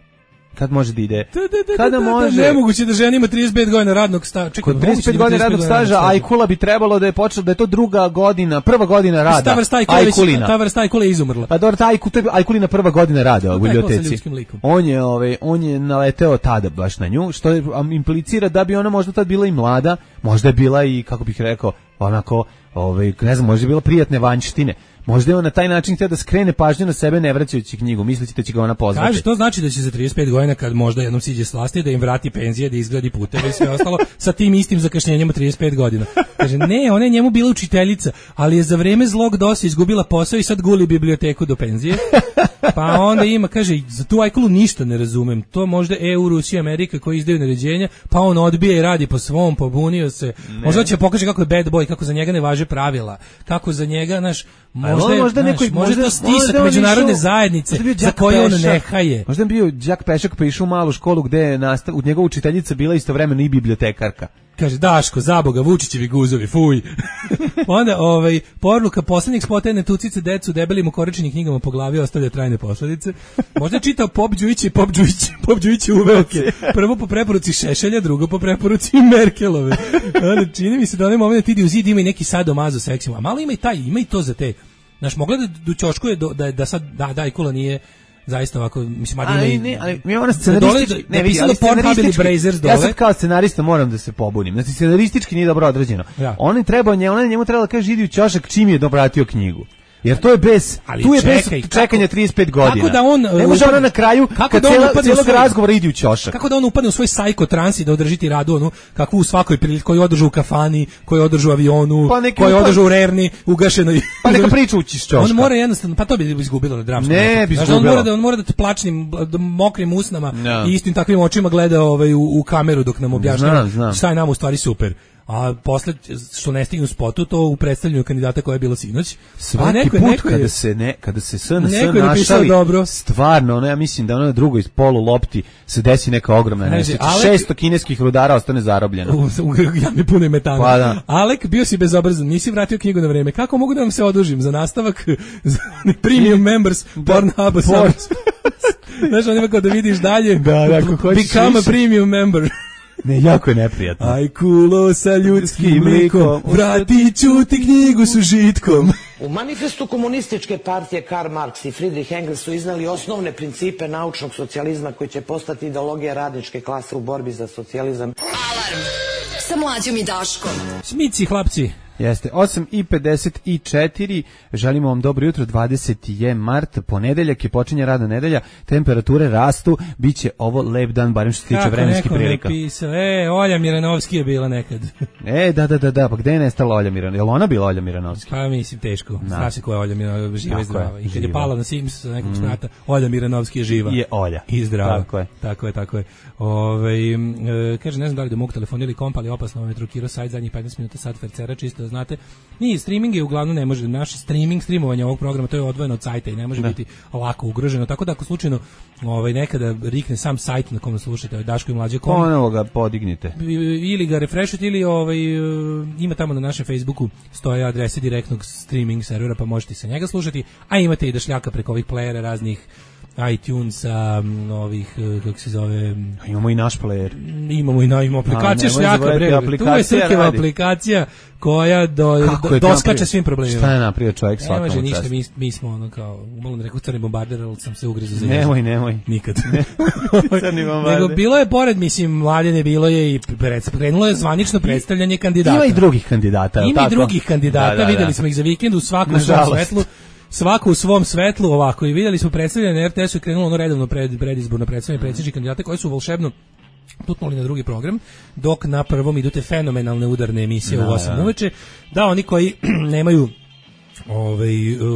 Kad može da ide? Da, da, da, Kada da, da, može? Da, nemoguće da žena ima trideset pet godina radnog staža. Čekaj, kod trideset pet godina radnog staža, Ajkula bi trebalo da je počela da je to druga godina, prva godina rada. Ta vrsta Ajkulina. Ta vrsta Ajkule je izumrla. Pa dobro, ta Ajku, to je Ajkulina prva godina rada u biblioteci. On je, ovaj, on je naleteo tada baš na nju, što je, implicira da bi ona možda tad bila i mlada, možda je bila i, kako bih rekao, onako, ovaj, ne znam, možda je bila prijatne vanjštine. Možda je on na taj način htio da skrene pažnju na sebe ne vraćajući knjigu, misleći da će ga ona pozvati. Kaže, to znači da će za trideset pet godina kad možda jednom siđe s vlasti da im vrati penzije, da izgradi puteve i sve ostalo sa tim istim zakašnjenjem trideset pet godina. Kaže, ne, ona je njemu bila učiteljica, ali je za vreme zlog dosa izgubila posao i sad guli biblioteku do penzije. Pa onda ima, kaže, za tu Ajkulu ništa ne razumem. To možda E U, Rusija, Amerika koji izdaju naređenja, pa on odbija i radi po svom, pobunio se. Ne. Možda će pokaže kako je bad boy, kako za njega ne važe pravila, kako za njega, naš možda je, možda, naš, možda to stisak međunarodne išao, zajednice za koje on ne haje. Možda je bio Đak Pešak pa išao u malu školu gde je nastav, u njegova učiteljica bila istovremeno i bibliotekarka. Kaže, Daško, zaboga, Vučićevi guzovi, fuj. Onda, ovaj, poruka poslednjih spota ne tucice decu debelim ukoričenim knjigama po glavi ostavlja trajne posledice. Možda je čitao Pop Đujić i Pop Đujić, Pop Đujić uveoke. Prvo po preporuci Šešelja, drugo po preporuci Merkelove. Onda, čini mi se da onaj moment ide u zid ima i neki sadomazo seksima. A malo ima i taj, ima i to za te. Znaš, mogla da do ćoškuje da, da, da sad, da, da, Ajkula nije zaista ovako, mislim, ali ne, ali mi ona scenaristički, ne vidi, ali scenaristički, ja sad kao scenarista moram da se pobunim, znači scenaristički nije dobro odrađeno. Ja. On treba, ona njemu trebala da kaže idi u ćošak čim je dobratio knjigu. Jer to je bez, ali tu je čekaj, bez čekanja trideset pet godina. Kako da on ne može ona na kraju kad da cijela, cijelog svoj, razgovora ide u ćošak. Kako da on upadne u svoj psycho trans i da održi tiradu onu kakvu u svakoj prilici, koju održu u kafani, koju održu u avionu, pa koju održu u Rerni, ugašenoj. Pa neka priča ući iz ćoška. On mora jednostavno, pa to bi izgubilo na dramskom. Ne, bi izgubilo. On mora da on mora da te plačnim, da mokrim usnama no. i istim takvim očima gleda ovaj u, u kameru dok nam objašnjava šta je nam u stvari super. A posle što ne stignu spotu to u predstavljanju kandidata koja je bilo sinoć. Svaki neko, put neko je, kada se ne kada se S N S našali dobro. Stvarno, ono ja mislim da ono na drugoj polu lopti se desi neka ogromna nesreća. šesto kineskih rudara ostane zarobljeno. U, u, ja mi puno metana. Pa da. Alek, bio si bezobrazan, nisi vratio knjigu na vreme. Kako mogu da vam se odužim za nastavak za premium members Pornhuba? Znaš, on ima kao da vidiš dalje. Da, da, ako hoćeš Become a više. premium member. Ne, jako je neprijatno. Aj kulo sa ljudskim likom, vratit ću ti knjigu s užitkom. U manifestu komunističke partije Karl Marx i Friedrich Engels su iznali osnovne principe naučnog socijalizma koji će postati ideologija radničke klase u borbi za socijalizam. Alarm sa Mlađom i Daškom. Smici, hlapci. Jeste, osam i pedeset četiri, želimo vam dobro jutro, dvadeseti je mart, ponedeljak je, počinje radna nedelja, temperature rastu, bit će ovo lep dan, barem što se tiče vremenskih prilika. Kako neko napisao, e, Olja Miranovski je bila nekad. E, da, da, da, da, pa gde je nestala Olja Miranovski? Je li ona bila Olja Miranovski? Pa mislim, teško, zna se ko je Olja Miranovski, živa i zdrava. I kad živa. je pala na Sims sa nekog sprata, Olja Miranovski je živa. Je Olja. I zdrava. Tako je. Tako je, tako je. Ove, e, kaže, ne znam da li da mogu telefon ili komp, ali opasno vam je trukirao sajt zadnjih petnaest minuta, sad fercera, čisto da znate. Nije, streaming je uglavnom ne može, naš streaming, streamovanje ovog programa, to je odvojeno od sajta i ne može da. biti lako ugroženo, tako da ako slučajno ovaj, nekada rikne sam sajt na kom slušate, ovaj Daško i Mlađe kom, ponovo ga podignite. Ili ga refreshujete, ili ovaj, ima tamo na našem Facebooku stoje adrese direktnog streaming servera, pa možete sa njega slušati, a imate i da šljaka preko ovih playera raznih iTunesa, ovih, kako se zove... Imamo i naš player. Imamo i na, imamo aplikacija šljaka, bre. Tu je Srkeva aplikacija koja do, do, doskače svim problemima. Šta je napravio čovjek svakom času? Ne može čast. ništa, mi, mi smo ono kao, umalo ne rekao crni bombarder, ali sam se ugrizo za jezik. Nemoj, nemoj. Nikad. Crni bombarder. Nego bilo je, pored, mislim, Mladene, bilo je i krenulo je zvanično predstavljanje kandidata. Ima i drugih kandidata. Ima i drugih kandidata, da, da, videli da. smo ih za vikend u svakom svom svetlu. Svako u svom svetlu ovako i vidjeli smo predstavljanje na er te esu je krenulo ono redovno pred, predizborno predstavljanje predsjedničkih kandidata koji su volšebno tutnuli na drugi program, dok na prvom idu te fenomenalne udarne emisije da, u osam da. uveče, da oni koji nemaju ovaj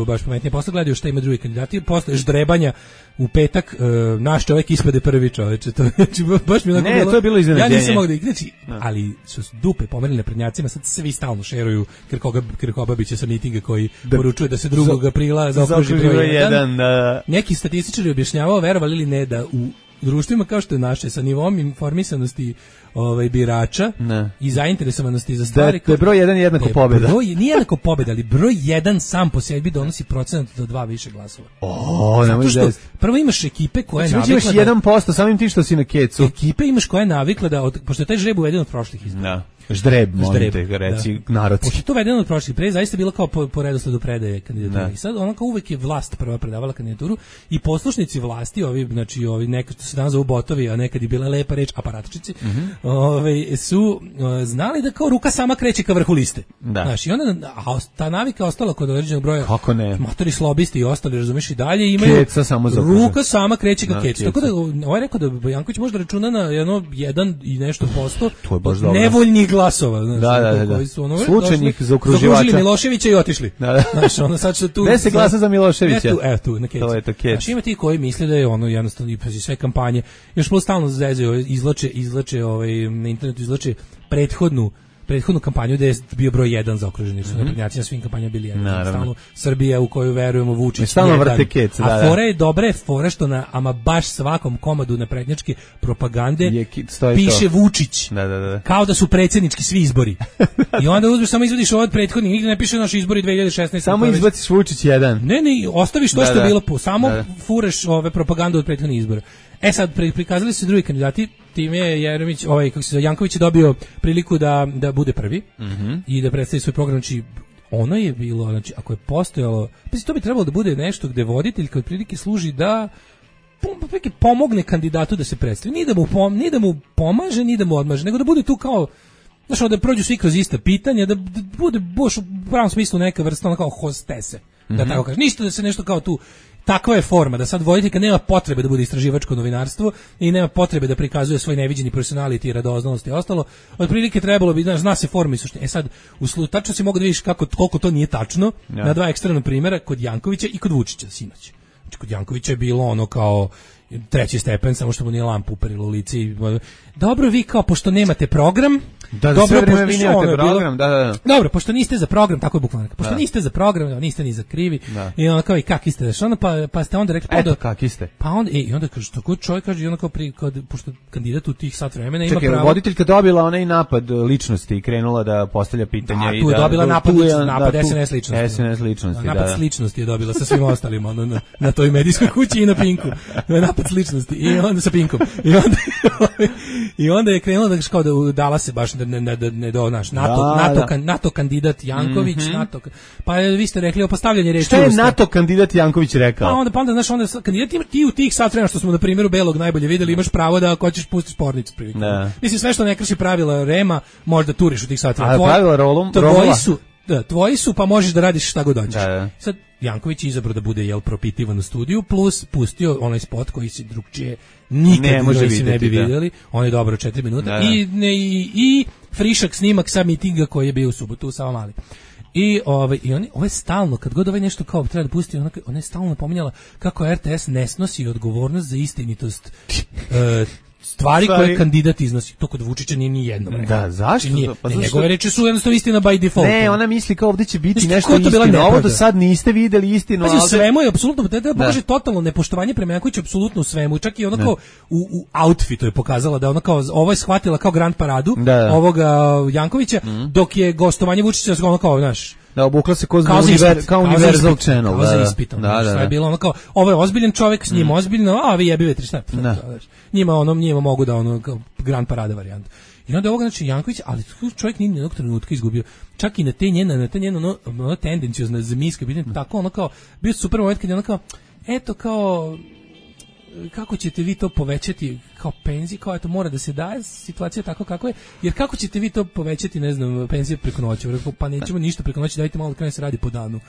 baš pametnije posle gledaju šta ima drugi kandidati, posle ždrebanja u petak uh, naš čovjek ispade prvi čoveče, to znači baš mi onako ne, bilo, to je bilo iznenađenje. Ja nisam mogao da znači, ali su dupe pomerili na prednjacima, sad svi stalno šeruju Krkoga Krkobabića sa mitinga koji da, poručuje da se drugog aprila zaokruži broj jedan. Da. Neki statističari objašnjavao, verovali ili ne, da u društvima kao što je naše, sa nivom informisanosti ovaj, birača ne. i zainteresovanosti za stvari... Da, da je broj jedan jednako pobjeda. Broj, nije jednako pobjeda, ali broj jedan sam po sebi donosi procenat do dva više glasova. O, zato što prvo imaš ekipe koje znači, navikla imaš jedan posto samim tim što si na kecu. Ekipe imaš koja je navikla da, od, pošto je taj žreb uveden od prošlih izbora. Da. Ždreb, molim te, reci da. Narodski. Pošto je to uvedeno od prošlih, pre zaista bilo kao po, po redosledu predaje kandidatura. I sad ono kao uvek je vlast prva predavala kandidaturu i poslušnici vlasti, ovi, znači ovi nekad što se danas zovu botovi, a nekad je bila lepa reč aparatičici, mm -hmm. ove, su o, znali da kao ruka sama kreće ka vrhu liste. Da. Znaš, i onda a, ta navika ostala kod određenog broja. Kako ne? Motori slobisti i ostali, razumiješ, i dalje imaju keca samo za ruka sama kreće ka kecu. Tako da ovaj rekao da Bojanković može da računa na jedno jedan i nešto posto nevoljnih glasova. Znači, da, da, da. Su ono, slučajnih zaokruživača. Zaokružili Miloševića i otišli. Da, da. Znaš, ono sad što tu... Ne se glasa za Miloševića. Evo tu, evo tu, na kecu. To je to kec. Znaš, ima ti koji misle da je ono jednostavno i pazi sve kampanje. Još plus stalno zezaju, izlače, izlače, ovaj, na internetu izlače prethodnu prethodnu kampanju gde je bio broj jedan za okruženi su mm -hmm. naprednjaci na svim kampanjama bili jedan. Stalno Srbija u koju verujemo Vučić stalno vrte kec, da, a fora je dobra je fora što na ama baš svakom komadu naprednjačke propagande je, piše to. Vučić da, da, da. kao da su predsjednički svi izbori i onda uzmeš samo izvadiš od prethodnih, nigde ne piše naši izbori dve hiljade šesnaeste samo izbaciš Vučić jedan ne ne ostaviš to da, što da. je bilo po samo da, da. fureš ove propagandu od prethodnih izbora. E sad prikazali su drugi kandidati, time je Jeremić, ovaj kako se zove Janković je dobio priliku da da bude prvi mm -hmm. i da predstavi svoj program, znači ono je bilo, znači ako je postojalo, pa to bi trebalo da bude nešto gde voditelj kao prilike služi da pomogne kandidatu da se predstavi, ni da mu pom, ni da mu pomaže, ni da mu odmaže, nego da bude tu kao znači da prođu svi kroz ista pitanja, da, da bude baš u pravom smislu neka vrsta ono kao hostese, mm -hmm. da tako kažem, ništa da se nešto kao tu. Takva je forma da sad voditeljka nema potrebe da bude istraživačko novinarstvo i nema potrebe da prikazuje svoj neviđeni personality, radoznalost i ostalo. Otprilike trebalo bi, znaš, zna se forma i suština. E sad, u slu, tačno si mogu da vidiš kako, koliko to nije tačno ja. na dva ekstremna primjera, kod Jankovića i kod Vučića sinoć. Znači, kod Jankovića je bilo ono kao treći stepen, samo što mu nije lampu uperilo u lice i dobro, vi kao, pošto nemate program, da, da dobro, pošto vi nemate program, da, da, da. Dobro, pošto niste za program, tako je bukvalno. Pošto da. niste za program, niste ni za krivi. Da. I onda kao i kak ste, onda pa pa ste onda rekli pa eto kak ste. Pa onda i onda kaže tako čovjek kaže i onda kao pri kad pošto kandidat u tih sat vremena ima Čekaj, pravo. voditeljka dobila onaj napad ličnosti i krenula da postavlja pitanja da, i tu je da dobila da, napad, je, napad da, es en es ličnosti. es en es ličnosti, da. Napad da. ličnosti je dobila sa svim ostalim ono, na, na toj medijskoj kući i na Pinku. Napad napac ličnosti i onda sa Pinkom. I onda i onda je krenulo da kao da dala se baš da ne da ne do naš NATO da, NATO da. Kan, NATO kandidat Janković, mm-hmm. NATO. Pa vi ste rekli o postavljanje reči. Šta je NATO kandidat Janković rekao? Pa onda pa onda znaš onda kandidat ima ti u tih sat vremena što smo na primjeru Belog najbolje videli, imaš pravo da ako hoćeš pustiti spornicu prilikom. Mislim sve što ne krši pravila Rema možda turiš u tih sat vremena. A pravila rolom, tvoji su Da, tvoji su, pa možeš da radiš šta god hoćeš. Da, da. Sad, Janković je izabrao da bude jel propitivan u studiju, plus pustio onaj spot koji se drugčije nikad ne, može vidjeti, ne bi da. vidjeli. On je dobro četiri minuta. Da, da. I, ne, i, i frišak snimak sa mitinga koji je bio u subotu u Savamali. I ovaj i oni ovo je stalno kad god ovaj nešto kao treba da pusti, ona ona je stalno napominjala kako R T S ne snosi odgovornost za istinitost e, stvari Stvari. koje kandidat iznosi. To kod Vučića nije ni jedno. Da, zašto? Nije, pa ne, njegove reči su jednostavno istina by default. Ne, ona misli kao ovdje će biti znači, nešto istina. Ovo do sad niste videli istinu. Pazi, u svemu je apsolutno, da, da pokaže totalno nepoštovanje prema Jankoviću, apsolutno u svemu. Čak i ono kao u, u outfitu je pokazala da ona kao, ovo je shvatila kao grand paradu da, da. ovoga Jankovića, mm. dok je gostovanje Vučića ono kao, znaš, da obukla se kao univer, kao Universal Channel. Kao za ispitom. Da, da, da. Je bilo ono kao, ovo je ozbiljan čovjek, s njim mm. ozbiljno, a vi jebi vetri, šta? Njima ono, njima mogu da ono, kao grand parada varijanta. I onda ovoga, znači, Janković, ali čovjek nije nijednog trenutka izgubio. Čak i na te njena, na te njena, ono, ono tendencijozna zmijska, mm. tako ono kao, bio super moment kad je ono kao, eto kao, kako ćete vi to povećati kao penzije, kao eto mora da se daje situacija tako kako je, jer kako ćete vi to povećati, ne znam, penzije preko noći, pa nećemo ništa preko noći, dajte malo da krene se radi po danu,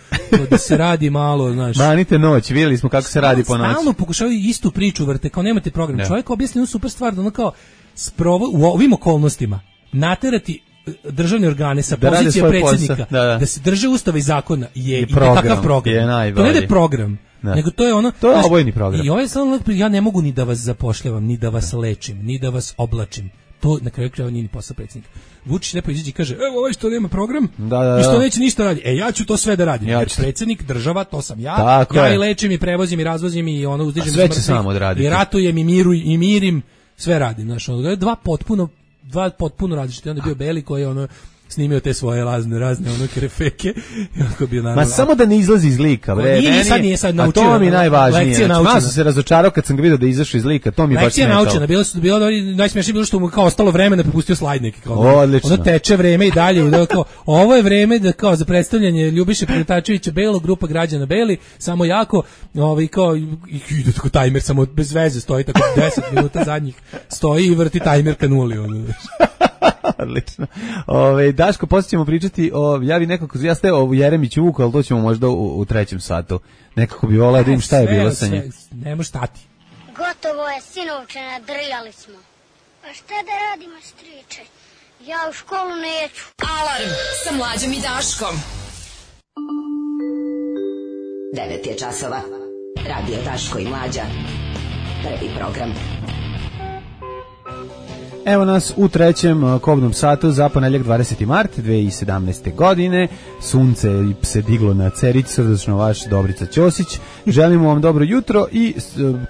da se radi malo, znaš. Manite noć, vidjeli smo kako se radi po noći. Stalno pokušavaju istu priču vrte, kao nemate program. Ne. Čovjek objasni jednu super stvar, da ono kao sprovo, u ovim okolnostima naterati državne organe sa da pozicije predsjednika da, da. da se drže ustava i zakona je i takav program. Je to ne je program. Da. Nego to je ono, to je obojni program. I ovaj samo ja ne mogu ni da vas zapošljavam, ni da vas lečim, ni da vas oblačim. To na kraju krajeva nije ni posao predsjednika. Vučić lepo izađe i kaže: "Evo ovaj što nema program, da, da, da. i što neće ništa radi. E ja ću to sve da radim. Ja jer predsjednik, država, to sam ja. Tako ja je. I lečim i prevozim i razvozim i ono uzdižem sve će samo odraditi. I ratujem i miru i mirim, sve radim, znači ono dva potpuno dva potpuno različite. Onda je bio Beli koji je ono snimio te svoje razne razne ono krefeke i onako bio naravno. Ma samo da ne izlazi iz lika, bre. Nije, sad nije sad naučio. A to mi je najvažnije. Znači, sam se razočarao kad sam ga vidio da izašao iz lika, to mi je baš smetalo. Lekcija naučena, bilo su bilo najsmešnije bilo što mu kao ostalo vreme da popustio slajd neki kao. Odlično. Ono teče vreme i dalje, da kao ovo je vreme da kao za predstavljanje Ljubiše Pretačevića Belo, grupa građana Beli, samo jako, ovaj kao ide tako tajmer samo bez veze stoji tako deset minuta zadnjih stoji i vrti tajmer ka nuli ono. Odlično. Ove, Daško, poslije ćemo pričati o, ja bi nekako, ja ste o Jeremiću Vuku, ali to ćemo možda u, u trećem satu. Nekako bi volao da im šta je bilo sa njim. Nemo stati. Gotovo je, sinovče, nadrljali smo. A šta da radimo, striče? Ja u školu neću. Alarm sa Mlađom i Daškom. devet je časova. Radio Daško i Mlađa. Prvi program. Evo nas u trećem kobnom satu za ponedjeljak dvadeseti mart dve hiljade sedamnaeste. godine. Sunce se diglo na Cerić, srdačno vaš Dobrica Ćosić. Želimo vam dobro jutro i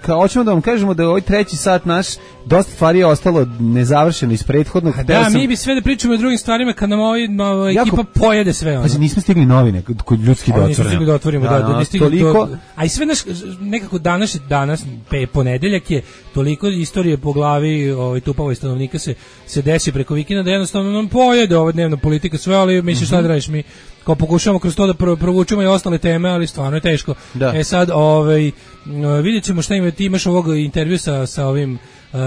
kao hoćemo da vam kažemo da je ovaj treći sat naš dosta stvari je ostalo nezavršeno iz prethodnog. Da, sam... mi bi sve da pričamo o drugim stvarima kad nam ovaj ova ekipa jako... pojede sve. Ono. Pa nismo stigli novine kod ljudski da otvorimo. Nismo stigli da otvorimo, da, da, da, da toliko... do... A i sve naš, nekako danas, danas pe, ponedeljak je toliko istorije po glavi ovaj, tupavo stanovnika se, se desi preko vikenda da jednostavno nam pojede ova dnevna politika sve, ali misliš šta da radiš mi kao pokušavamo kroz to da provučemo i ostale teme, ali stvarno je teško. Da. E sad, ovaj, vidjet ćemo šta ima, ti imaš ovog intervju sa, sa ovim Uh,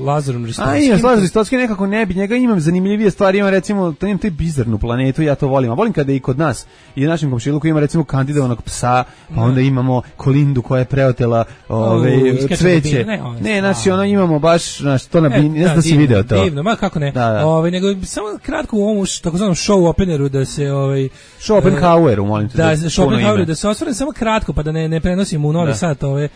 Lazarom Ristovskim. A imam Lazar Ristovski nekako ne bi, njega imam zanimljivije stvari, imam recimo, to imam taj bizarnu planetu, ja to volim, a volim kada i kod nas i u našem komšiluku ima recimo kandidovanog psa, pa onda imamo Kolindu koja je preotela ove, uh, cveće. Ne, ne znači ono imamo baš, znači to na e, ne znam da si video to. Divno, ma kako ne. Da, da. Ove, nego samo kratko u ovom takozvanom show openeru da se ovaj show Oppenhaueru, molim te. Da, da show Oppenhaueru da se osvrnem samo kratko pa da ne ne prenosimo u Novi Sad ove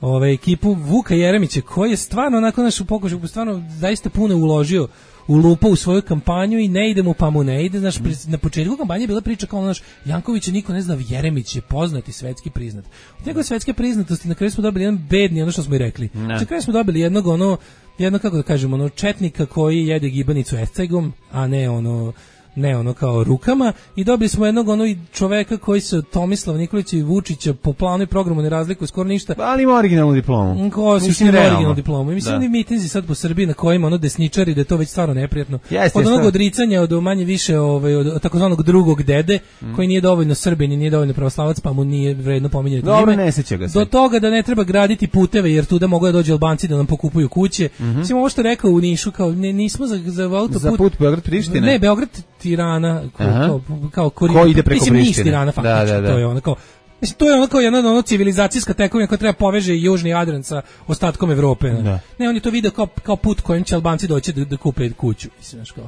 ove ekipu Vuka Jeremića koji je stvarno onako naš pokušaj stvarno zaista puno uložio u lupa u svoju kampanju i ne ide mu pa mu ne ide, znaš, na početku kampanje je bila priča kao naš Jankovića niko ne zna, Jeremić je poznat i svetski priznat. Od njegove svetske priznatosti na kraju smo dobili jedan bedni, ono što smo i rekli. Na kraju smo dobili jednog ono, jedno kako da kažemo, ono četnika koji jede gibanicu escegom, a ne ono ne ono kao rukama i dobili smo jednog ono čoveka koji se Tomislav Nikolić i Vučića po planu i programu ne razlikuje skoro ništa. Ali ima originalnu diplomu. Ko su ima originalnu diplomu. I mislim da. Oni mitinzi sad po Srbiji na kojima ono desničari da je to već stvarno neprijatno. Jeste, od onog odricanja od manje više ovaj od takozvanog drugog dede mm. koji nije dovoljno Srbin i nije dovoljno pravoslavac pa mu nije vredno pominjati ime. Dobro, ne seća ga se. Do toga da ne treba graditi puteve jer tu da mogu da dođu Albanci da nam pokupuju kuće. Mm -hmm. Mislim ovo što rekao u Nišu kao ne, nismo za za autoput. Za put Beograd Priština. Ne, Beograd Tirana kao kao, kao ko ide preko Prištine. Mislim Tirana faktički, da, da, da. to je ono kao Mislim, to je ono kao jedna ono civilizacijska tekovina koja treba poveže južni Jadran sa ostatkom Evrope. Ne, ne on je to video kao, kao put kojim će Albanci doći da, da kupe kuću. Mislim, kao.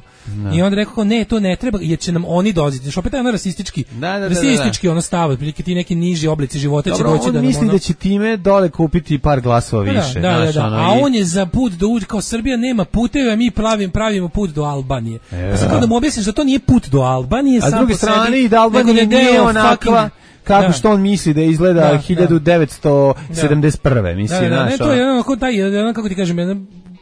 I onda rekao, ne, to ne treba, jer će nam oni dolaziti. Što opet je ono rasistički, da, da, rasistički da, da. ono stav, otprilike ti neki niži oblici života Dobro, će doći on da nam misli ono... da će time dole kupiti par glasova više. Da, da, znaš, da, ono, a i... on je za put do uđe, kao Srbija nema puteve, a mi pravimo, pravimo put do Albanije. E, pa sad kao da mu objasniš da to nije put do Albanije, a s druge strane sebi, i da Albanija nije onakva kako da. Što on misli da izgleda da, hiljadu devetsto sedamdeset prve. Mislim, da, da, znaš, ne, to je ono, taj, ono, kako ti kažem, jedna,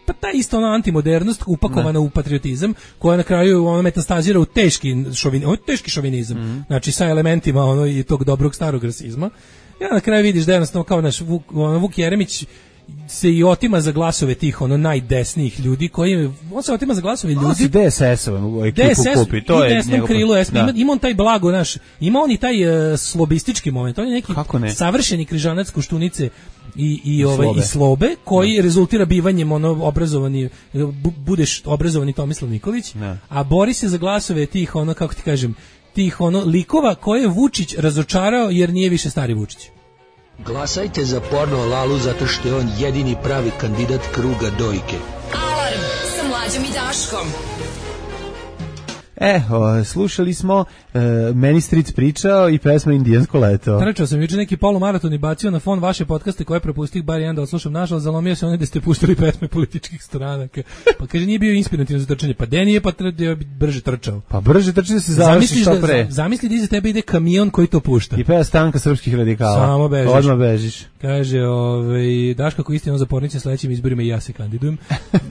pa ta isto ona antimodernost upakovana da. U patriotizam, koja na kraju ono metastazira u teški šovinizam, teški šovinizam, mm. znači sa elementima ono i tog dobrog starog rasizma. Ja na kraju vidiš da jednostavno kao naš Vuk, ono, Vuk Jeremić se i otima za glasove tih ono najdesnijih ljudi koji on se otima za glasove ljudi. On se D S S-ovom ekipu D S S kupi, to je desnom krilu, da. ima, ima on taj blago naš, ima on i taj uh, slobistički moment, on je neki ne? savršeni križanac Koštunice i i ovaj slobe. i slobe koji ne. Rezultira bivanjem ono obrazovani bu, budeš obrazovani Tomislav Nikolić, ne. A bori se za glasove tih ono kako ti kažem, tih ono likova koje je Vučić razočarao jer nije više stari Vučić. Glasajte za porno Lalu zato što je on jedini pravi kandidat kruga dojke. Alarm sa Mlađom i Daškom. E, o, slušali smo e, Meni Stric pričao i pesma Indijansko leto. Trčao sam juče neki polumaraton i bacio na fon vaše podcaste koje propustih bar jedan da odslušam. Nažalost, zalomio se onaj da ste puštali pesme političkih stranaka. Pa kaže, nije bio inspirativno za trčanje. Pa de nije, pa treba bi brže trčao. Pa brže trčanje da se završi što pre. Da, zamisli da iza tebe ide kamion koji to pušta. I peva Stanka srpskih radikala. Samo bežiš. Odmah bežiš. Kaže, ovaj, Daška ko istino zapornice sledećim izborima i ja se kandidujem.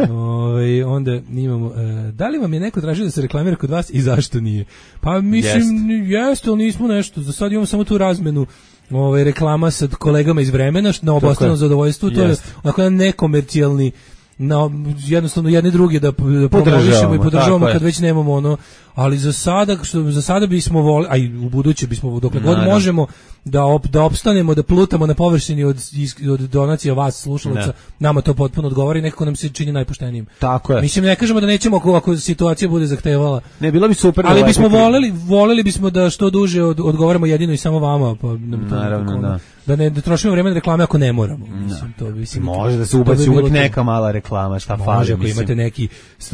ovaj, onda imamo, e, da li vam je neko tražio da se reklamira kod vas i zašto nije? Pa mislim, jeste, ali nismo nešto. Za sad imamo samo tu razmenu ovaj, reklama sa kolegama iz vremena, na obostranom zadovoljstvu. To je onako jedan nekomercijalni na jednostavno jedni drugi da, da promovišemo i podržavamo kad već nemamo ono, ali za sada što za sada bismo voleli, a i u buduće bismo dokle god možemo da op, da opstanemo, da plutamo na površini od od donacija vas slušalaca, ne. Nama to potpuno odgovara i nekako nam se čini najpoštenijim. Tako je. Mislim ne kažemo da nećemo ako, ako situacija bude zahtevala. Ne, bilo bi super. Ali bismo voleli, voleli bismo da što duže od, odgovaramo jedino i samo vama, pa naravno, tako, da. Da ne da trošimo vreme na reklame ako ne moramo. Mislim to bi se može da se ubaci uvek neka mala reklama, šta fali, mislim. Ako imate neki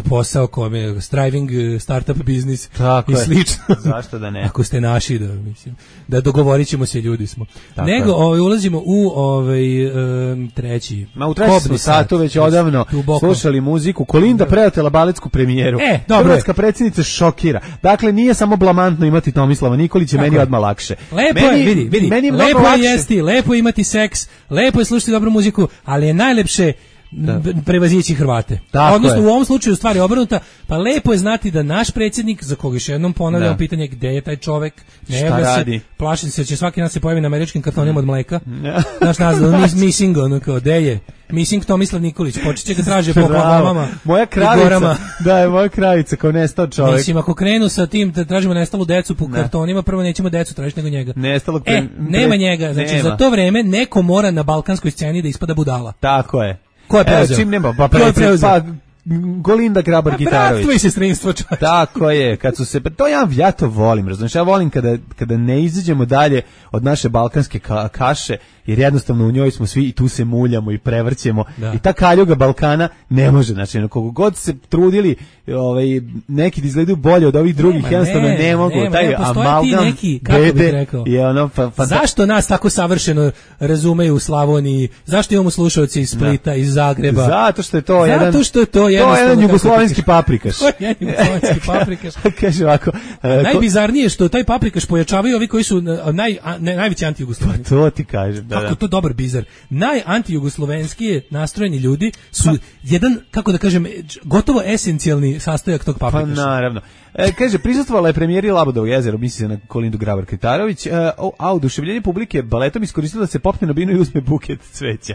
posao kome striving startup biznis i slično. Zašto da ne? Ako ste naši, da mislim, da dogovorićemo se, ljudi smo. Tako Nego ovaj ulazimo u ovaj um, treći. Ma u treći satu već odavno duboko. Slušali muziku. Kolinda preotela baletsku premijeru. E, dobro. Hrvatska predsjednica šokira. Dakle, nije samo blamantno imati Tomislava Nikolića, meni je odmah lakše. Lepo meni, je, vidi, vidi. Meni je lepo je jesti, lepo je imati seks, lepo je slušati dobru muziku, ali je najlepše da. prevazići Hrvate. Tako odnosno je. U ovom slučaju stvari obrnuta, pa lepo je znati da naš predsjednik, za koga još jednom ponavljam pitanje gde je taj čovek, ne šta radi? Se, plašim se će svaki dan se pojavi na američkim kartonima od mleka. Naš naziv, missing, ono kao, gde je? Missing Tomislav Nikolić, počet će ga traže po plavama. Moja kravica, da je moja kravica kao nestao čovjek. Mislim, ako krenu sa tim da tražimo nestalu decu po ne. kartonima, prvo nećemo decu tražiti nego njega. Nestalog pre... E, nema njega, znači nema. Za to vreme neko mora na balkanskoj sceni da ispada budala. Tako je. Ko je preuzeo? E, čim nema, pa preuzeo? Pa Golinda Grabar-Kitarović. Bratvo i sestrinstvo, čovječ. Tako je, kad su se, to ja, ja to volim, razumiješ, ja volim kada, kada ne izađemo dalje od naše balkanske ka, kaše, jer jednostavno u njoj smo svi i tu se muljamo i prevrćemo da. I ta kaljuga Balkana ne može, znači, koliko god se trudili, ovaj, neki da izgledaju bolje od ovih drugih, nema, jednostavno ne, ne mogu, nema, taj nema, amalgam neki, bede je ono, fa, fa, zašto nas tako savršeno razumeju u Slavoniji, zašto imamo slušalci iz Splita, da. Iz Zagreba, zato što je to zato jedan, što je to, to je jedan jugoslovenski paprikaš. To je jedan jugoslovenski paprikaš. Kaže ovako, najbizarnije što taj paprikaš pojačavaju ovi koji su naj, ne, najveći anti-jugosloveni. Pa to ti kažem, da. Kako to dobar bizar. Naj-antijugoslovenskije nastrojeni ljudi su pa, jedan, kako da kažem, gotovo esencijalni sastojak tog paprikaša. Pa naravno. E, kaže, prisustvovala je premijeri Labudovog jezera, misli se na Kolindu Grabar-Kitarović, e, a oduševljenje publike baletom iskoristila da se popne na binu i uzme buket cveća.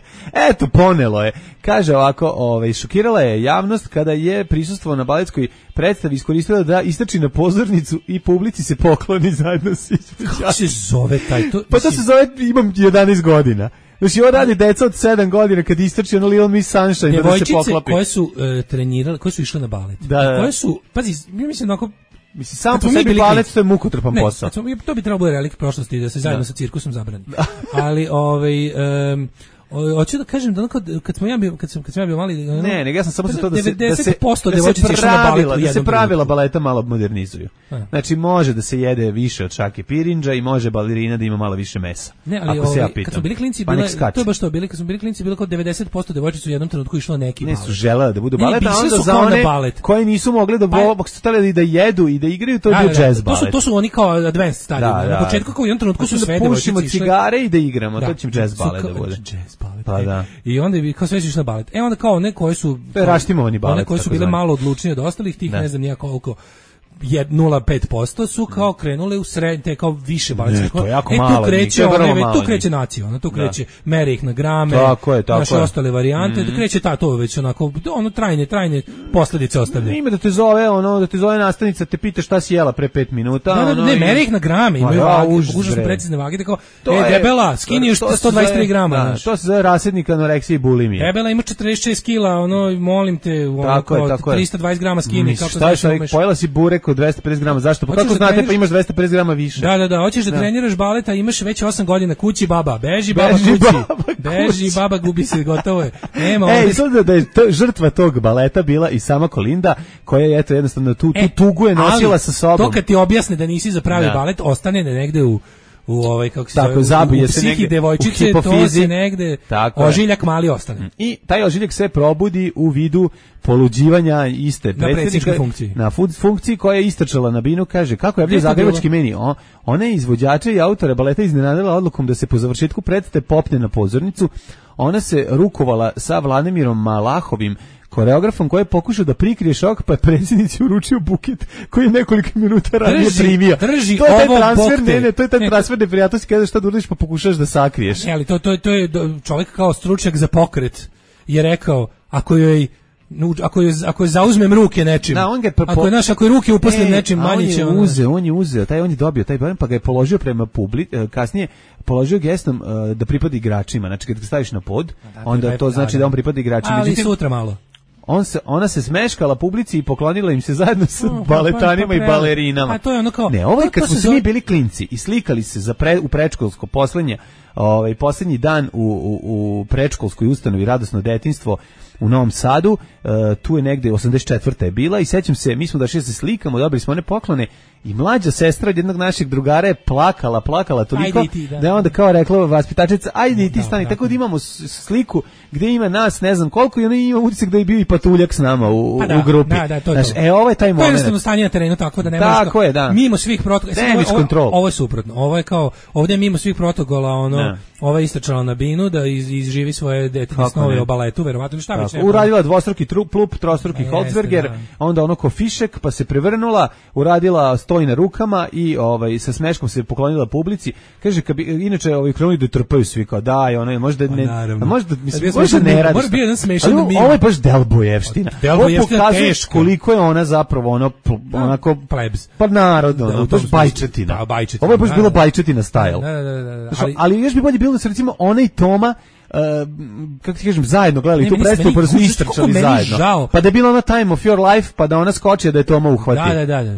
Eto, ponelo je. Kaže ovako, ovaj, šokirala je javnost kada je prisustvovao na baletskoj predstavi, iskoristila da istrči na pozornicu i publici se pokloni zajedno s izvođačem. Kako se zove taj? To, pa to se zove, imam jedanaest godina. Znači, ovo radi deca od sedam godina kad istrči ono Little Miss Sunshine da se poklapi. Devojčice koje su uh, trenirale, koje su išle na balet. Da, da. Koje su, pazi, ja mislim onako, mislim, samo po sebi balet, to je mukotrpan ne, posao. Smo, to bi trebalo bude relik prošlosti, da se zajedno da. sa cirkusom zabrani. Ali, ovaj... Um, hoću da kažem da kad, kad smo ja bio kad sam kad sam ja bio mali ne ne ne ja sam samo za to da se da se devojčice išle na balet, da se pravila baleta malo modernizuju. A. Znači može da se jede više od šake pirinđa i može balerina da ima malo više mesa. Ne, ali ovaj, ja kad smo bili klinci pa bile, to je baš to, bili kad smo bili klinci bilo kao devedeset posto devojčica u jednom trenutku išlo neki balet. Ne su želele da budu balet, a onda za one koji nisu mogli da bo stali da jedu i da igraju, to je bio džez balet. To su to su oni kao advanced stadion. Na početku kao u jednom trenutku su sve devojčice išle cigare i da igramo, to će džez balet da bude. Pa da. I onda bi kao sve išli na balet. E onda kao one koje su raštimovani balet, one koje su bile malo odlučnije od ostalih, tih ne, ne znam ja koliko nula zarez pet posto su kao krenule u sred, te kao više baletske. E, to je jako e, malo. Tu kreće, one, tu kreće nacija, ona tu kreće, da. Mere ih na grame, tako je, tako naše je. Ostale varijante, mm. tu kreće ta, to već onako, ono trajne, trajne posledice ostavlja. Ima da te zove, ono, da te zove nastavnica, te pita šta si jela pre pet minuta. Da, da, ono, ne, i... mere ih na grame, imaju vage, pokušaju precizne vage, tako, e, debela, skini još sto dvadeset tri grama. Da, to se zove rasednik anoreksije i bulimije. Debela ima četrdeset šest kila, ono, molim te, ono, trista dvadeset grama skini, kako šta je, pojela si burek od dvesta pedeset grama. Zašto? Pa kako da znate, treniraš... pa imaš dvesta pedeset grama više. Da, da, da, hoćeš da, da treniraš balet, a imaš već osam godina, kući baba, beži baba beži kući, baba, beži kući. Baba, gubi se, gotovo je. Nema ovdje. Ej, sad da je to, žrtva tog baleta bila i sama Kolinda, koja je, eto, jednostavno tu, e, tu tugu je nosila sa sobom. To kad ti objasne da nisi za pravi da. balet, ostane negde u u ovaj kako se tako, zove, u psihi devojčice, to se negde tako ožiljak mali ostane. I taj ožiljak se probudi u vidu poluđivanja iste predsjedničke funkcije. Na funkciji koja je istrčala na binu, kaže kako je bio zagrebački meni. O, ona je izvođača i autora baleta iznenadila odlukom da se po završetku predstave popne na pozornicu. Ona se rukovala sa Vladimirom Malahovim, koreografom koji je pokušao da prikrije šok, pa je predsjednici uručio buket koji je nekoliko minuta ranije primio. Drži to je taj ovo transfer, bokte. ne, ne, to je taj transfer neprijatnosti kada šta da uradiš pa pokušaš da sakriješ. Ne, ali to, to, to je čovjek kao stručnjak za pokret je rekao, ako joj ako je ako je zauzmem ruke nečim. Da, on ga po, ako je naš ako je ruke uposlen e, nečim manje će on je uzeo, on je uzeo, taj on je dobio taj barem pa ga je položio prema publici, kasnije položio gestom uh, da pripada igračima. Znači kad ga staviš na pod, da, onda to znači da on pripada igračima. Ali međutim, sutra malo. On se, ona se smeškala publici i poklonila im se zajedno sa oh, baletanima pa, pa, pa, i balerinama. A to je ono kao, ne, ovo je kad smo se mi bili klinci i slikali se za pre, u predškolsko poslednje, ovaj poslednji dan u, u, u predškolskoj ustanovi Radosno detinjstvo u Novom Sadu, uh, tu je negde osamdeset četvrta je bila i sećam se, mi smo došli da se slikamo, dobili smo one poklone i mlađa sestra od jednog našeg drugara je plakala, plakala toliko ti, da. da je onda kao rekla vaspitačica, ajde i ti stani, tako da imamo sliku gdje ima nas, ne znam koliko i ona ima utisak da je bio i patuljak s nama u, pa da, u grupi. Da, da, to Znaš, e, ovo je taj moment. To je jednostavno stanje na terenu, tako da ne možeš. Tako je, da. Mimo svih protokola. Ovo, ovo je suprotno. Ovo je kao, ovdje mimo svih protokola, ono, ne. Ova je istračala na binu da iz, izživi svoje detinje snove o baletu, verovatno šta već. Uradila dvostruki plup, trostruki Holzberger, da. Onda ono ko fišek, pa se prevrnula, uradila stoj na rukama i ovaj sa smeškom se poklonila publici. Kaže kad bi inače ovaj krenuli da trpaju svi kao daj, ono možda ne, a možda mislim možda ne radi. Bio jedan smešan mim. Ovo je baš Delbojevština. Delbojevština teško. Koliko je ona zapravo ono onako plebs. Pa narodno, ono, to je bajčetina. Da, bajčetina. Ovo je baš bila bajčetina style. Da, da, da, ali ali još bi bolje bilo da se recimo ona i Toma Uh, kako ti kažem, zajedno gledali tu predstavu pa su istrčali zajedno. Žao. Pa da je bila ona Time of Your Life, pa da ona skoči da je Toma uhvati. Da, da, da. da.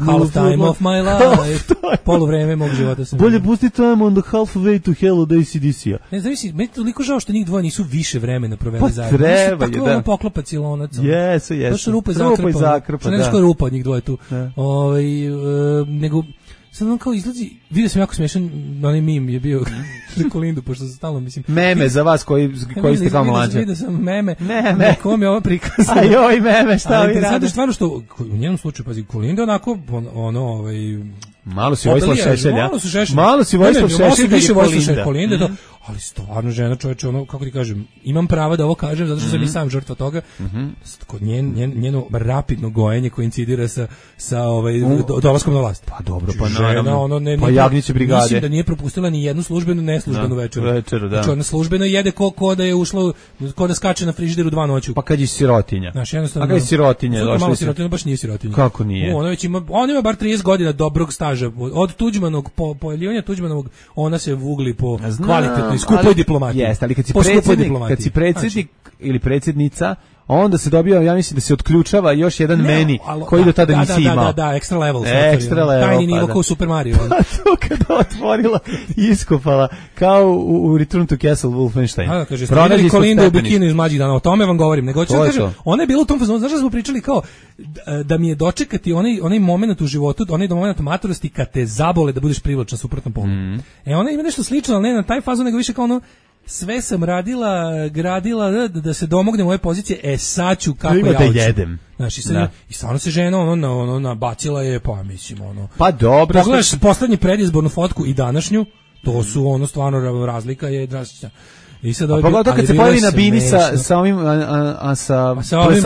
Half time of my life. Poluvreme mog života sam. Bolje pusti Time on the halfway to hell od A C D C-a. Ne znam, meni toliko žao što njih dvoje nisu više vremena proveli pa zajedno. Treba je, da. Tako ono poklopa cilonac. Jesu, jesu. To su rupa i zakrpa. zakrpa, da. Ne znaš rupa od njih dvoje tu. Ovaj, uh, nego sad on kao izlazi, vidio sam jako smiješan, onaj mim je bio za Kolindu, pošto sam stalno, mislim... Meme za vas koji, koji ste kao mlađe. Vidio sam meme, meme. Na kom je ovo prikazano. A joj, meme, šta vi radi? Sad stvarno što, u njenom slučaju, pazi, Kolinda onako, ono, ovaj... Malo si Vojislav Šešelj, ja? Malo si Šešelj. Malo si Vojislav Šešelj, više Vojislav Kolinda, ali stvarno žena, čoveče, ono, kako ti kažem, imam prava da ovo kažem, zato što mm-hmm. sam i sam žrtva toga, mm-hmm. kod njen, njen, njeno rapidno gojenje koincidira sa, sa ovaj, do, dolaskom na vlast. Pa dobro, pa žena, naravno, ono, ne, pa Jagnjeće brigade. Mislim da nije propustila ni jednu službenu, neslužbenu da, večeru. večeru da. Znači, ona službeno jede ko, ko da je ušla, ko da skače na frižideru dva noću. Pa kad je sirotinja. Znaš, jednostavno. A kad je sirotinja, došla malo sirotinja, baš nije sirotinja. Kako nije? U, ona već ima, on ima bar trideset godina dobrog staža. Od Tuđmanog, po, pojavljivanja Tuđmanovog, ona se vugli po Znam, kvalitetnoj, skupoj diplomatiji. Jeste, ali kad si predsjednik, kad si predsjednik znači, ili predsjednica, onda se dobija, ja mislim da se otključava još jedan ne, meni alo, koji do tada da, nisi da, imao. Da, da, da, extra level. Extra level. Tajni nivo pa, kao u Super Mario. Pa to kada otvorila i iskopala, kao u, u Return to Castle Wolfenstein. Da, kaže, pronađi Kolinda u bikinu iz Mlađih dana, o tome vam govorim. Nego ću kažem, ona je bila u tom fazonu, znaš da smo pričali kao, da mi je dočekati onaj, onaj moment u životu, onaj moment matorosti kad te zabole da budeš privlačna suprotnom polu. Mm. E ona ima nešto slično, ali ne na taj fazon, nego više kao ono, sve sam radila, gradila da, da se domognem ove pozicije, e sad ću kako ja hoću. Da jedem. Znaš, i, sad, i stvarno se žena ono, na, ono nabacila je, pa mislim, ono. Pa dobro. Pogledaš što... poslednju predizbornu fotku i današnju, to su ono stvarno razlika je drastična. I sad ovaj, pogledaj kad se pojavi na bini sa, sa ovim, a, a, a sa, a sa ovim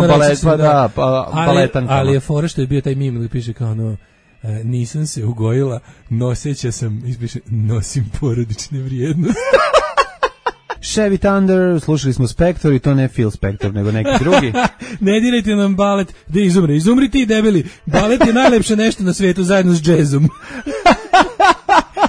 balet, pa da, pa, baletankama. Ali je fora što je bio taj mim koji piše kao ono, e, nisam se ugojila, noseća sam, ispiše, nosim porodične vrijednosti. Chevy Thunder, slušali smo Spector i to ne Phil Spector, nego neki drugi. Ne dirajte nam balet, da izumre, izumri ti debeli. Balet je najlepše nešto na svijetu zajedno s džezom.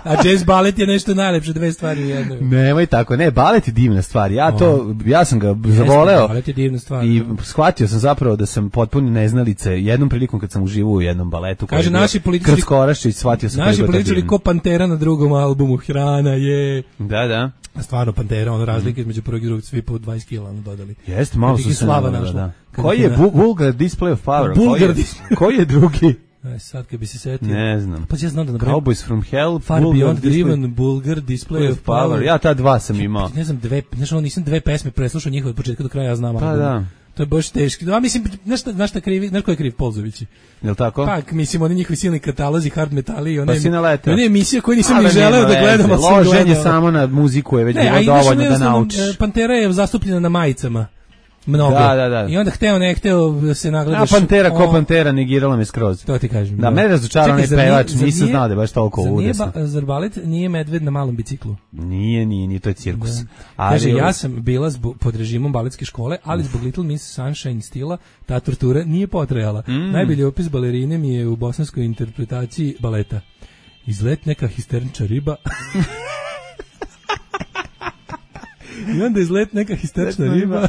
A jazz balet je nešto najlepše, dve stvari u jednoj. Nemoj tako, ne, balet je divna stvar. Ja to, ja sam ga zavoleo. Balet je divna stvar. I shvatio sam zapravo da sam potpuno neznalice jednom prilikom kad sam uživao u jednom baletu. Kaže naši političari, Krcko Oraščić, shvatio sam. Naši političari ko Pantera na drugom albumu, Hrana je. Da, da. Stvarno Pantera, ono razlike između prvog i drugog, svi po dvadeset kila ono dodali. Jeste, malo su se slava našla. Koji je Vulgar Display of Power? Vulgar Koji je drugi? Aj sad kad bi se setio. Ne znam. Pa ja znam da nabrojim. Cowboys from Hell, Far Beyond Driven, Bulgar, Display of Power. Ja ta dva sam imao. Ne znam, dve, znaš, ono, nisam dve pesme preslušao njihove od početka do kraja, ja znam. Pa da. To je baš teški. Ja mislim, znaš šta, znaš šta krivi, znaš ko je kriv Polzovići? Jel tako? Pa, mislim, oni njihovi silni katalozi, hard metali i one, pa one emisije koje nisam ni želeo da gledam. Loženje samo na muziku je već ne, bilo dovoljno da naučiš. Pantera je zastupljena na majicama. Mnogo. Da, da, da. I onda hteo ne hteo se nagledaš. A Pantera ko o... Pantera negirala me skroz. To ti kažem. Da, da. Mene razočarao onaj pevač, nisam znao da je baš toliko udesan. Zar balet nije medved na malom biciklu? Nije, nije, nije, to je cirkus. Da. Ali... Kaže, ja sam bila zbog, pod režimom baletske škole, ali zbog Little Miss Sunshine stila ta tortura nije potrajala. Mm. Najbolji opis balerine mi je u bosanskoj interpretaciji baleta. Izlet neka histerična riba. I onda izlet neka histerična riba.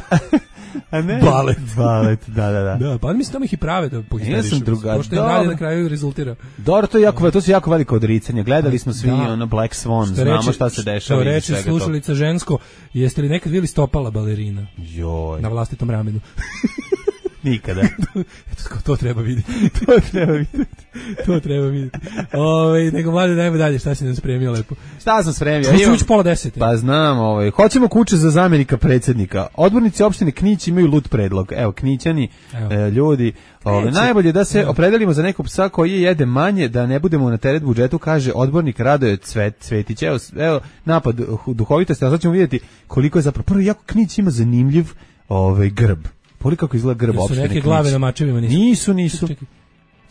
A ne? Balet. Balet, da, da, da. Da, pa mislim tamo ih i prave da pohisterišu. Ja sam druga. To što je dalje na kraju rezultira. Dobro, to je jako, to su jako veliko odricanje. Gledali smo svi da. ono Black Swan, što znamo reče, šta se dešava. Što reče slušalica žensko, jeste li nekad vidjeli stopala balerina? Joj. Na vlastitom ramenu. Nikada. Eto, to treba vidjeti. to treba vidjeti. to treba vidjeti. Ove, nego mlade, dajmo dalje, šta si nam spremio lepo? Šta sam spremio? Što ću ući pola desete? Pa znam, ovaj. Hoćemo kuće za zamjenika predsjednika. Odbornici opštine Knić imaju lut predlog. Evo, Knićani, e, ljudi, ove, najbolje da se opredelimo za nekog psa koji jede manje, da ne budemo na teret budžetu, kaže odbornik Radoje Cvet, Cvetić. Evo, evo, napad duhovitosti, a sad ćemo vidjeti koliko je zapravo. Prvo, jako Knić ima zanimljiv ovaj, grb. Poli kako izgleda grb opštine Knić. Su neke glave na mačevima? Nisu, nisu. nisu. Čekaj.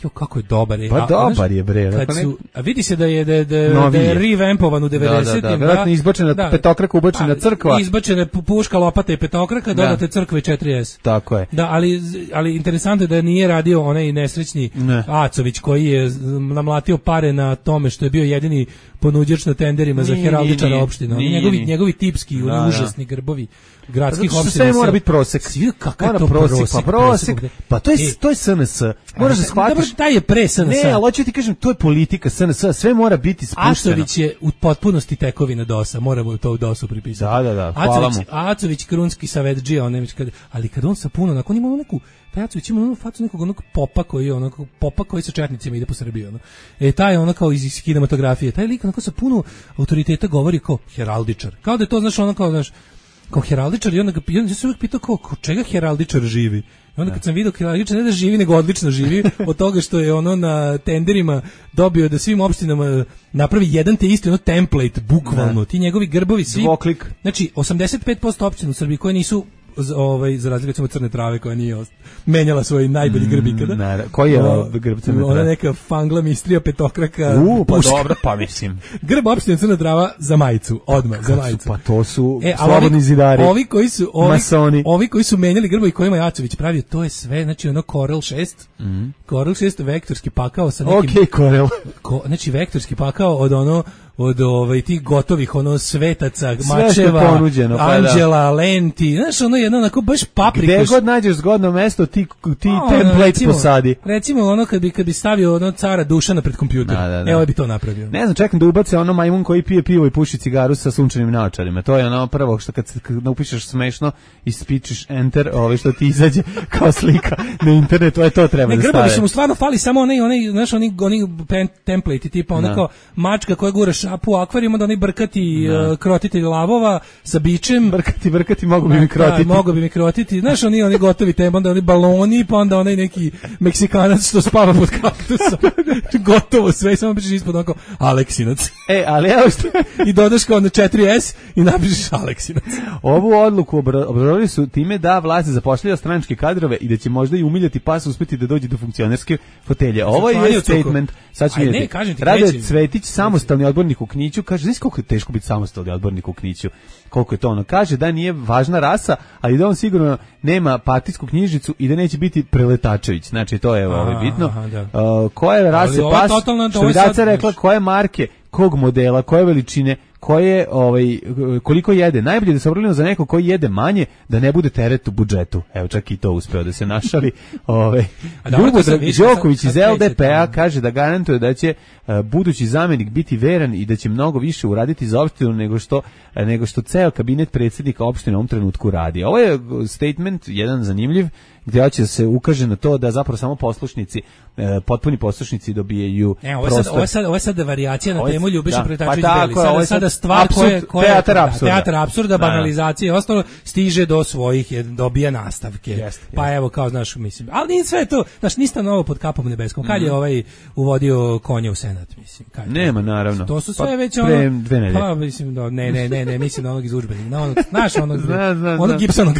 Jo, kako je dobar je. Pa a, dobar znaš, je, bre. Kad su, a vidi se da je, da, da, da je revampovan u devedesetim. Da, da, da. Vjerojatno izbačena da, petokraka, ubačena crkva. Izbačena puška, lopata i petokraka, dodate crkve četiri es. Tako je. Da, ali, ali interesantno je da nije radio onaj nesrećni ne. Acović koji je namlatio pare na tome što je bio jedini ponuđač na tenderima nije, za heraldičara opština. Nije, njegovi, nije. njegovi tipski, da, užasni da. grbovi gradskih opština. Sve mora biti prosek. Svi kakav to prosek, prosek, pa prosek. Pa to je e, to je S N S. Moraš da shvatiš. Dobro, taj je pre S N S. Ne, ali hoću ti kažem, to je politika S N S. Sve mora biti spušteno. Acović je u potpunosti tekovina DOS-a. Moramo to u DOS-u pripisati. Da, da, da. Hvala mu. Acović krunski savetdžija, on kad, ali kad on sa puno, nakon ima neku taj Acović ima onu facu nekog onog popa koji je onog popa koji sa četnicima ide po Srbiji, ono. E taj ono kao iz, iz kinematografije, taj lik onako sa puno autoriteta govori kao heraldičar. Kao da je to znaš ono kao znaš kao heraldičar i onda ga ja se uvijek pitao kao ko čega heraldičar živi. I onda kad sam vidio Kraljiče ne da živi, nego odlično živi od toga što je ono na tenderima dobio da svim opštinama napravi jedan te isti ono template, bukvalno. Da. Ti njegovi grbovi svi. Dvoklik. Znači, osamdeset pet posto opština u Srbiji koje nisu ovaj za razliku od Crne Trave koja nije ost... menjala svoj najbolji grb ikada. Mm, koji je o, grb Crne Trave? Ona neka fangla mistrija petokraka. U, pa dobro, pa mislim. Grb opštine Crna Trava za majicu, odmah za majicu. Pa to su e, slobodni ovi, zidari. Ovi koji su ovi, masoni. Ovi koji su menjali grbovi kojima Jacović pravio, to je sve, znači ono Corel šest. Mm. Corel šest vektorski pakao sa nekim. Okej, okay, Corel. Ko, znači vektorski pakao od ono od ovaj tih gotovih ono svetaca, mačeva, ponuđeno, pa anđela, da. Lenti, znaš, ono jedno onako baš paprikaš. Gde god nađeš zgodno mesto, ti, ti no, template recimo, posadi. Recimo ono kad bi, kad bi stavio ono cara Dušana pred kompjuter, da, da, da. Evo bi to napravio. Ne znam, čekam da ubace ono majmun koji pije pivo i puši cigaru sa sunčanim naočarima. To je ono prvo što kad, kad upišeš smešno i spičiš enter, ovaj što ti izađe kao slika na internetu, to je to treba ne, da stave. Ne, grbovi su mu stvarno fali samo onaj, onaj, znaš, oni, oni template tipa ono kao mačka koja gura šapu u akvarijum, onda oni brkati uh, krotitelj lavova sa bičem. Brkati, brkati, mogu bi mi krotiti. Da, mogu bi mi krotiti. Znaš, oni, oni gotovi tem, onda oni baloni, pa onda onaj neki Meksikanac što spava pod kaktusom. Gotovo sve, samo pišeš ispod onako Aleksinac. E, ali evo što... I dodaš kao na četiri es i napišeš Aleksinac. Ovu odluku obrazovali su time da vlast zapošljava stranačke kadrove i da će možda i umiljati pas uspeti da dođe do funkcionerske fotelje. Ovo je statement. Sad ću vidjeti. Rade Cvetić, samostalni odbornik u Kniću, kaže, znaš koliko je teško biti samostalni odbornik u Kniću, koliko je to ono, kaže da nije važna rasa, ali da on sigurno nema partijsku knjižicu i da neće biti Preletačević, znači to je ovo bitno. Aha, da. uh, koje rase pas, što bi Daca rekla, koje marke, kog modela, koje veličine, koje, ovaj, koliko jede. Najbolje da se obralimo za neko koji jede manje, da ne bude teret u budžetu. Evo, čak i to uspeo da se našali. Ovaj. Ljubodrag Đoković iz L D P A kaže da garantuje da će uh, budući zamjenik biti veran i da će mnogo više uraditi za opštinu nego što, uh, nego što ceo kabinet predsjednika opštine u ovom trenutku radi. Ovo je statement, jedan zanimljiv, gdje će se ukaže na to da zapravo samo poslušnici, e, potpuni poslušnici dobijaju e, ovo prostor. Ovo je sad, ovo je sad varijacija na temu Ljubiša Preletačević pa Beli. Sada, sada stvar koja je teatar apsurda, teatar apsurda, banalizacije i ostalo stiže do svojih, dobija nastavke. Jest, pa jest. Evo, kao, znaš, mislim, ali nije sve to, znaš, ništa novo pod kapom nebeskom. Kad mm. je ovaj uvodio konje u Senat, mislim. Kad Nema, je, naravno. To su sve pa, već ono... Dve nedelje. Pa, mislim, no, ne, ne, ne, ne, mislim na onog iz udžbenika. Na onog, znaš, onog, zna, zna, onog Gibsonog.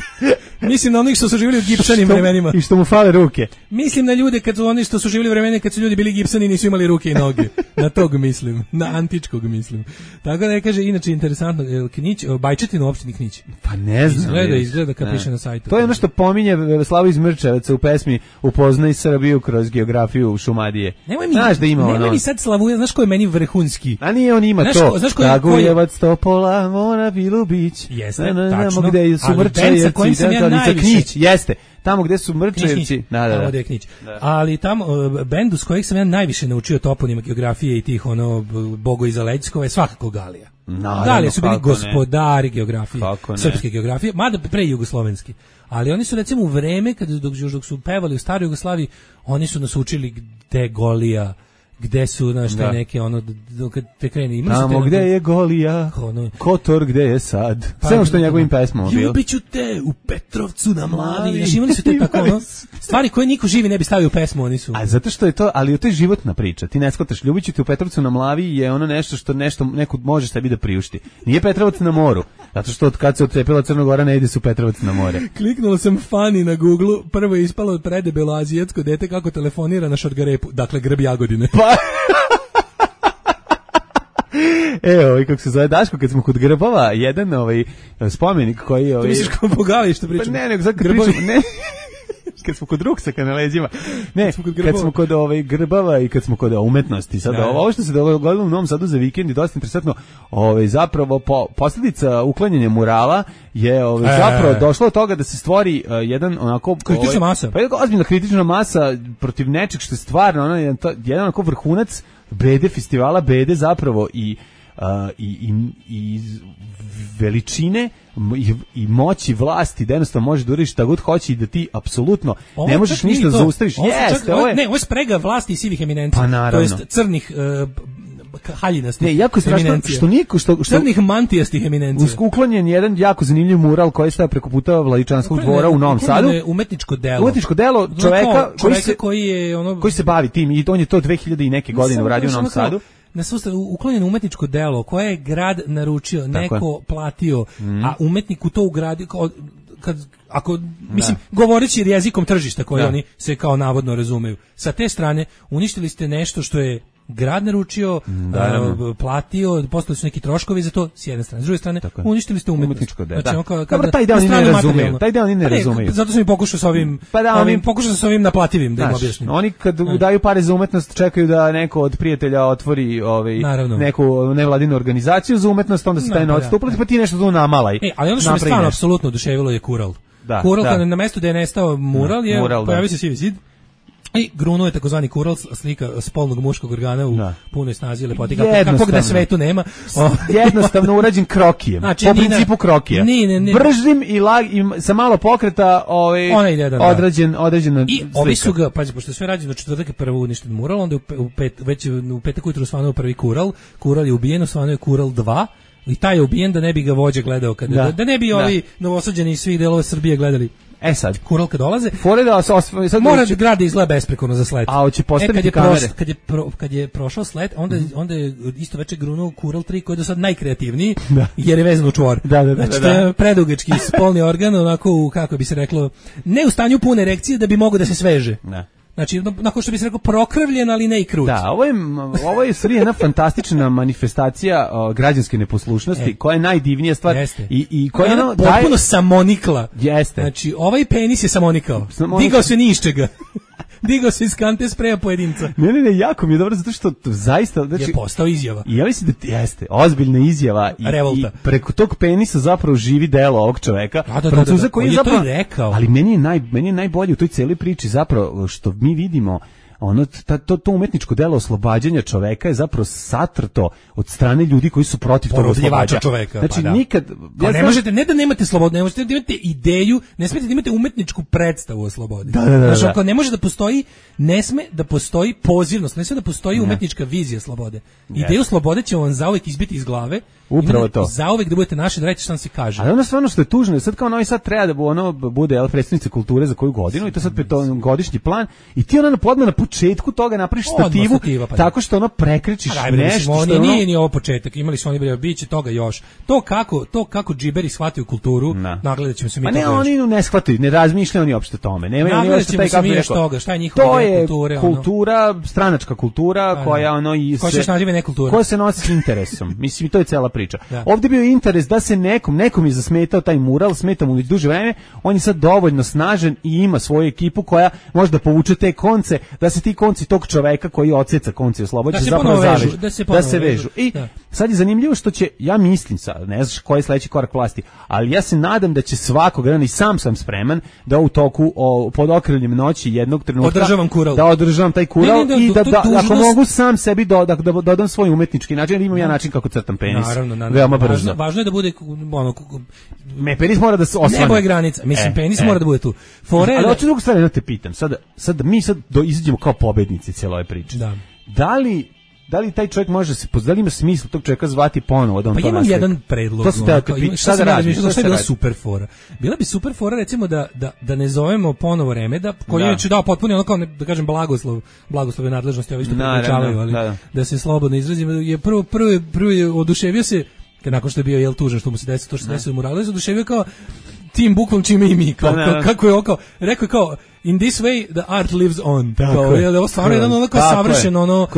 Mislim na onih što su živjeli u Gibsonim vremenima. I što mu fale ruke. Mislim na ljude kad su oni što su živjeli u vremena kad su ljudi bili Gibsoni i nisu imali ruke i noge. Na tog mislim, na antičkog mislim. Tako da kaže, inače interesantno, Knić, Bajčetin u opštini Knić. Pa ne znam. Izgleda, izgleda kad piše na sajtu. To je ono što pominje Slavo iz Mrčevaca u pesmi Upoznaj Srbiju kroz geografiju Šumadije. Nemoj mi, znaš da ima nemoj ono. mi sad Slavu, znaš ko je meni vrhunski? A nije on ima znaš to. Ko, znaš ko, Kragujevac, Topola, Mora, Bilubić. Jeste, tačno. Gde su Mrčevci, Knić, jeste. Tamo gde su Mrčevci, da, da, da. Knić. Da. Ali tamo uh, bendu s kojeg sam ja najviše naučio toponima geografije i tih ono Bogo iza Lećkova je svakako Galija. Naravno, Galija su bili gospodari ne. geografije, srpske geografije, mada pre jugoslovenski. Ali oni su recimo u vreme kad dok, dok su pevali u staroj Jugoslaviji, oni su nas učili gde Golija, gde su naš te neke ono kad te krene ima tamo gde je Golija ono, Kotor gde je sad pa, sve što njegovim pesmama bilo ljubiću te u Petrovcu na Mlavi znači imali su te tako ono stvari koje niko živi ne bi stavio u pesmu oni su a zato što je to ali to je životna priča ti ne shvataš ljubiću te u Petrovcu na Mlavi je ono nešto što nešto neko može sebi da priušti nije Petrovac na moru zato što od kad se otcepila Crna Gora ne ide se u Petrovac na more kliknuo sam Fani na Googleu prvo je ispalo predebelo azijatsko dete kako telefonira na Šargarepu dakle grb Jagodine pa evo, i kako se zove Daško, kad smo kod grbova, jedan ovaj spomenik koji... Ovaj, to misliš kao Bogali što pričamo? Pa ne, nego sad kad pričamo, ne, kad smo kod ruksaka na leđima, ne, kad smo kod, kad smo kod ovaj, grbava i kad smo kod umetnosti, sad da, ovo što se dogodilo u Novom Sadu za vikend je dosta interesantno, ovaj, zapravo po, posljedica uklanjanja murala je ovaj, e, zapravo došlo od toga da se stvori uh, jedan onako... Kritična ovaj, masa. Pa jedna ozbiljna kritična masa protiv nečeg što je stvarno, ono, jedan, to, jedan onako vrhunac bede, festivala bede zapravo i Uh, i, i, i veličine i, i moći vlasti da jednostavno može da uradiš šta god hoće i da ti apsolutno ne možeš ništa zaustaviš. Jeste, ovo je... Ne, ovo je sprega vlasti i sivih eminencija. Pa naravno. To jest crnih uh, haljinastih. Ne, jako je strašno što niko što što crnih mantijastih eminencija. Uklonjen jedan jako zanimljiv mural koji sta preko puta Vladičanskog dvora u Novom Sadu. Umetničko delo. Umetničko delo čoveka koji se koji je ono koji se bavi tim i on je to dve hiljade i neke godine uradio u Novom Sadu. Na sustav uklonjeno umetničko delo koje je grad naručio, neko platio, mm. a umetnik u to ugradio kad ako mislim da. Govoreći jezikom tržišta koji da. Oni se kao navodno razumeju. Sa te strane uništili ste nešto što je grad naručio, da, uh, platio, postali su neki troškovi za to s jedne strane. S druge strane, uništili ste umetničko delo. Znači, da. Dobro, taj deo oni ne razumeju. Taj deo oni ne razumeju. Zato sam i pokušao sa ovim, pa da, ovim pokušao sa ovim naplativim da im objasnim. Oni kad ne. Daju pare za umetnost, čekaju da neko od prijatelja otvori ovaj Naravno. Neku nevladinu organizaciju za umetnost, onda se taj novac uplati, pa ti nešto tu namalaj. E, ali ono što me stvarno apsolutno oduševilo je kural. Da, kural da. Na mestu gde je nestao mural je mural, pojavio se sivi zid. I grunuo je takozvani kural, slika spolnog muškog organa u da. Punoj snazi i lepoti, kakvog da svetu nema. Jednostavno urađen krokijem, znači, po principu krokija. Ni, ne, ne. Bržim i, lag, i sa malo pokreta ovaj, određen, određen I slika. Ovi su ga, pazi, pošto je sve rađeno četvrtak je prvo uništen mural, onda je u pet, već u petak ujutru osvanuo prvi kural, kural je ubijen, osvanuo je kural dva, i taj je ubijen da ne bi ga vođa gledao, kada, da. Da, da ne bi ovi da. Novosađeni iz svih delova Srbije gledali. E sad, kural kad dolaze, fore da se osv... sad mora da grad izgleda besprekorno za slet. A hoće postaviti e, kad je kamere. Proš, kad je pro, kad je prošao slet, onda mm. onda je isto veče grunuo kural tri koji je do sad najkreativniji, da. Jer je vezan u čvor. Da, da, da, znači, da, da. To je predugački spolni organ, onako kako bi se reklo, ne u stanju pune erekcije da bi mogao da se sveže. Da. Znači, nakon što bi se rekao prokrvljen, ali ne i krut. Da, ovo je, ovo je stvari jedna fantastična manifestacija o, građanske neposlušnosti, e. koja je najdivnija stvar. Jeste. I, i koja je ono, potpuno daje... samonikla. Jeste. Znači, ovaj penis je samonikao. Samonikla. Digao se ni iz čega. Digao se iz kante spreja pojedinca. Ne, ne, ne, jako mi je dobro, zato što to zaista... Znači, je postao izjava. I ja mislim da jeste, ozbiljna izjava. I, Revolta. I preko tog penisa zapravo živi delo ovog čoveka. Da, da, Francuza da, da, koji je zapravo, to rekao. Ali meni je, naj, meni je najbolje u toj cijeloj priči zapravo što mi vidimo ono ta, to to umetničko delo oslobađanja čoveka je zapravo satrto od strane ljudi koji su protiv tog oslobađanja čoveka. Znači pa da. nikad ja ne znam, možete ne da nemate slobodu, ne možete da imate ideju, ne smete da imate umetničku predstavu o slobodi. Da, da, da, znači, ako ne može da postoji, ne sme da postoji pozivnost, ne sme da postoji ne. umetnička vizija slobode. Ideju ne. slobode će vam zauvek izbiti iz glave. Upravo to. Zauvek da budete naši, da reći šta se kaže. Ali ono stvarno što je tužno, sad kao Novi Sad treba da ono bude el predstavnica kulture za koju godinu i to sad to godišnji plan i ti ona podma na početku toga napraviš stativu stativa, pa tako što ono prekrečiš a, nešto što ono... nije ni ovo početak, imali su oni bre biće toga još. To kako to kako džiberi shvataju kulturu, nagledaćemo se mi toga. Pa ne, oni ne shvataju, ne razmišljaju oni uopšte tome. Nemaju oni uopšte taj kako je toga, šta je njihova to je kulture, kultura, ono? Stranačka kultura a, koja ono i se naziva nekultura. Koja se nosi s interesom. Mislim to je cela priča. Da. Ovdje bio interes da se nekom, nekom je zasmetao taj mural, smeta mu duže vreme, on je sad dovoljno snažan i ima svoju ekipu koja može da povuče te konce, da se ti konci tog čoveka koji odseca konci oslobađa da zapravo zavežu, da se, da se vežu. vežu. I da. Sad je zanimljivo što će, ja mislim sad, ne znaš koji je sledeći korak vlasti, ali ja se nadam da će svakog dana i sam sam spreman da u toku o, pod okriljem noći jednog trenutka održavam kural. Da održavam taj kural ne, ne, da, i da, da, da dužnost... ako mogu sam sebi do, da, da dodam svoj umetnički način, jer imam ja način kako crtam penis. Naravno, naravno. Veoma brzo. Važno, važno je da bude ono me penis mora da se osvane. Nebo je granica. Mislim e, penis e. mora da bude tu. Fore. Ali hoću drugu stvar da te pitam. Sad sad mi sad do izađemo kao pobednici cijele ove priče. Da. Da li da li taj čovjek može se da li ima smisla tog čovjeka zvati ponovo da on pa to imam naslika? jedan predlog. To ste te pitao, šta da radiš? Šta je bila super fora? Bila bi super fora recimo da da da ne zovemo ponovo Remeda, koji je dao potpuno ono kao ne, da kažem blagoslov, blagoslove nadležnosti, ovo isto pričavaju, ali da, da. da se slobodno izrazim, je prvo prvo prvo je oduševio se kad nakon što je bio jel tužan što mu se desilo to što se desilo mu Morales, oduševio kao tim bukvom čime i mi kao, kao kako je okao rekao je kao in this way the art lives on kao je ovo stvarno jedan ono kao savršeno ono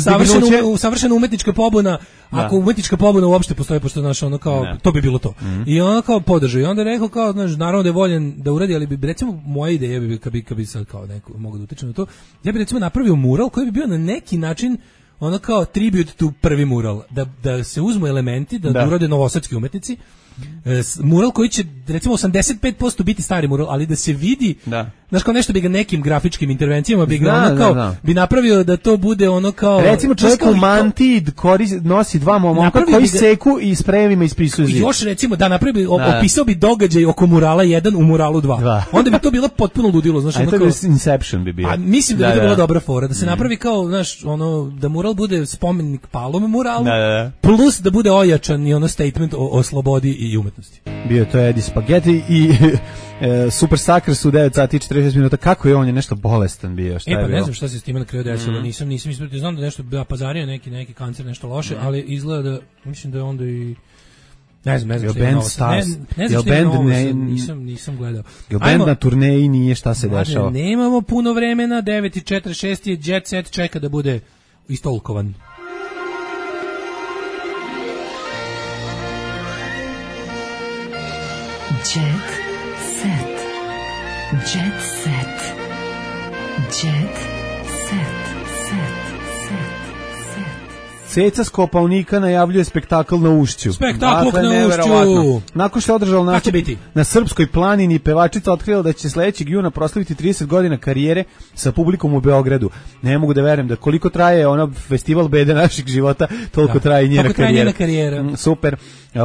savršeno savršeno umetnička pobuna ako umetnička pobuna uopšte postoji pošto znaš ono kao ne. To bi bilo to mm-hmm. I on kao podržao i onda rekao kao znaš naravno da je voljen da uradi ali bi recimo moja ideja bi kad bi kad bi sad kao neko mogu da utiče na to ja bih recimo napravio mural koji bi bio na neki način ono kao tribute to prvi mural da da se uzmu elementi da, da. urade novosadski umetnici mural koji će recimo osamdeset pet posto biti stari mural, ali da se vidi, da. Znaš, kao nešto bi ga nekim grafičkim intervencijama bi ga Zna, ono kao, da, da. bi napravio da to bude ono kao... Recimo čovjek u mantiji nosi dva momka koji ga, seku i sprejevima ispisuju zid. Još recimo da napravi, opisao bi događaj oko murala jedan u muralu dva. dva. Onda bi to bilo potpuno ludilo. Znaš, a ono to kao, bi Inception bi bio. A mislim da, da bi to bila dobra fora. Da se mm. napravi kao, znaš, ono, da mural bude spomenik palome muralu, da, da. plus da bude ojačan i ono statement o, o slobodi i umetnosti. Bio to Eddie Spaghetti i e, Super Suckers u devet sati i četrdeset šest minuta. Kako je on je nešto bolestan bio? Šta e pa je ne znam šta se s time na kraju desilo. Mm. Nisam nisam ispratio, znam da nešto da pazario neki neki kancer, nešto loše, mm. ali izgleda da mislim da je onda i ne znam, ne znam, band Stars. Ne, ne znam, band ne, nisam nisam gledao. Jel band na turneji nije šta se dešava? Nemamo puno vremena, devet i četrdeset šest je Jet Set čeka da bude istolkovan. Jet set. Jet set. Jet set. Set. Ceca s Kopaonika najavljuje spektakl na Ušću. Spektakl dakle, na Ušću. Nakon što je održao na, na Srpskoj planini, pevačica otkrila da će sledećeg juna proslaviti trideset godina karijere sa publikom u Beogradu. Ne mogu da verujem da koliko traje ono festival bede naših života, toliko da. traje njena karijera. Njena karijera. Mm, super.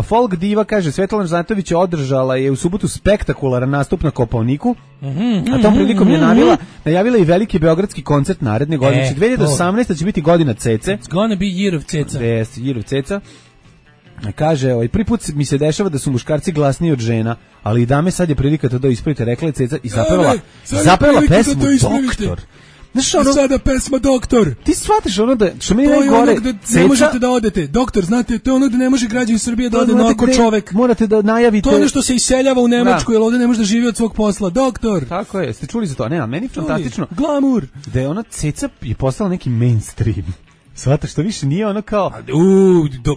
Folk diva kaže, Svetlana Žnatović je održala je u subotu spektakularan nastup na Kopaoniku, mm-hmm, a tom prilikom je najavila, najavila i veliki beogradski koncert naredne godine. E, dve hiljade osamnaeste će biti godina Cece. It's gonna be year of Ceca. Yes, year of Ceca. Kaže, ovaj, prvi put mi se dešava da su muškarci glasniji od žena, ali i dame sad je prilika to da ispravite, rekla je Ceca i zapevala, zapevala pesmu Doktor. Znaš ono, sada pesma Doktor. Ti shvatiš ono da, što mi je najgore, da Ceca, ne možete da odete. Doktor, znate, to je ono da ne može građanin Srbije da ode onako čovek. Morate da najavite. To je ono što se iseljava u Nemačku, da. Jer ovde ne može da živi od svog posla. Doktor. Tako je, ste čuli za to? Ne, a meni je fantastično. Glamur. Da je ona Ceca je postala neki mainstream. Shvataš, što više nije ono kao... Uuu, do...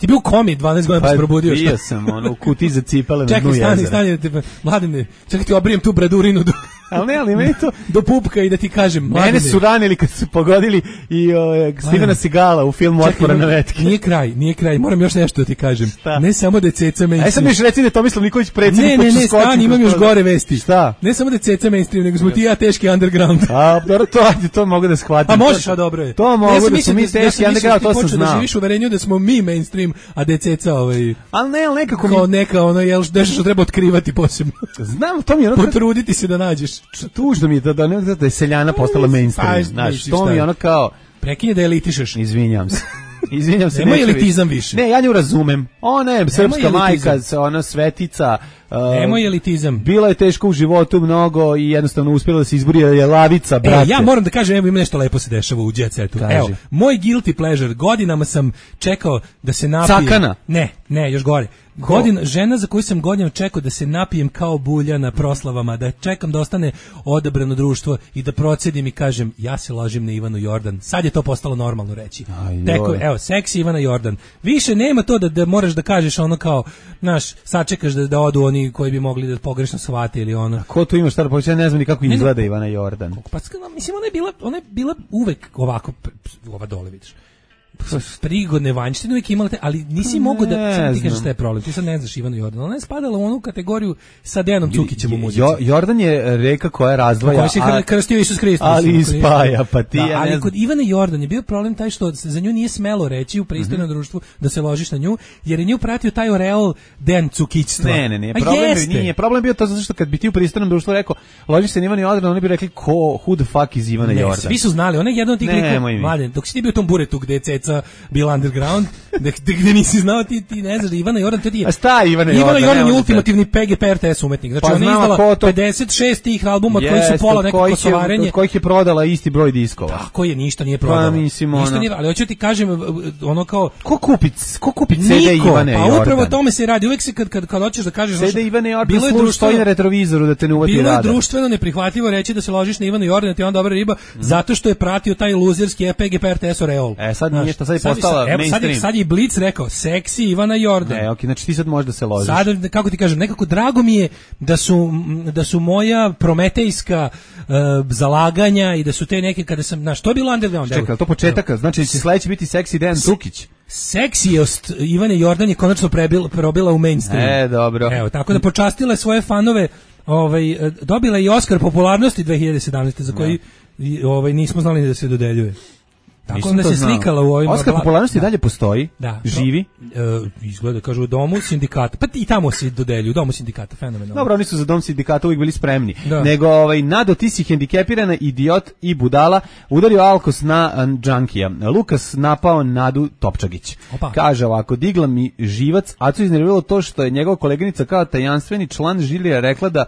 Ti bio u komi dvanaest godina pa se probudio. Bio sam, ono, u kutiji za cipele na dnu jezera. Čekaj, stani, stani, mladine, čekaj ti obrijem tu bradurinu do, ali ne, ali meni to... do pupka i da ti kažem, mladine. Mene su ranili kad su pogodili i o, Stevena Segala u filmu Otpora na vetke. Nije kraj, nije kraj, moram još nešto da ti kažem. Šta? Ne samo da je Ceca mainstream. Aj sad mi još reci da je Tomislav Nikolić predsjednik. Ne, ne, ne, stani, imam još gore vesti. Šta? Ne samo da je Ceca mainstream, nego smo ti ja teški underground. A, dobro, to, to mogu da shvatim. A možeš, a dobro je. To mogu da su mi teški underground, to sam znao. Da živiš u uverenju da smo mi mainstream, a da je Ceca ovaj... Ali ne, ali nekako mi... Kao neka, ono, jel, nešto što treba otkrivati posebno. Znam, to mi je ono... Potruditi se da nađeš. Tužno mi je da, da, da, da je seljana postala mainstream. Znaš, to mi je ono kao... Prekinje da elitišeš. Izvinjam se. Izvinjam se. Nema elitizam više. Ne, ja nju razumem. Ona je srpska majka, ona svetica. Nemo uh, elitizam. Bila je teško u životu mnogo i jednostavno uspjela da se izbori, je lavica, brate. E, ja moram da kažem, evo ima nešto lepo se dešava u Jet Setu. Evo, moj guilty pleasure, godinama sam čekao da se napijem. Cakana? Ne, ne, još gore. Godin, žena za koju sam godinama čekao da se napijem kao bulja na proslavama, da čekam da ostane odabrano društvo i da procedim i kažem, ja se lažem na Ivanu Jordan. Sad je to postalo normalno reći. Teko, evo, seksi Ivana Jordan. Više nema to da, da moraš da kažeš ono kao, znaš, sačekaš da, da odu oni koji bi mogli da pogrešno shvate ili ono. A ko tu ima šta da poveća, ja ne znam ni kako ne, izgleda Ivana Jordan. Pa, mislim, ona je bila, ona je bila uvek ovako, ova dole vidiš. Prigodne vanjštine uvijek imala te, ali nisi mogu da sam ti kažeš šta je problem. Ti sad ne znaš Ivanu Jordan. Ona je spadala u onu kategoriju sa Dejanom Cukićem u muzici. Jo, Jordan je reka koja razdvaja, koja se krstio Isus Hristos, ali ispaja, pa ti da, ja ali ne kod Ivane Jordan je bio problem taj što se za nju nije smelo reći u pristojnom mm-hmm. društvu da se ložiš na nju, jer je nju pratio taj oreol Dejan Cukićstva. Ne, ne, ne, problem je, nije. Problem bio to zato što kad bi ti u pristojnom društvu rekao ložiš se na Ivanu Jordan, oni bi rekli ko, who the fuck is Ivana ne, Jordan. Svi su znali, ona je jedan od tih likova, mladen, dok si ti bio u tom buretu gde je Ceca bila underground, gde, gde nisi znao ti, ti ne znaš da Ivana Jordan to ti je. A šta Ivana Jordan? Ivana Jordan je ultimativni P G P R T S umetnik. Znači pa ona je izdala pedeset šest tih albuma od kojih su pola neko kosovarenje. Od kojih je prodala isti broj diskova. Tako je, ništa nije prodala. Pa, mislim, ništa ono... nije, ali hoću ti kažem ono kao ko kupi, ko kupi C D Ivane Jordan? Pa upravo o tome se radi. Uvek se kad kad kad hoćeš da kažeš C D Ivane Jordan služi stoji na retrovizoru da te ne uvati radar. Bilo je društveno neprihvatljivo reći da se ložiš na Ivanu Jordan, ti je on dobra riba, zato što je pratio taj luzerski P G P R T S oreol. E sad nije što sad je postala mainstream. Sad je Blic rekao seksi Ivana Jordan. Ne, okej, znači ti sad možeš da se ložiš. Sad kako ti kažem, nekako drago mi je da su da su moja prometejska uh, zalaganja i da su te neke kada sam, znaš, to je bilo underground. Čekaj, to početaka, znači će sledeći biti seksi Dejan Cukić. seksijost Ivane Jordan je konačno prebil, probila u mainstream. E, dobro. Evo, tako da počastila je svoje fanove, ovaj, dobila i Oskar popularnosti dve hiljade sedamnaeste za koji da. ovaj, nismo znali da se dodeljuje. Tako da se slikala u ovim... Oskar popularnosti da. dalje postoji, da. živi. E, izgleda, kažu, u domu sindikata. Pa i tamo se dodelju, u domu sindikata, fenomenalno. Dobro, oni su za dom sindikata uvijek bili spremni. Da. Nego, ovaj, Nado, ti si hendikepirana, idiot i budala, udario alkos na džankija. Lukas napao Nadu Topčagić. Opa. Kaže ovako, digla mi živac, a co iznerviralo to što je njegova koleginica kao tajanstveni član žirija rekla da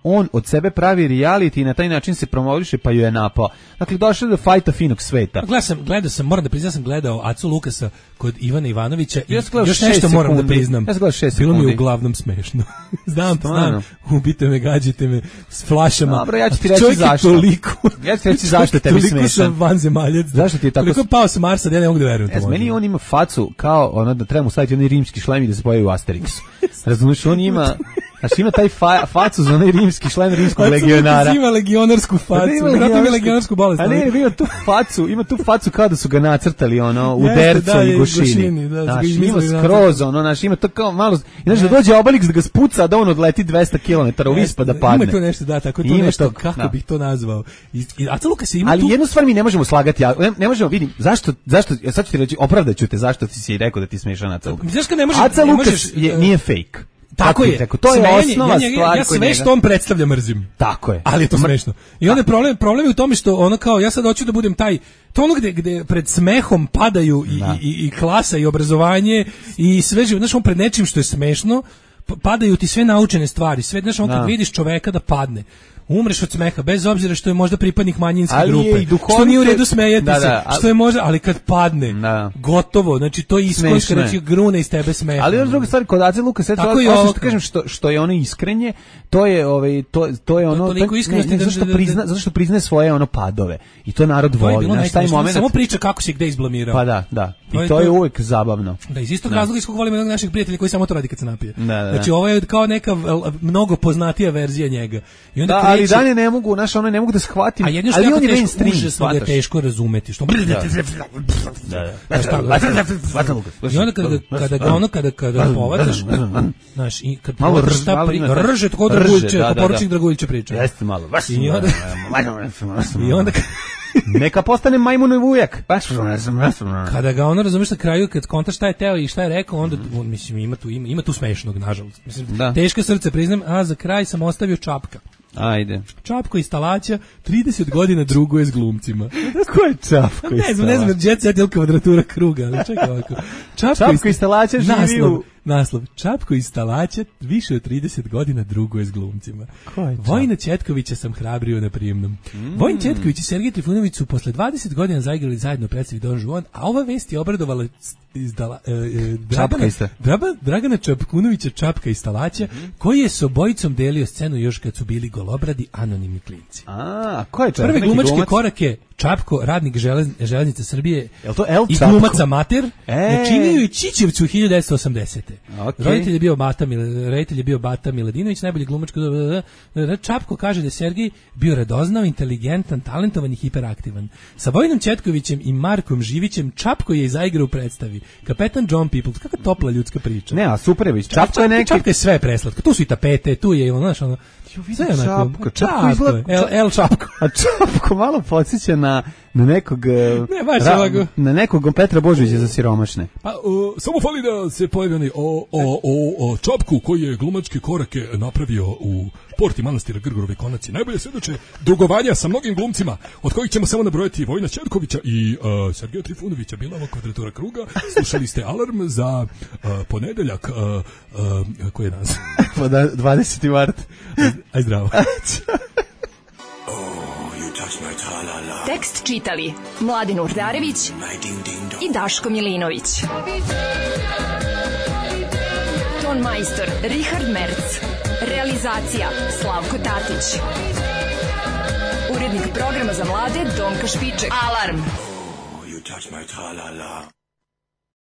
on od sebe pravi reality i na taj način se promoviše, pa ju je napao. Dakle, došlo do fajta finog sveta. Gledao sam, gledao sam, moram da priznam, sam gledao Acu Lukasa kod Ivana Ivanovića i ja još nešto moram da priznam. Ja sam gledao šest Bilo sekundi. mi uglavnom smešno. znam, znam, ubite me, gađite me s flašama. Dobro, ja ću ti reći čovjek zašto. Toliko, ja ću ti reći zašto je tebi smešan. Toliko sam vanzemaljac. Zašto ti je tako? Toliko pao sa Marsa da ja ne mogu da verujem. Es, meni on ima facu kao ono da treba mu staviti onaj rimski šlem i da se pojavi u Asterixu. Razumiješ, on ima... Znači ima taj fa, facu za onaj rimski šlem rimskog Aca legionara. Ima legionarsku facu. Da, ima legionarsku, legionarsku bolest. A ne, ima tu facu, ima tu facu kao da su ga nacrtali ono u Jeste, dercu da, i i gušini. gušini, da, Znači, ima ima skroz ono, znači ima to kao malo, znači da dođe Obelix da ga spuca, da on odleti dvesta kilometara u vis pa da padne. Ima to nešto, da, tako to ima nešto, to, kako da. bih to nazvao. I, i Aca Lukas ima ali tu... jednu stvar mi ne možemo slagati, ne, ne možemo, vidim, zašto, zašto, ja sad ću ti reći, opravdaću te zašto ti si rekao da ti smešan Aca Lukas. Znaš kad ne može, Aca ne Lukas možeš, je, nije fake. Tako je. Rekao, to je Smenje, osnova ja, ja, stvar ja sve njega... što on predstavlja mrzim. Tako je. Ali je to smešno. I onda je problem, problem je u tome što ono kao, ja sad hoću da budem taj, to ono gde, gde pred smehom padaju i, i, i klasa i obrazovanje i sve živo, znaš, on pred nečim što je smešno, padaju ti sve naučene stvari, sve, znaš, on kad vidiš čoveka da padne, umreš od smeha, bez obzira što je možda pripadnik manjinske ali grupe, što nije u redu smejati da, se, da, ali, što je možda, ali kad padne, da. Gotovo, znači to je iskonska, znači grune iz tebe smeha. Ali još druga stvar, kod Ace Lukasa, osim što kažem što, što je ono iskrenje, to je, ovaj, to, to je ono, to, to, ne, ne, zato što prizna, zato što priznaje svoje ono padove, i to narod voli, znaš, taj moment. Samo priča kako se gde izblamirao. Pa da, da, i to, to je uvek zabavno. Da, iz istog razloga iz kog volimo jednog našeg prijatelja koji samo to radi kad se napije. Da, da, znači, ovo je kao neka mnogo poznatija verzija njega. I onda da, ali dalje ne mogu, znaš, ono ne mogu da shvatim, a jedno ali što on je teško, mainstream, užasno ga je teško razumeti, što... I onda kada, kada ga ono, kada, kada povataš, znaš, i kad povataš šta pri... Rže, tako Draguljče, kao poručnik Draguljče priča. Jeste malo. I onda... I onda... Neka postane majmunov ujak. Kada ga ono, razumeš, na kraju kad konta šta je teo i šta je rekao, onda on, mislim, ima tu ima, ima tu smešnog, nažalost. Mislim, da. Teško srce priznam, a za kraj sam ostavio Čapka. Ajde. Čapko iz Stalaća, trideset godina druguje s glumcima. Ko je Čapko iz Ne znam, ne znam, Jet Set ili kvadratura kruga, ali čekaj ovako. Čapko, Čapko iz Stalaća živi naslov, u... Naslov, Čapko iz Stalaća više od trideset godina druguje s glumcima. Vojina Ćetkovića sam hrabrio na prijemnom. Mm. Vojin Ćetković i Sergej Trifunović su posle dvadeset godina zaigrali zajedno predstavi Don Juan, a ova vest je obradovala izdala, e, e, Dragana, Draba, Dragana Čapkunovića Čapka iz Stalaća, mm. koji je s obojicom delio scenu još kad su bili golobradi anonimni klinci. A, ko je Čapko? Prve glumačke glumac? korake Čapko, radnik želez, železnice Srbije to El i glumac amater, e. načinio je Čičevcu u hiljadu devetsto osamdesete. Okay. Roditelj je bio Bata, roditelj je bio Bata Miladinović, najbolji glumač. Čapko kaže da je Sergej bio radoznao, inteligentan, talentovan i hiperaktivan. Sa Vojinom Ćetkovićem i Markom Živićem Čapko je zaigrao u predstavi. Kapetan John People, kakva topla ljudska priča. Ne, a super je, Čapko, Čapko je neki... Čapko je sve preslatko. Tu su i tapete, tu je ono, znaš, ono... Sve Čapko, Čapko izgleda... El, El Čapko. A Čapko malo podsjeća na, na nekog... Ne, baš ra, ovako. Na nekog Petra Božovića za siromašne. Pa, uh, samo fali da se pojavi onaj o, o, o, o Čapku koji je glumačke korake napravio u Porti manastira Grgorove Konaci. Najbolje svedoče dugovanja sa mnogim glumcima, od kojih ćemo samo nabrojati Vojina Ćetkovića i uh, Sergeja Trifunovića. Bila ova kvadratura kruga. Slušali ste Alarm za uh, ponedeljak. Uh, uh, koji je danas? dvadeseti mart. Aj zdravo. Tekst čitali Mladin Urdarević i Daško Milinović. Ton majstor Richard Merc. Realizacija Slavko Tatić. Urednik programa za mlade Donka Špiček. Alarm. Oh, you touch my tra-la-la.